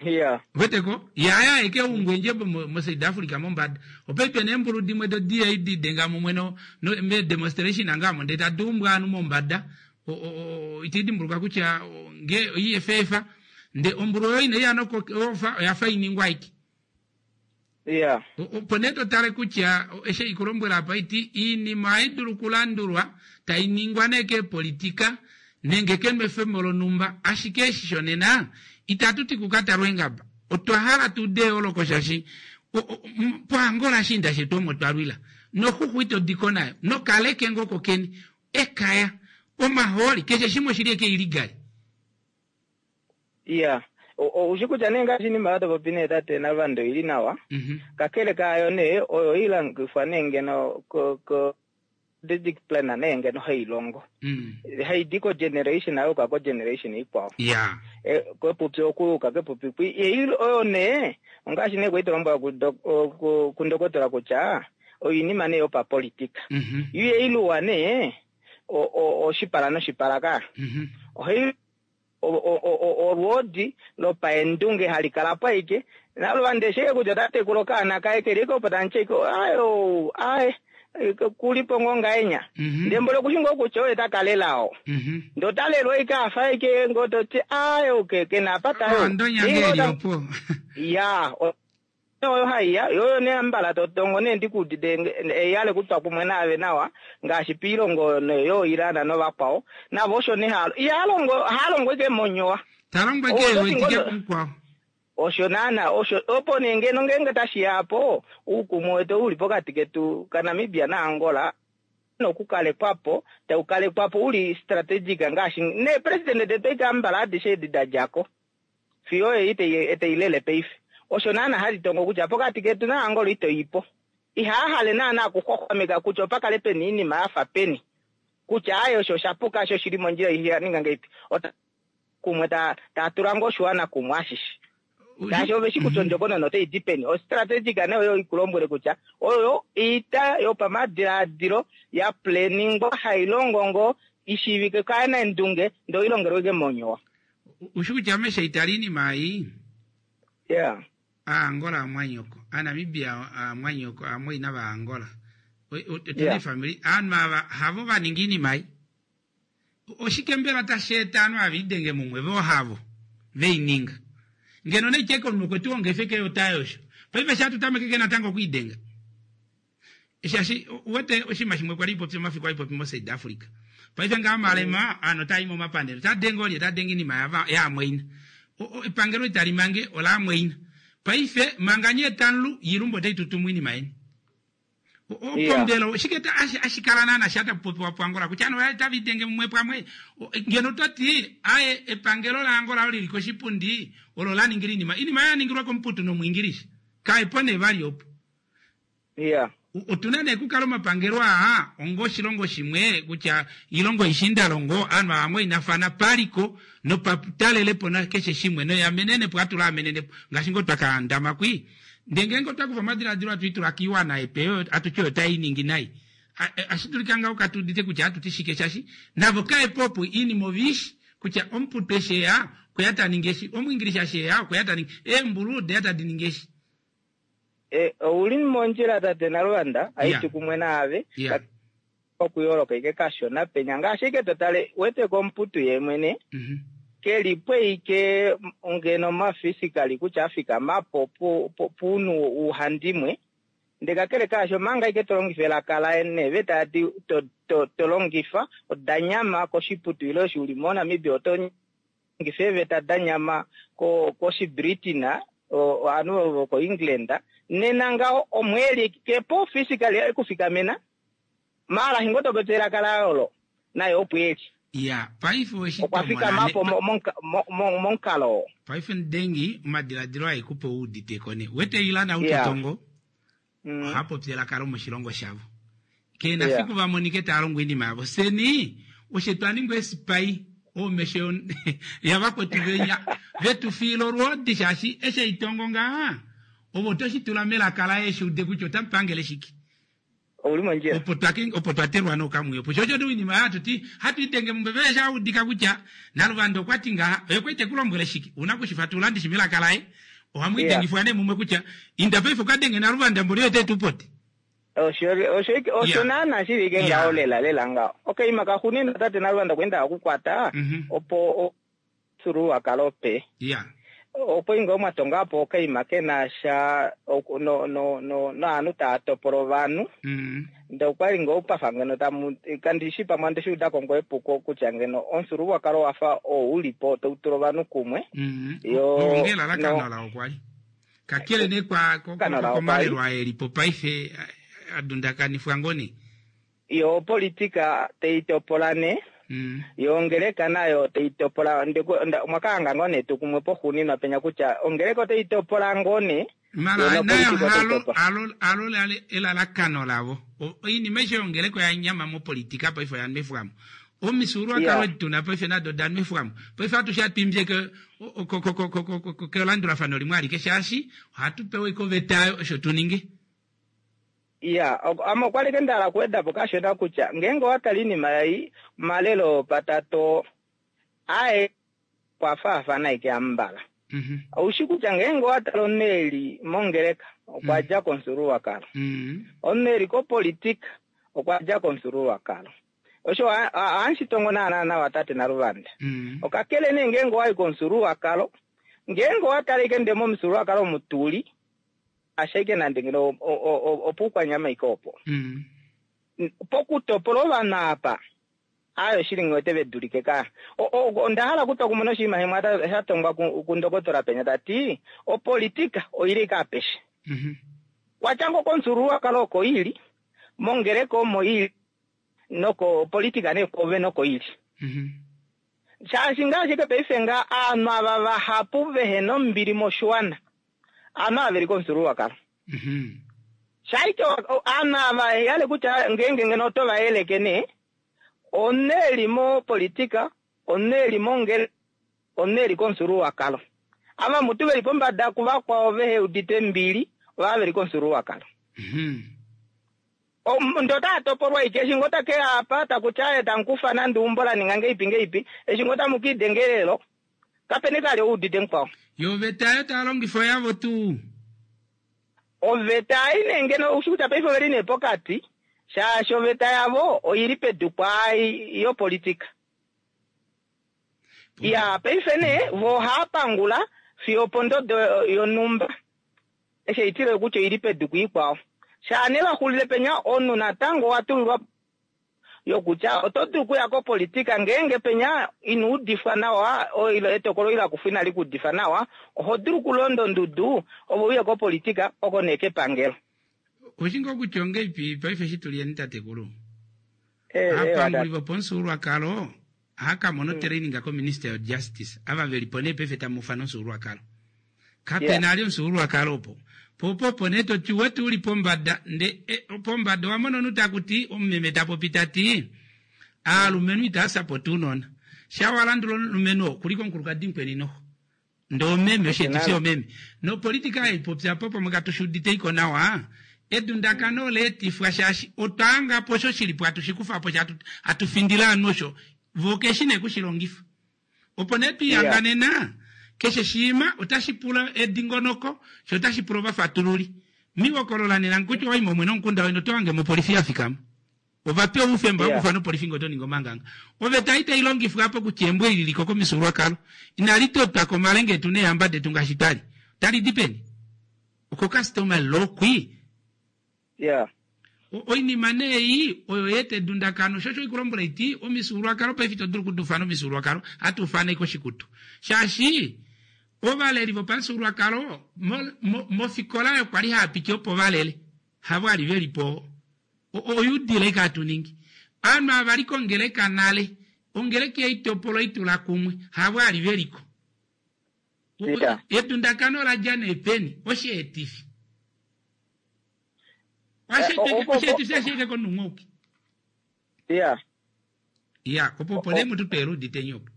I: Yeah.
A: Weteko? Ye aye aeke umbwa endjebo mo, mo South Africa mombada. Opa pena eembulu dimwe do DA di denga mumwe no, no me demonstration anga amo ndee tadi umbwa ovanhu mombada. O, o, o, iti dimbuluka kutya o, nge oIFF nde ombulu oyo inai ya noko ofa oya fa iningwa aike.
I: Yeah.
A: Opo nee to tale kutya eshi ei kulombwela apa iti iinima ohai dulu okulandulwa tai ningwa nee keepolitika nenge kenwefemo lonhumba ashike eshi shonena itatu ti kukatalwa eengaba otwa hala tu ude eyooloko shaashi poAngola ashiinda shetu omo twa lwila noxuxu ito diko nayo nokaleke ngoo kokeni ekaya omahooli keshe shimwe oshili eke illegal.
I: Iya, oushi kutya nee ngaashi iinima oyo to popi nee tate Navanda oili nawa, kakele kaayo nee oyo oilongifwa nee ngeno ko ko strategic plan nee ngeno hai longo. Hai di ko generation ya yuka ko generation ikwao.
A: Ya.
I: E, kepupi oku yuka kepupi kwi. Ei oyo nee ongaashi nee kwali to lombwela ku ku ku ndokotola kutya oinima nee yopapolitika. Yo ihai luwa nee o o oshipala noshipala ka. Ohai Olwoodi lopaendunge hali kala po aike, naluvanda eshi kutya ota tekula okaana kaye keli ike opo tamu ti aike, aaye ou, aaye. Kulipo ngoo ngahenya. Ndee mboli okushi ngoo kutya oye ta ka lela oo. Ndee ota lelwa ashike afa ashike ngoo toti aaye ou ke na apa ta yi.
A: Ondonya ngee eli opo.
I: Iyaa. Oyo haiya, yo oyo nee ambala to tongo nee ndi ku udite eihale kutwa kumwe naave nawa ngaashi piilongo oyo nee yoo Iran novakwao navo osho nee haa iha longo haa longo ike monyowa.
A: Ta longo ike e wetike kumukwao.
I: Osho naana osho opo nee ngeno ngeenge tashi ya apo uukumwe wetu ou uli pokati ketu kaNamibia naAngola na okukalekwa po, tau kalekwa po uli strategic ngaashi neepresidente detu eke ambala adishe edi da dja ko. Fiyo ei tei lele paife. Osho naana hali tongo kutya pokati ketu naAngola ito i po. Ihaa hale naana okuxwaxwameka kutya opa kale pena oinima ya fa peni. Kutya aaye osho osha puka osho oshi li mondjila iha ninga ngahelipi. Ota kumwe ta taa tula ngoo oshiwana kumwe ashishe. Shaashi ove shi kutya ondjokonona otai di peni. Ostrategic nee oyo ikulombwele kutya oyo oita yopamadilaadilo ya planingwa hai longo ngoo i shiivike kaanaendunge ndee oi longelwe ike monyowa.
A: Ushi kutya ame shaitali iinima ei.
I: Yeah.
A: Aangola aamwanyoko, Aanamibia aamwanyoko, aamwayina vaAngola. Otuna eefamili, aanhu ava havo va ninga iinima ei. Oshike mbela tashi eta aanhu ava idenge mumwe vo havo vei ninga? Ngeno naitya eke omunhu okwe tu honga efeke yota yosho. Paife eshi hatu tameke natango okwiidenga. Shaashi uwete oshinima shimwe kwali popi omafiku ai popi moSouth Africa. Paife ngaha omalema aanhu otaa i momapandelo taa denge olye taa denge iinima yava yaamwaina. Epangelo itali mange olaamwaina. Paife manga nye tamu lu yilumbu otai tutumu iinima yeni. Opo mbela oshike hashi kala naana sha tapu popiwa puAngola kutya ovanhu otava idenge mumwe pamwe? Ngeno to ti aye epangelo laAngola olo lili koshipundi olo la ningila iinima. Iinima oyo ya ningilwa komuputu nomuIngilisha. Kae po nee vali opo.
I: Yeah.
A: Otuna nee okukala omapangelo aa onga oshilongo shimwe kutya iilongo oishiindalongo ovanhu ava vamwainafana paliko nopatalelepo nakeshe shimwe noyamenenepo hatu laamenenepo ngaashi ngoo twa ka ndama kwii. Ndee ngeenge otwa kufa omadiladilo hatu i tula kiiwana epe oyo hatu ti oyo tai ningi nai, ohashi dulika ngaho katu udite kutya ohatu ti shike shaashi navo kae po opo oinima ove i shi kutya omuputu eshi e ya okwe ya ta ningi eshi, omuingilisha eshi e ya okwe ya ta ningi, eembulu ode ya tadi ningi eshi.
I: E, ou li mondjila tate Naluvanda, haiti kumwe naave,
A: Yeah.
I: okuyooloka ike kashona penya ngaashi ike to tale wete komuputu ye mwene ke li po ike ngeno mafisikali kutya a fikama po puunhu uhandimwe ndee kakele kaasho omanga ike to longifa elaka laye neeveta adi to, to, to longifa oda nyama koshiputu ile eshi uli moNamibia oto longifa eeveta da nyama ko koshiBritain ovanhu vokoEngland nena ngaho omweeli ke po physically ekufikamena Maala hingo to popi elaka laye olo, naye opo e li.
A: Ya, paife owe shi
I: Okwa
A: tomona
I: fikama
A: ne.
I: po mo- momuka- mo- mo- momukalo oo.
A: Paife Ndengi, omadiladilo aye ku po u udite ko ne. Wete Ilan
I: Ya.
A: Utotongo
I: Mm.
A: oha popi elaka lomoshilongo shavo. Ke na
I: Ya.
A: fiku va monike taa longo oinima yavo. Fyeni oshe twa ningwa eesipai, omesho yon- yavakwetu venya ve tu fiila olwoodi shaashi eshi ei tongo ngaha, ove oto shi tula melaka laye eshi ude kutya ota pangele shike.
I: Ouli mondjila.
A: Opo twa opo twa telwa nokamwiyo. Opo shosho tuu iinima hatu ti hatu idenge mumwe vele sha udika kutya Naluvanda okwa ti ngaha, oye kwali te ku lombwele shike? Ouna ku shi fatulula ndishi melaka laye. Ohamu idengifwa nee mumwe kutya inda paife uka denge Naluvanda mboli oye te tu pote.
I: Osho osho osho naana shili ike ngaho lela lela ngaho. Okay, makaxunina tate Naluvanda okwa enda okukwata opo omufyuululwakalo pe.
A: Yeah.
I: Opo inga mwa tonga po okaima ke na sha no no no naanhu taa topola ovanhu.
A: Mm.
I: Ndee okwa li ngoo pafa ngeno tamu kandi shi pamwe andi shi uda ko ngoo epuko kutya ngeno omufyuululwakalo wa fa oo u li po tau tula ovanhu kumwe.
A: Mm.
I: Yo
A: Onge elalakano
I: no
A: lao kwa li. Kakele nee kwa ko- ko-
I: Elalakano lao kwa li.
A: komalelo aa e li po paife a dundakanifwa ngoo nee.
I: Yo opolitika tai topola nee, yo ongeleka nayo tai topola. Omwa ka hanga ngoo nee etukumwe poxuuninwa penya kutya ongeleka otai topola ngoo nee,
A: Mara
I: yo
A: nayo
I: nopolitika otai
A: halo,
I: topola.
A: halo, halo elalakano lavo. Oinima aishe yongeleka oya nyama mopolitika paife oya nwefwamo. Omifyuululwakalo edi tuna paife nado oda nwefwamo. Paife atushe hatu imbye ke, ko, ko, ko, ko, ko, ko, kelandulafano limwe alike shaashi ohatu pewa ike oveta oyo osho tu ninge.
I: Iya, ame okwa li nda hala okuweda po kashona kutya ngeenge owa tale oinima ei, omalelo opatatu aye okwa faafana ashike ambala. Ou shi kutya ngeenge owa tale omunhu e li mongeleka okwa dja komufyuululwakalo, omunhu e li kopolitika. okwa dja komufyuululwakalo. Osho ohashi tongo naana nawa tate Naluvanda. Okakele nee ngeenge owayi komufyuululwakalo, ngeenge owa tala ashike ndee momufyuululwakalo omu tuli, ashike nande ngeno opuukwanyama ashike opo. Pokutopola ovanhu apa, aaye oshili nghi wete ve dulike ka. Onda hala okutwa kumwe noshinima shimwe sha tongwa kundokotola penya ta ti, opolitika oili ashike apeshe. Kwatya ngoo komufyuululwakalo oko ili, mongeleka omo ili, nokopolitika nee kwoove noko ili. Shaashi ngaashi ashike paife ngaa aanhu ava vahapu vehena ombili moshiwana, aanhu ava veli komufyuululwakalo. Shaike aanhu ava yale kutya ngeenge ngeno oto va yeleke nee, omunhu eli mopolitika, omunhu eli mongeleka, omunhu eli komufyuululwakalo. Ava mutu veli pombada kuvakwao vehe udite ombili, ovava veli komufyuululwakalo. Ndee otaa topolwa ike, eshi ngoo take ya apa, taku ti aaye tamu kufa nande eumbo la ninga ngeipi ngeipi, eshi ngoo tamu ka idenga elelo, kape na ali ou udite mukwao.
A: Yo oveta ayo taa longifa oyavo tuu?
I: Oveta ei nee ngeno oushi kutya paife oveli nee pokati, shaashi oveta yavo oili pedu kwaai yopolitika. Iyaa, paife nee vo ohaa pangula fiyo opondodo yonhumba. Eshi eitilo kutya oili pedu kuikwao. Shaa nee va xulile penya, omunhu natango owa tulilwa po yokutya oto dulu okuya kopolitika ngeenge penya ino udifwa nawa ile etokolo la kufwa inali ku udifa nawa, oho dulu okulonda ondudu ove uye kopolitika oko nee kepangelo.
A: Oushi ngoo kutya ongeipi paife eshi tu liyeni tatekulu? Aapanguli vopomufyuululwakalo ohava ka mona otraining kominister yo justice ava veli po nee paife tamu ufana omufyuululwakalo. Kapena ali omufyuululwakalo opo. Po opo opo nee toti uwete uli pombada nde e, pombada owa mona omunhu takuti omumeme ta popi tati aalumenhu itava sapota uunona. Sha wa landula omulumenhu oo kuliko omukulukadi mukweni noho. Ndee omeme, osheetifi omeme. Nopolitika ei popya po pamwe katu shi udite iko nawa. Edundakano ola etifwa shaashi otwa hanga po osho shi li po hatu shi kufa po shaashi hatu findile ovanhu osho vo keshi nee kushi longifa. Opo nee twi hanga nena keshe shiima otashi pula edingonoko sho otashi pula ovafatululi. Miwokolola nena kutya owayi momwe nomukunda weni oto hange mo opolifi ya fikama. Ova pewa oufemba wokufana opolifi ngee oto ningi omanganga. Oveta itai longifwa apa kutya embo eli liliko komifyuululwakalo inali totwa komalenga etu neehamba detu ngaashi twali. Otali di peni? Oko customary law kwii.
I: Yeah.
A: Oinima nee ei oyo ya eta edundakano, sho osho oikulombwela iti omifyuululwakalo paife ito dulu okudufana omifyuululwakalo, hatu ufana ashike oshikutu. Shaashi ovaleli vopamufyuululwakalo mofikola oyo kwali hava piti opo valele, havo ali veli po. Oyuudila ike hatu ningi. Ovanhu ava vali kongeleka nale, ongeleka ihai topolwa itula kumwe, havo ali veliko. Edundakano ola dja nee peni? Osheetifi. Osheetifi ashike konungouki.
I: Ya.
A: Ya, opo opo nee mutu tweela udite opo.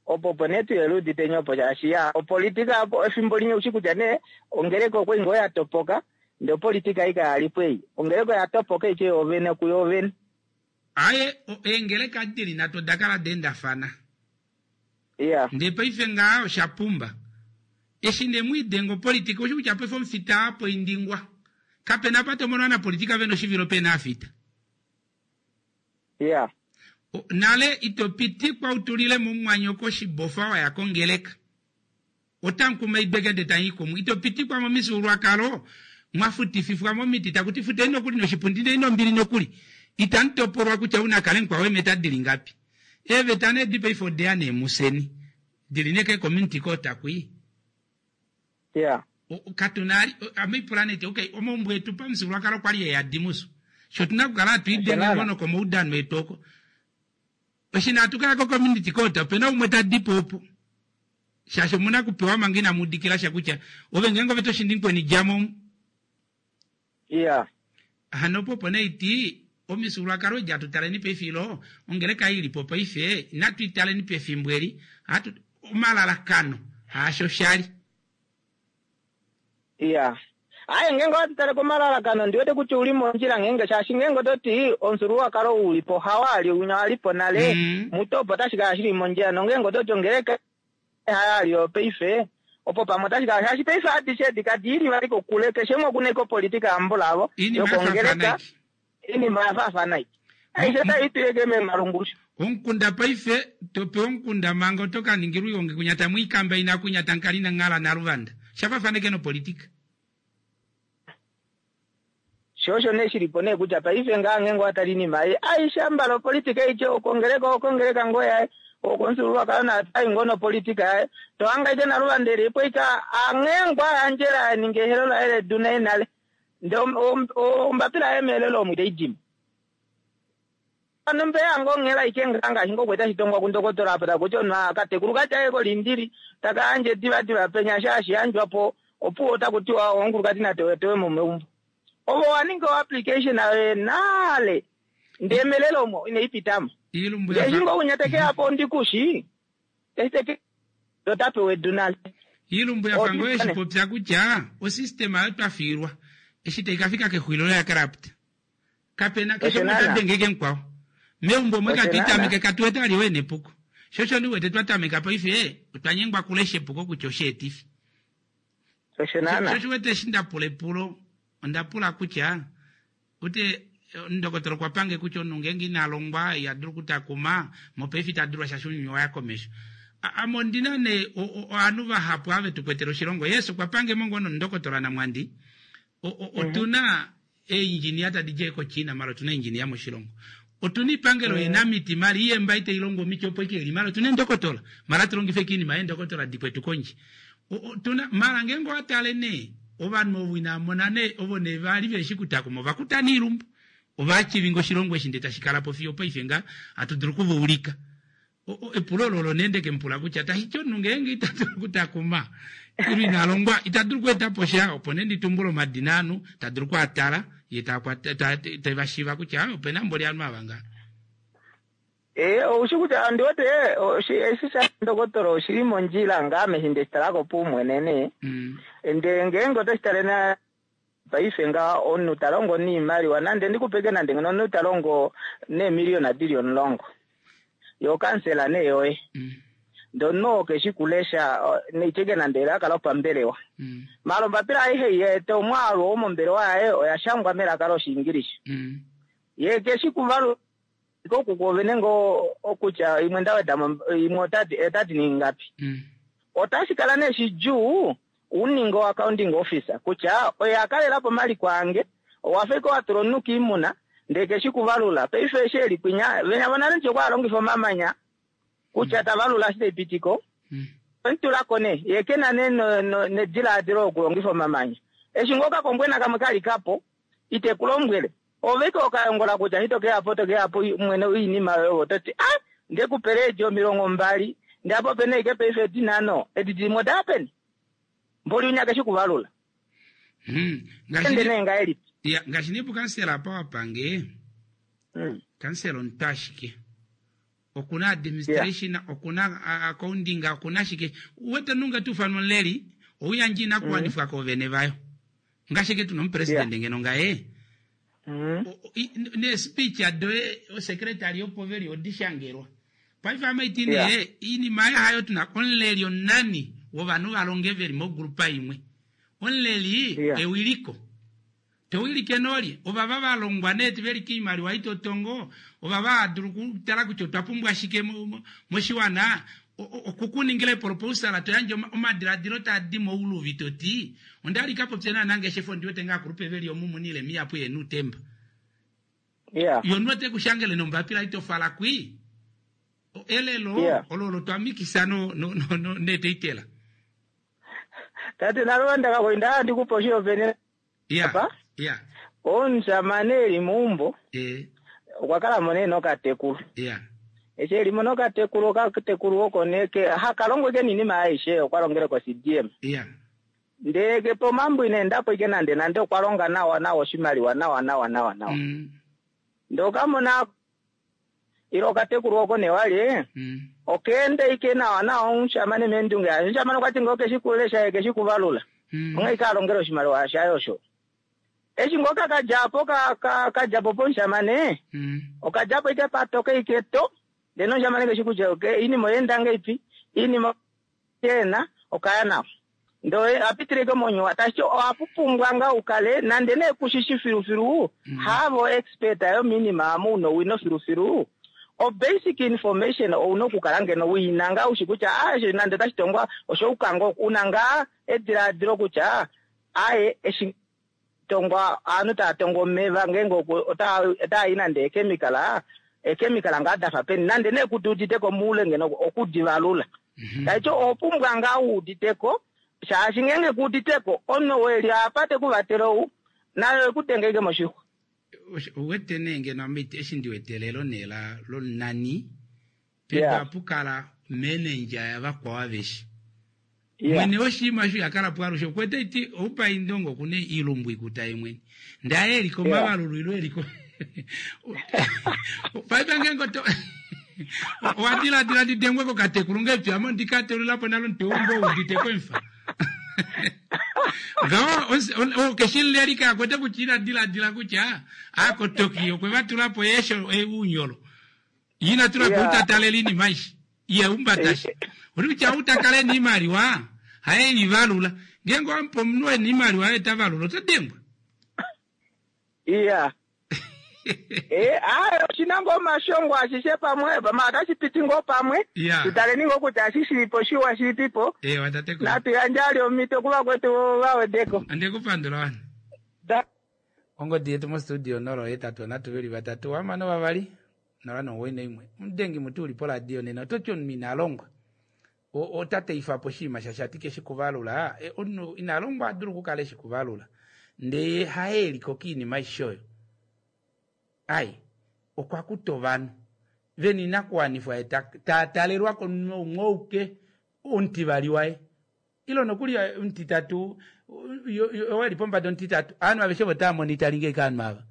I: Opo opo nee tweela udite opo shaashi ya opolitika efimbo limwe ushi kutya nee ongeleka okwa ngoo ya topoka ndee opolitika ei kaya li po ei. Ongeleka oya topoka ike yoovene kuyoovene.
A: Aaye, eengeleka dili nhatu oda kala da endafana.
I: Ya.
A: Ndee paife ngaha osha pumba. Eshi nee mwiidenga opolitika ushi kutya paife omufita aa poindingwa. Kapena apa to mono ovanapolitika vena oshivilo pena aafita.
I: Yeah.
A: Nale ito pitikwa u tulile mo mumwanyoko oshibofa wa ya kongeleka. Otamu kumaidwa ndee tamu i kumwe. Ito pitikwa momifyuululwakalo mwa futififwa momiti taku ti futeni nokuli noshipundi ndee nombili nokuli. Itamu topolwa kutya ou na kale mukwao eemeta dili ngapi. Eeveta nee edi paife odeya nee museni. Dili nee keecommunity court kwii.
I: Yeah.
A: Katu na ame ipula nee ti okay omaumbo etu pamufyuululwakalo okwali e yadi muso. Sho otuna okukala hatu idenge ngoo nokomaudano etu oko. Eshi nee hatu kaya ko-community court opena umwe ta dipo opo. Shaashi omuna okupewa manga inamu udikila sha kutya ove ngeenge ove to shindi mukweni djamo omu.
I: Yeah.
A: Hano opo opo nee iti omifyuululwakalo edi hatu taleni paife ilo ongeleka ei ilipo paife inatu i taleni pefimbo eli hatu omalalakano haasho shali.
I: Iya. Aye ngeenge owatu tale komalalakano ondi wete kutya ouli mondjila ngeenge shaashi ngeenge oto ti omufyuululwakalo ou ulipo hawo ali winya walipo nale muto opo otashi kala shili mondjila nongeenge oto ti ongeleka hayo ali yopaife opo pamwe otashi kala shaashi paife adishe edi kadi ili vali kokule keshe umwe okuna ashike opolitika yambulavo
A: Iinima ya faafana
I: yokongeleka
A: iki.
I: Oinima oya faafana ike. Aishe tai tuyeke memalungushu.
A: Omukunda paife to pewa omukunda manga oto ka ningilwa oihongi kunya tamu i kambaina kunya tamu kala inamu hala Naluvanda. Osha faafana ike nopolitika.
I: Sho osho nee shili po nee kutya paife ngaa ngeenge owa tala oinima ei aishe ambala opolitika aike, okongeleka okongeleka ngoo yaye, okomufyuululwakalo naye otai ngoo nopolitika yaye. To hanga aike Naluvanda eli po aike anghee ngoo a yandjela a ninga ehelo laye ledu naye nale ndee ombapila yaye meelelo omo itai dimo. Hano mbeya ngoo onghela aike ngaa ngaashi ngoo kwali tashi tongwa kundokotola apa taku ti omunhu akatekulu katya aye kolindili taka yandje divadiva penya eshi hashi yandjwa po opuwo otaku tiwa omukulukadi na tewetewe mo meumbo. Ove owa ninga o application yoye nale ndee melelo omo inai pitamo.
A: Iilumbu
I: Ndee
A: ya
I: eshi
A: fa
I: ngoo winya teke ya po ondikushi eshi teke ota pewa edu nale.
A: Iilumbu ya fa ngoo
I: Odi
A: eshi
I: pane.
A: popya kutya osystema oyo twa fiilwa eshi tai ka fika kexulilo oya corrupt. Kape na keshe
I: Osho
A: umwe ta
I: naana.
A: denge ike mukwao. Meumbo omo
I: Osho
A: katu
I: naana.
A: itameke katu wete vali oo ena epuko. Sho osho ndi wete twa tameka paife otwa nyengwa kulesha epuko kutya osheetifi.
I: Osho naana.
A: Sho osho wete eshi nda pula epulo onda pula kutya ute ndokotola okwa pange kutya omunhu ngeenge ina longwa iha dulu okutakuma mopaife ita dulwa shaashi ounyuni owa ya komesho. Ame ondina nee ovanhu vahapu ava vetu kwetele oshilongo. Yes okwa pange mo ngoo nomundokotola Namwandi. Otuna eeindjinia tadi dje koChina mala otuna eeindjinia moshilongo. Otuna oipangelo yenamiti mala iyemba itai longo omiti opo ike ili mala otuna eendokotola mala atu longifa ike oinima yeendokotola dikwetu kondje. Otuna mala ngeenge owa tale nee ovanhu ovo inava mona nee ovo nee vali veshi kutakuma ova kuta nee oilumbu. Ova achivinga oshilongo eshi ndee tashi kala po fiyo opaife nga hatu dulu okuva ulika. Epulo olo olo nee ndeke mu pula kutya tashi ti omunhu ngeenge ita dulu okutakuma ile ina longwa ita dulu okweeta po sha opo nee ndi tumbule omadina ovanhu ta dulu okwaatala ye te va shiiva kutya ope na mboli ovanhu ava ngaha.
I: Ee, ou shi kutya ondi wete eshi sha ndokotola oshi li mondjila ngaa ame eshi nde shi tala ko paumwene nee. Ndele ngeenge oto shi tale na paife ngaha omunhu ta longo noimaliwa nande ndi ku peke nande ngeno omunhu ta longo neemiliyona di li omulongo ye okansela nee yoye ndee omunhu oo keshi kulesha neitye nande elaka lopambelewa maala ombapila aishe ei ya eta omwaalu womombelewa yaye oya shangwa melaka lOshiingilisha ye keshi kuvalula oku kwoovene ngoo okutya imwe nda weda mo imwe otati otati ningi ngapi. Otashi kala nee shidjuu u ninge o accounting officer kutya oye a kalela po omaliko ange, owa fa ashike wa tula omunhu koimuna ndee keshi kuvalula. Paife eshi e li kwinya, venya vonale ndishi okwa longifa omamanya kutya ta valula eshi tai piti ko. Okwe mu tula ko nee, ye ke na nee nedilaadilo lokulongifa omamanya. Eshi ngoo okakombwena kamwe ka lika po, ite ku lombwele. Ove ike okayongola kutya eshi to ke ya po, oto ke ya po mwene oinima yoye ove oto ti, A! Nde ku pele eedi 20, ndee apa ope na ashike paife eedi nhano, edi dimwe oda ya peni? Mboli winya keshi kuvalula. Ende nee ngahelipi?
A: Ya, ngaashi nee pukansela apa wa pange, kansela omuntu ashike. Okuna administration, okuna accounting, okuna shike. Uwete omunhu nge ta ufanwa omuleli, ouyandja oinakuwanifwa koovene vayo. Ngaashi eke tuna omupresidente ngeno ngaye, neespeech doye osecretary opo veli odi shangelwa. Paife ame iti nee, oinima ayo hayo tuna omuleli onani wovanhu va longe veli mogrupa imwe. Omuleli ewiliko. To wilike nolye? Ovava va longwa nee ve li koimaliwa itotongo, ovava hava dulu okutala kutya otwa pumbwa shike moshiwana, okukuningila eproposal to yandje omadiladilo taa di mouluvi to ti, onda li ka popya naanangeshefa ondi wete ngaa akulupe ve li omu mu na oilema ihapu ye na outemba. Yo omunhu ote ku shangele nombapila ito fala kwii. Elelo olo olo twa mikisa no neeteitela.
I: Tate Naluvanda Kakoi nda hala ndi ku pe oshihopaenenwa apa. Omushamane e li meumbo okwa kala mo nee nokatekulu. Eshi e li mo nokatekulu, okatekulu oko nee haka longo ike noinima aishe, okwa longele koCDM. Ndee ke pomambo ina enda po ike nande nande, okwa longa nawa nawa oshimaliwa nawa nawa nawa nawa. Ndee okamona ile okatekulu oko nee wali oka enda ike nawa nawa omushamane meendunge yaye. Omushamane okwa ti ngoo keshi kulesha ye keshi kuvalula. Onghee ike a longele oshimaliwa shaye osho. Eshi ngoo ka kadja po ka dja po pomushamane, oka dja po ike patoka ike to, ndele nomushamane keshi kutya oinima oya enda ngahelipi, oinima ena okaya nawa. Ndele apitileke monyuwa tashi ohapu pumbwa ngaa ukale nande nee kushishi filufilu haavo expert yominima amu una owino filufilu o basic information ouna okukala ngeno wiina ngaa ushi kutya ah, eshi nande otashi tongwa oshouka ngoo una ngaa edilaadilo kutya aye eshi tongwa ovanhu tava tongo omeva ngeenge otaa i nande eekemikala eekemikala ngaa dafa peni nande nee kuti uditeko moule ngeno okudivalula taiti oho pumbwa ngaa wuuditeko shaashi ngeenge kuuditeko omunhu ou eli apa tekuvatele ou naye oku denge moshixwa.
A: Ouwete nee ngeno ame eshi ndi wete elelo nee la lonani pedu apu kala manager yavakwao aveshe. Mwene woshinima osho iha kala po alushe okuwete iti oupa indongo okuna iilumbu ikuta ye mwene ndee aye eli komavalulu ilo eli ko paife ngeenge oto owa diladila ndi dengwe kokatekulu ngahelipi ame ondi ka teulila po nale omutwe weumbo u udite ko emufa ngaho okeshi leli ka kwete kutya ina diladila kutya aakotoki okwe va tula po eesho uunyolo ina tula po utatalela iinima aishe ye umbata shi uli kutya ou ta kala ena iimaliwa haye i valula ngeenge owamupa omunhu ena iimaliwa oye ta valula ota dengwa
I: iya Eh, aye oshina ngoo omashongo ashishe pamwe pamwe otashi piti ngoo pamwe
A: Ya.
I: tutaleni ngoo kutya eshi shilipo shiwa shilipipo
A: Ewa tatekulu.
I: natu yandje ali omhito kuvakwetu vawedeko
A: Andekupandula wana.
I: Da-
A: Ongodi yetu mostudio 081 3 2 6 091. Omudengi muti uli poradio nena oto ti omunhu ina longwa. Ota teifa po oshinima shaashi ati keshi kuvalula. E, omunhu ina longwa a dulu okukala eshi kuvalula. Ndee ye haye e liko kiinima aishe oyo. Ai, okwa kuta ovanhu ve na oinakuwanifwa ye ta talelwa komunhu umwe ouke omutivali waye. Ile nokuli omutitatu, oo e li pombada omutitatu. Ovanhu aveshe ovo tava monitalinge ashike ovanhu ava.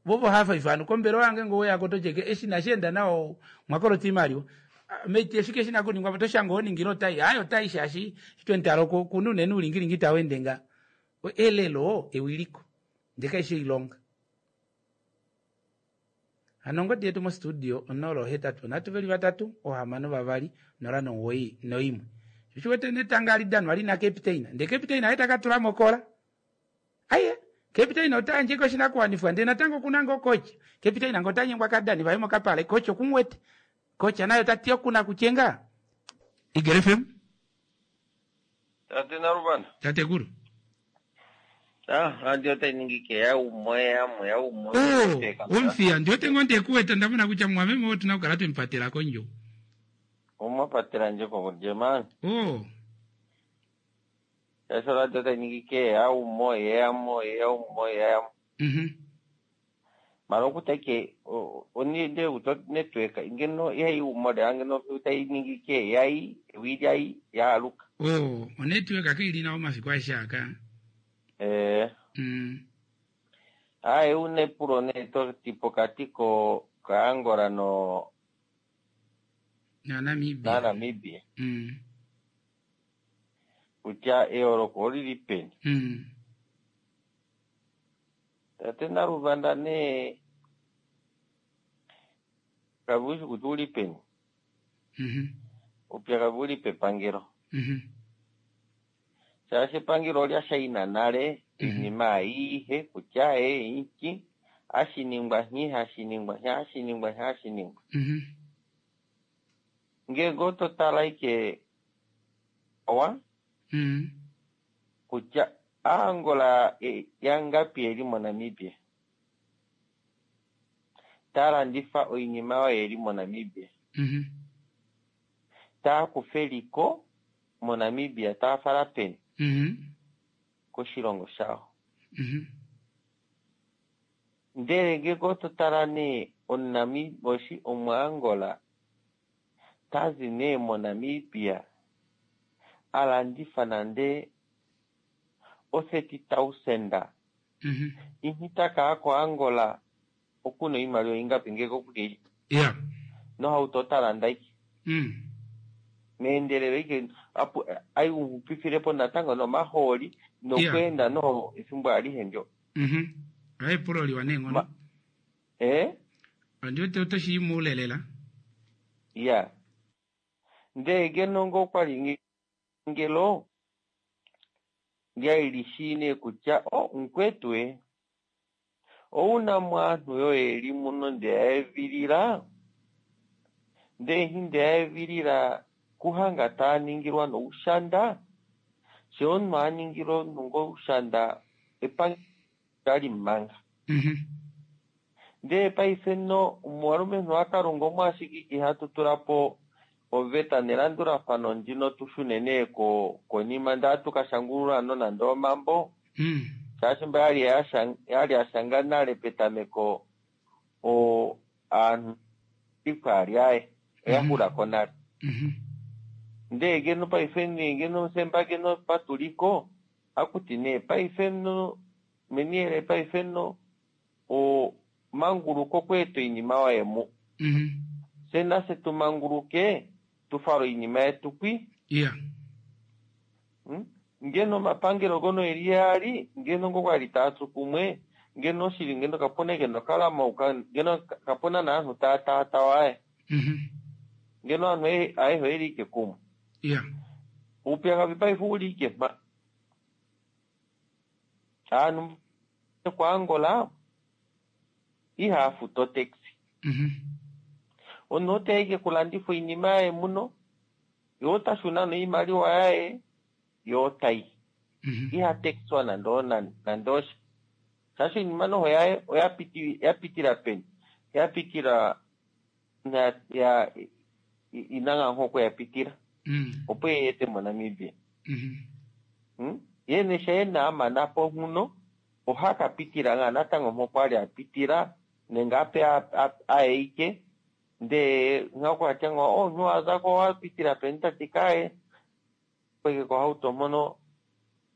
A: Vo ovo hava ifa ovanhu kombelewa yange ngee oweya ko oto tye eshi inashi enda nawa omwa kolota oimaliwa. Meti oshike shina okuningwa po oto shange oho ningile otai. Aaye otai shaashi eshi twemutala okuna unene oulingilingi tau ende nga. Elelo ewiliko ndee kaishi oilonga. Hano ongodi yetu mostudio 083 3 6 2 091. Sho shi wete netanga hali danwa lina captain ndee captain haye taka tula mokola. Aye, captain ota yandje koshinakuwanifwa ndee natango okuna ngoo coach. Captain ngoo ota nyengwa kadani vaye mokapale coach okumuwete. Coach naye ota ti okuna kutye ngaa. Eagle FM.
K: Tate Naluvanda.
A: Tatekulu.
K: Ah, radio otai ningi ke ya umwe ya mwe ya umwe.
A: Oh, omfiya ndi wete ngoo ndekuweta ndamona kutya mwameme oo otuna okukala twemupatela kondjo.
K: Omwa patela ndje kondje man.
A: Oh.
K: Shaashi radio otai ningi ke ya umwe ya mwe ya umwe ya. Mara okutya ke oninde uto network ngeno ihai umwe le ngeno otai ningi ke yai wi yai ya aluka.
A: Oh, onetwork kaili nawa omafiku aeshe aka.
K: Eh. Aye une epulo nee to ti pokati ko kaAngola no
A: Na Namibia.
K: Na Namibia. Kutya eyooloko oli li peni. Tate Naluvanda nee kavushi kutya uli peni. Upyakadhi uli pepangelo. Shaashi epangelo olya shaina nale iinima ayihe kutya e iki hashi ningwa nhi hashi ningwa nhi hashi ningwa nhi hashi ningwa. Ngenge oto tala ike owa kutya Aangola yangapi yeli moNamibia taya landifa oinima oyo yeli moNamibia taya kufa eliko moNamibia taya fala peni koshilongo shawo. Ndele ngenge oto tala nee omuNamibia omuAngola tazi nee moNamibia alandifa nande o 30,000 inhi taka koAngola okuna oimaliwa ingapi ngenge okuke nohauto ota landa ike meendelelo ike apo aiupifilepo natango nomahooli nokweenda no efimbo alihe ndyo.
A: Aye epulo liwa neenghono.
K: Eh?
A: Ondi wete oto shi muule lela.
K: Ya. Ndee ngeno ngoo kwali ngelo Lyali li shii nee kutya o mukwetu e ouna mo aantu yoye yeli muno ndeya evilila ndee nhi ndeya evilila kuhanga taa ningilwa noushanda she omunhu a ningilwa omunhu ngoushanda epangelo tali manga ndee paife no omuwalumenhu wakalunga omo ashike ihatu tula po oveta nelandulafano ndino tu shune nee ko konima ndee atu ka shangulula nonande omambo shaashi mba yali yali ya shanga nale petameko o aanhu ikwali aye oya xula ko nale. Ndee ngeno paife nee ngeno semba ngeno patuliko akuti nee paife no meniele paife no o manguluko kweeta oinima waye mu. Fye nafye tu manguluke tu fale oinima yetu kwi.
A: Yeah.
K: Hmm? Ngeno omapangelo ngono eli yaali ngeno ngo kwali taa tsu kumwe ngeno oshili ngeno kapuna ngeno kalamauka ngeno kapuna naanhu taa taatawa aye. Ngeno aanhu ayehe oyeli ike kumwe.
A: Yeah.
K: Uupyakadhi paife uli ike mpa. Aanhu kwaAngola ihaya futu otaxi. Omunhu oteya ike kulandifa oinima yaye muno, ye ota shuna noimaliwa yaye, ye otayi. Iha taxwa nande nande osha. Shaashi oinima noho yaye oya pitila peni? Ya pitila ya ina ngaa ya pitila. Opo e ete moNamibia. Ye nee sha a mana po nhuno, oha ka pitila ngaa natango mpo kwali a pitila nenge ape aye ike ndee nhakwatya nga omunhu wazako owa pitila peni tati kaye kweke kohauto mpono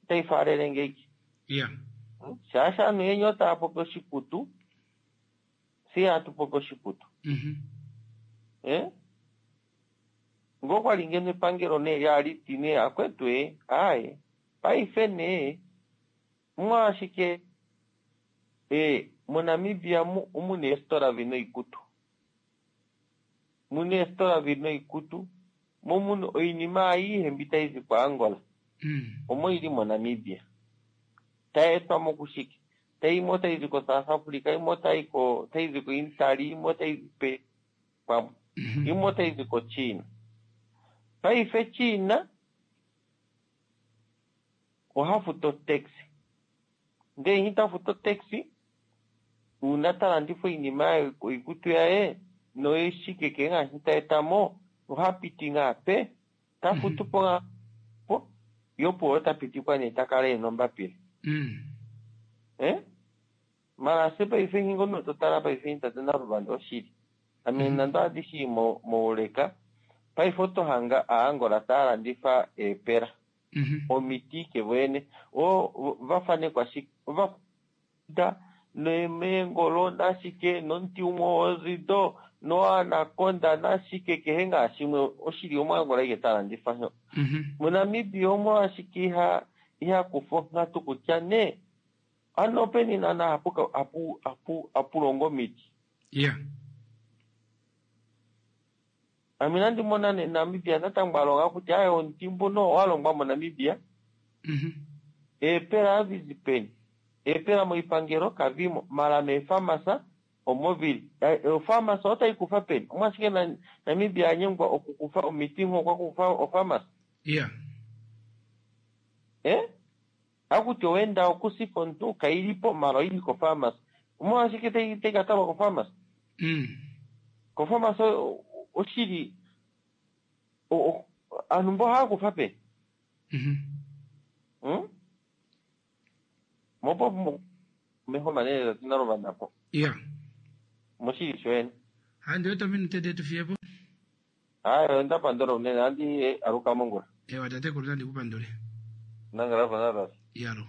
K: otayi faalele ngeiki.
A: Yeah.
K: Shaashi aanhu yeni otaya popi oshiputu, fye ihatu popi oshiputu. Eh? Ngo kwali ngeno epangelo nee lyali ti nee akwetu e, aaye, paife nee, omolwashike e, moNamibia mu omuna eesitola dhina oikutu. Muna eesitola dhina oikutu, mo muna oinima ayihe mbi tayi zi kwaAngola. Omo yili moNamibia. Tayi etwa mo kushike? Tayi imwe otayi zi koSouth Africa, imwe otayi ko otayi zi koItaly, imwe otayi zi pe pamwe. Imwe otayi zi koChina. Paife China oha futu otax. Ndee nhi ta futu otax, uuna ta landifa oinima yaye oikutu yaye noshike ke ngaa shi ta eta mo, oha piti ngaa pe, ta futu po ngaa po, ye opuwo ota pitikwa nee ta kala ena ombapila. Eh? Mara se paife nhi ngono to tala paife tate Naluvanda oshili. Ame nande ohandi shi mouleka, paife oto hanga Aangola taya landifa eepela. Omiti ike voyene. O va fanekwa shike? Ova da neemengolo nashike nomuti umwe wozido noanaconda nashike kehe ngaa shimwe oshili omuAngola ike ta landifa sho. MoNamibia omolwashike iha iha kufa onghatu kutya nee ano openi naana hapu hapu hapu hapu longo omiti.
A: Yeah.
K: Ame inandi mona nee Namibia natango a longa kutya aye omuti mbuno owa longwa moNamibia. Eepela ohadhi zi peni? Eepela moipangelo kadhimo, mala meefamasa omo vili. Ofamasa otayi kufa peni? Omolwashike Namibia a nyengwa okukufa omiti ngho okwa kufa ofamasa?
A: Yeah.
K: Eh? Hakuti owenda okusifa omuntu kayi po mala oyili kofamasa. Omolwashike tayi tayi ka talwa kofamasa? Kofamasa oshili aantu mbo ohaya kufa peni? Hmm? Mopo meho manene tate Naluvanda po.
A: Yeah.
K: Moshili shoyene.
A: Handi wete ominute detu fiye po.
K: Hayi onda pandula unene andi aluka mongula.
A: Ewa tatekulu nandi ku pandule.
K: Nangala pa
A: Yalo.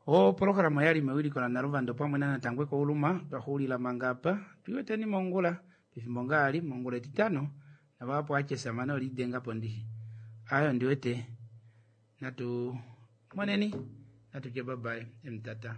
A: Opolohalama oyali mewiliko la Naluvanda opamwe na Natangwe Kouluma twa xuulila manga apa twiweteni mongula pefimbo ngaali mongula etitano navahapu achesa mane olidenga po ndishi ayo ndiwete natu moneni natu tye babaye emutata.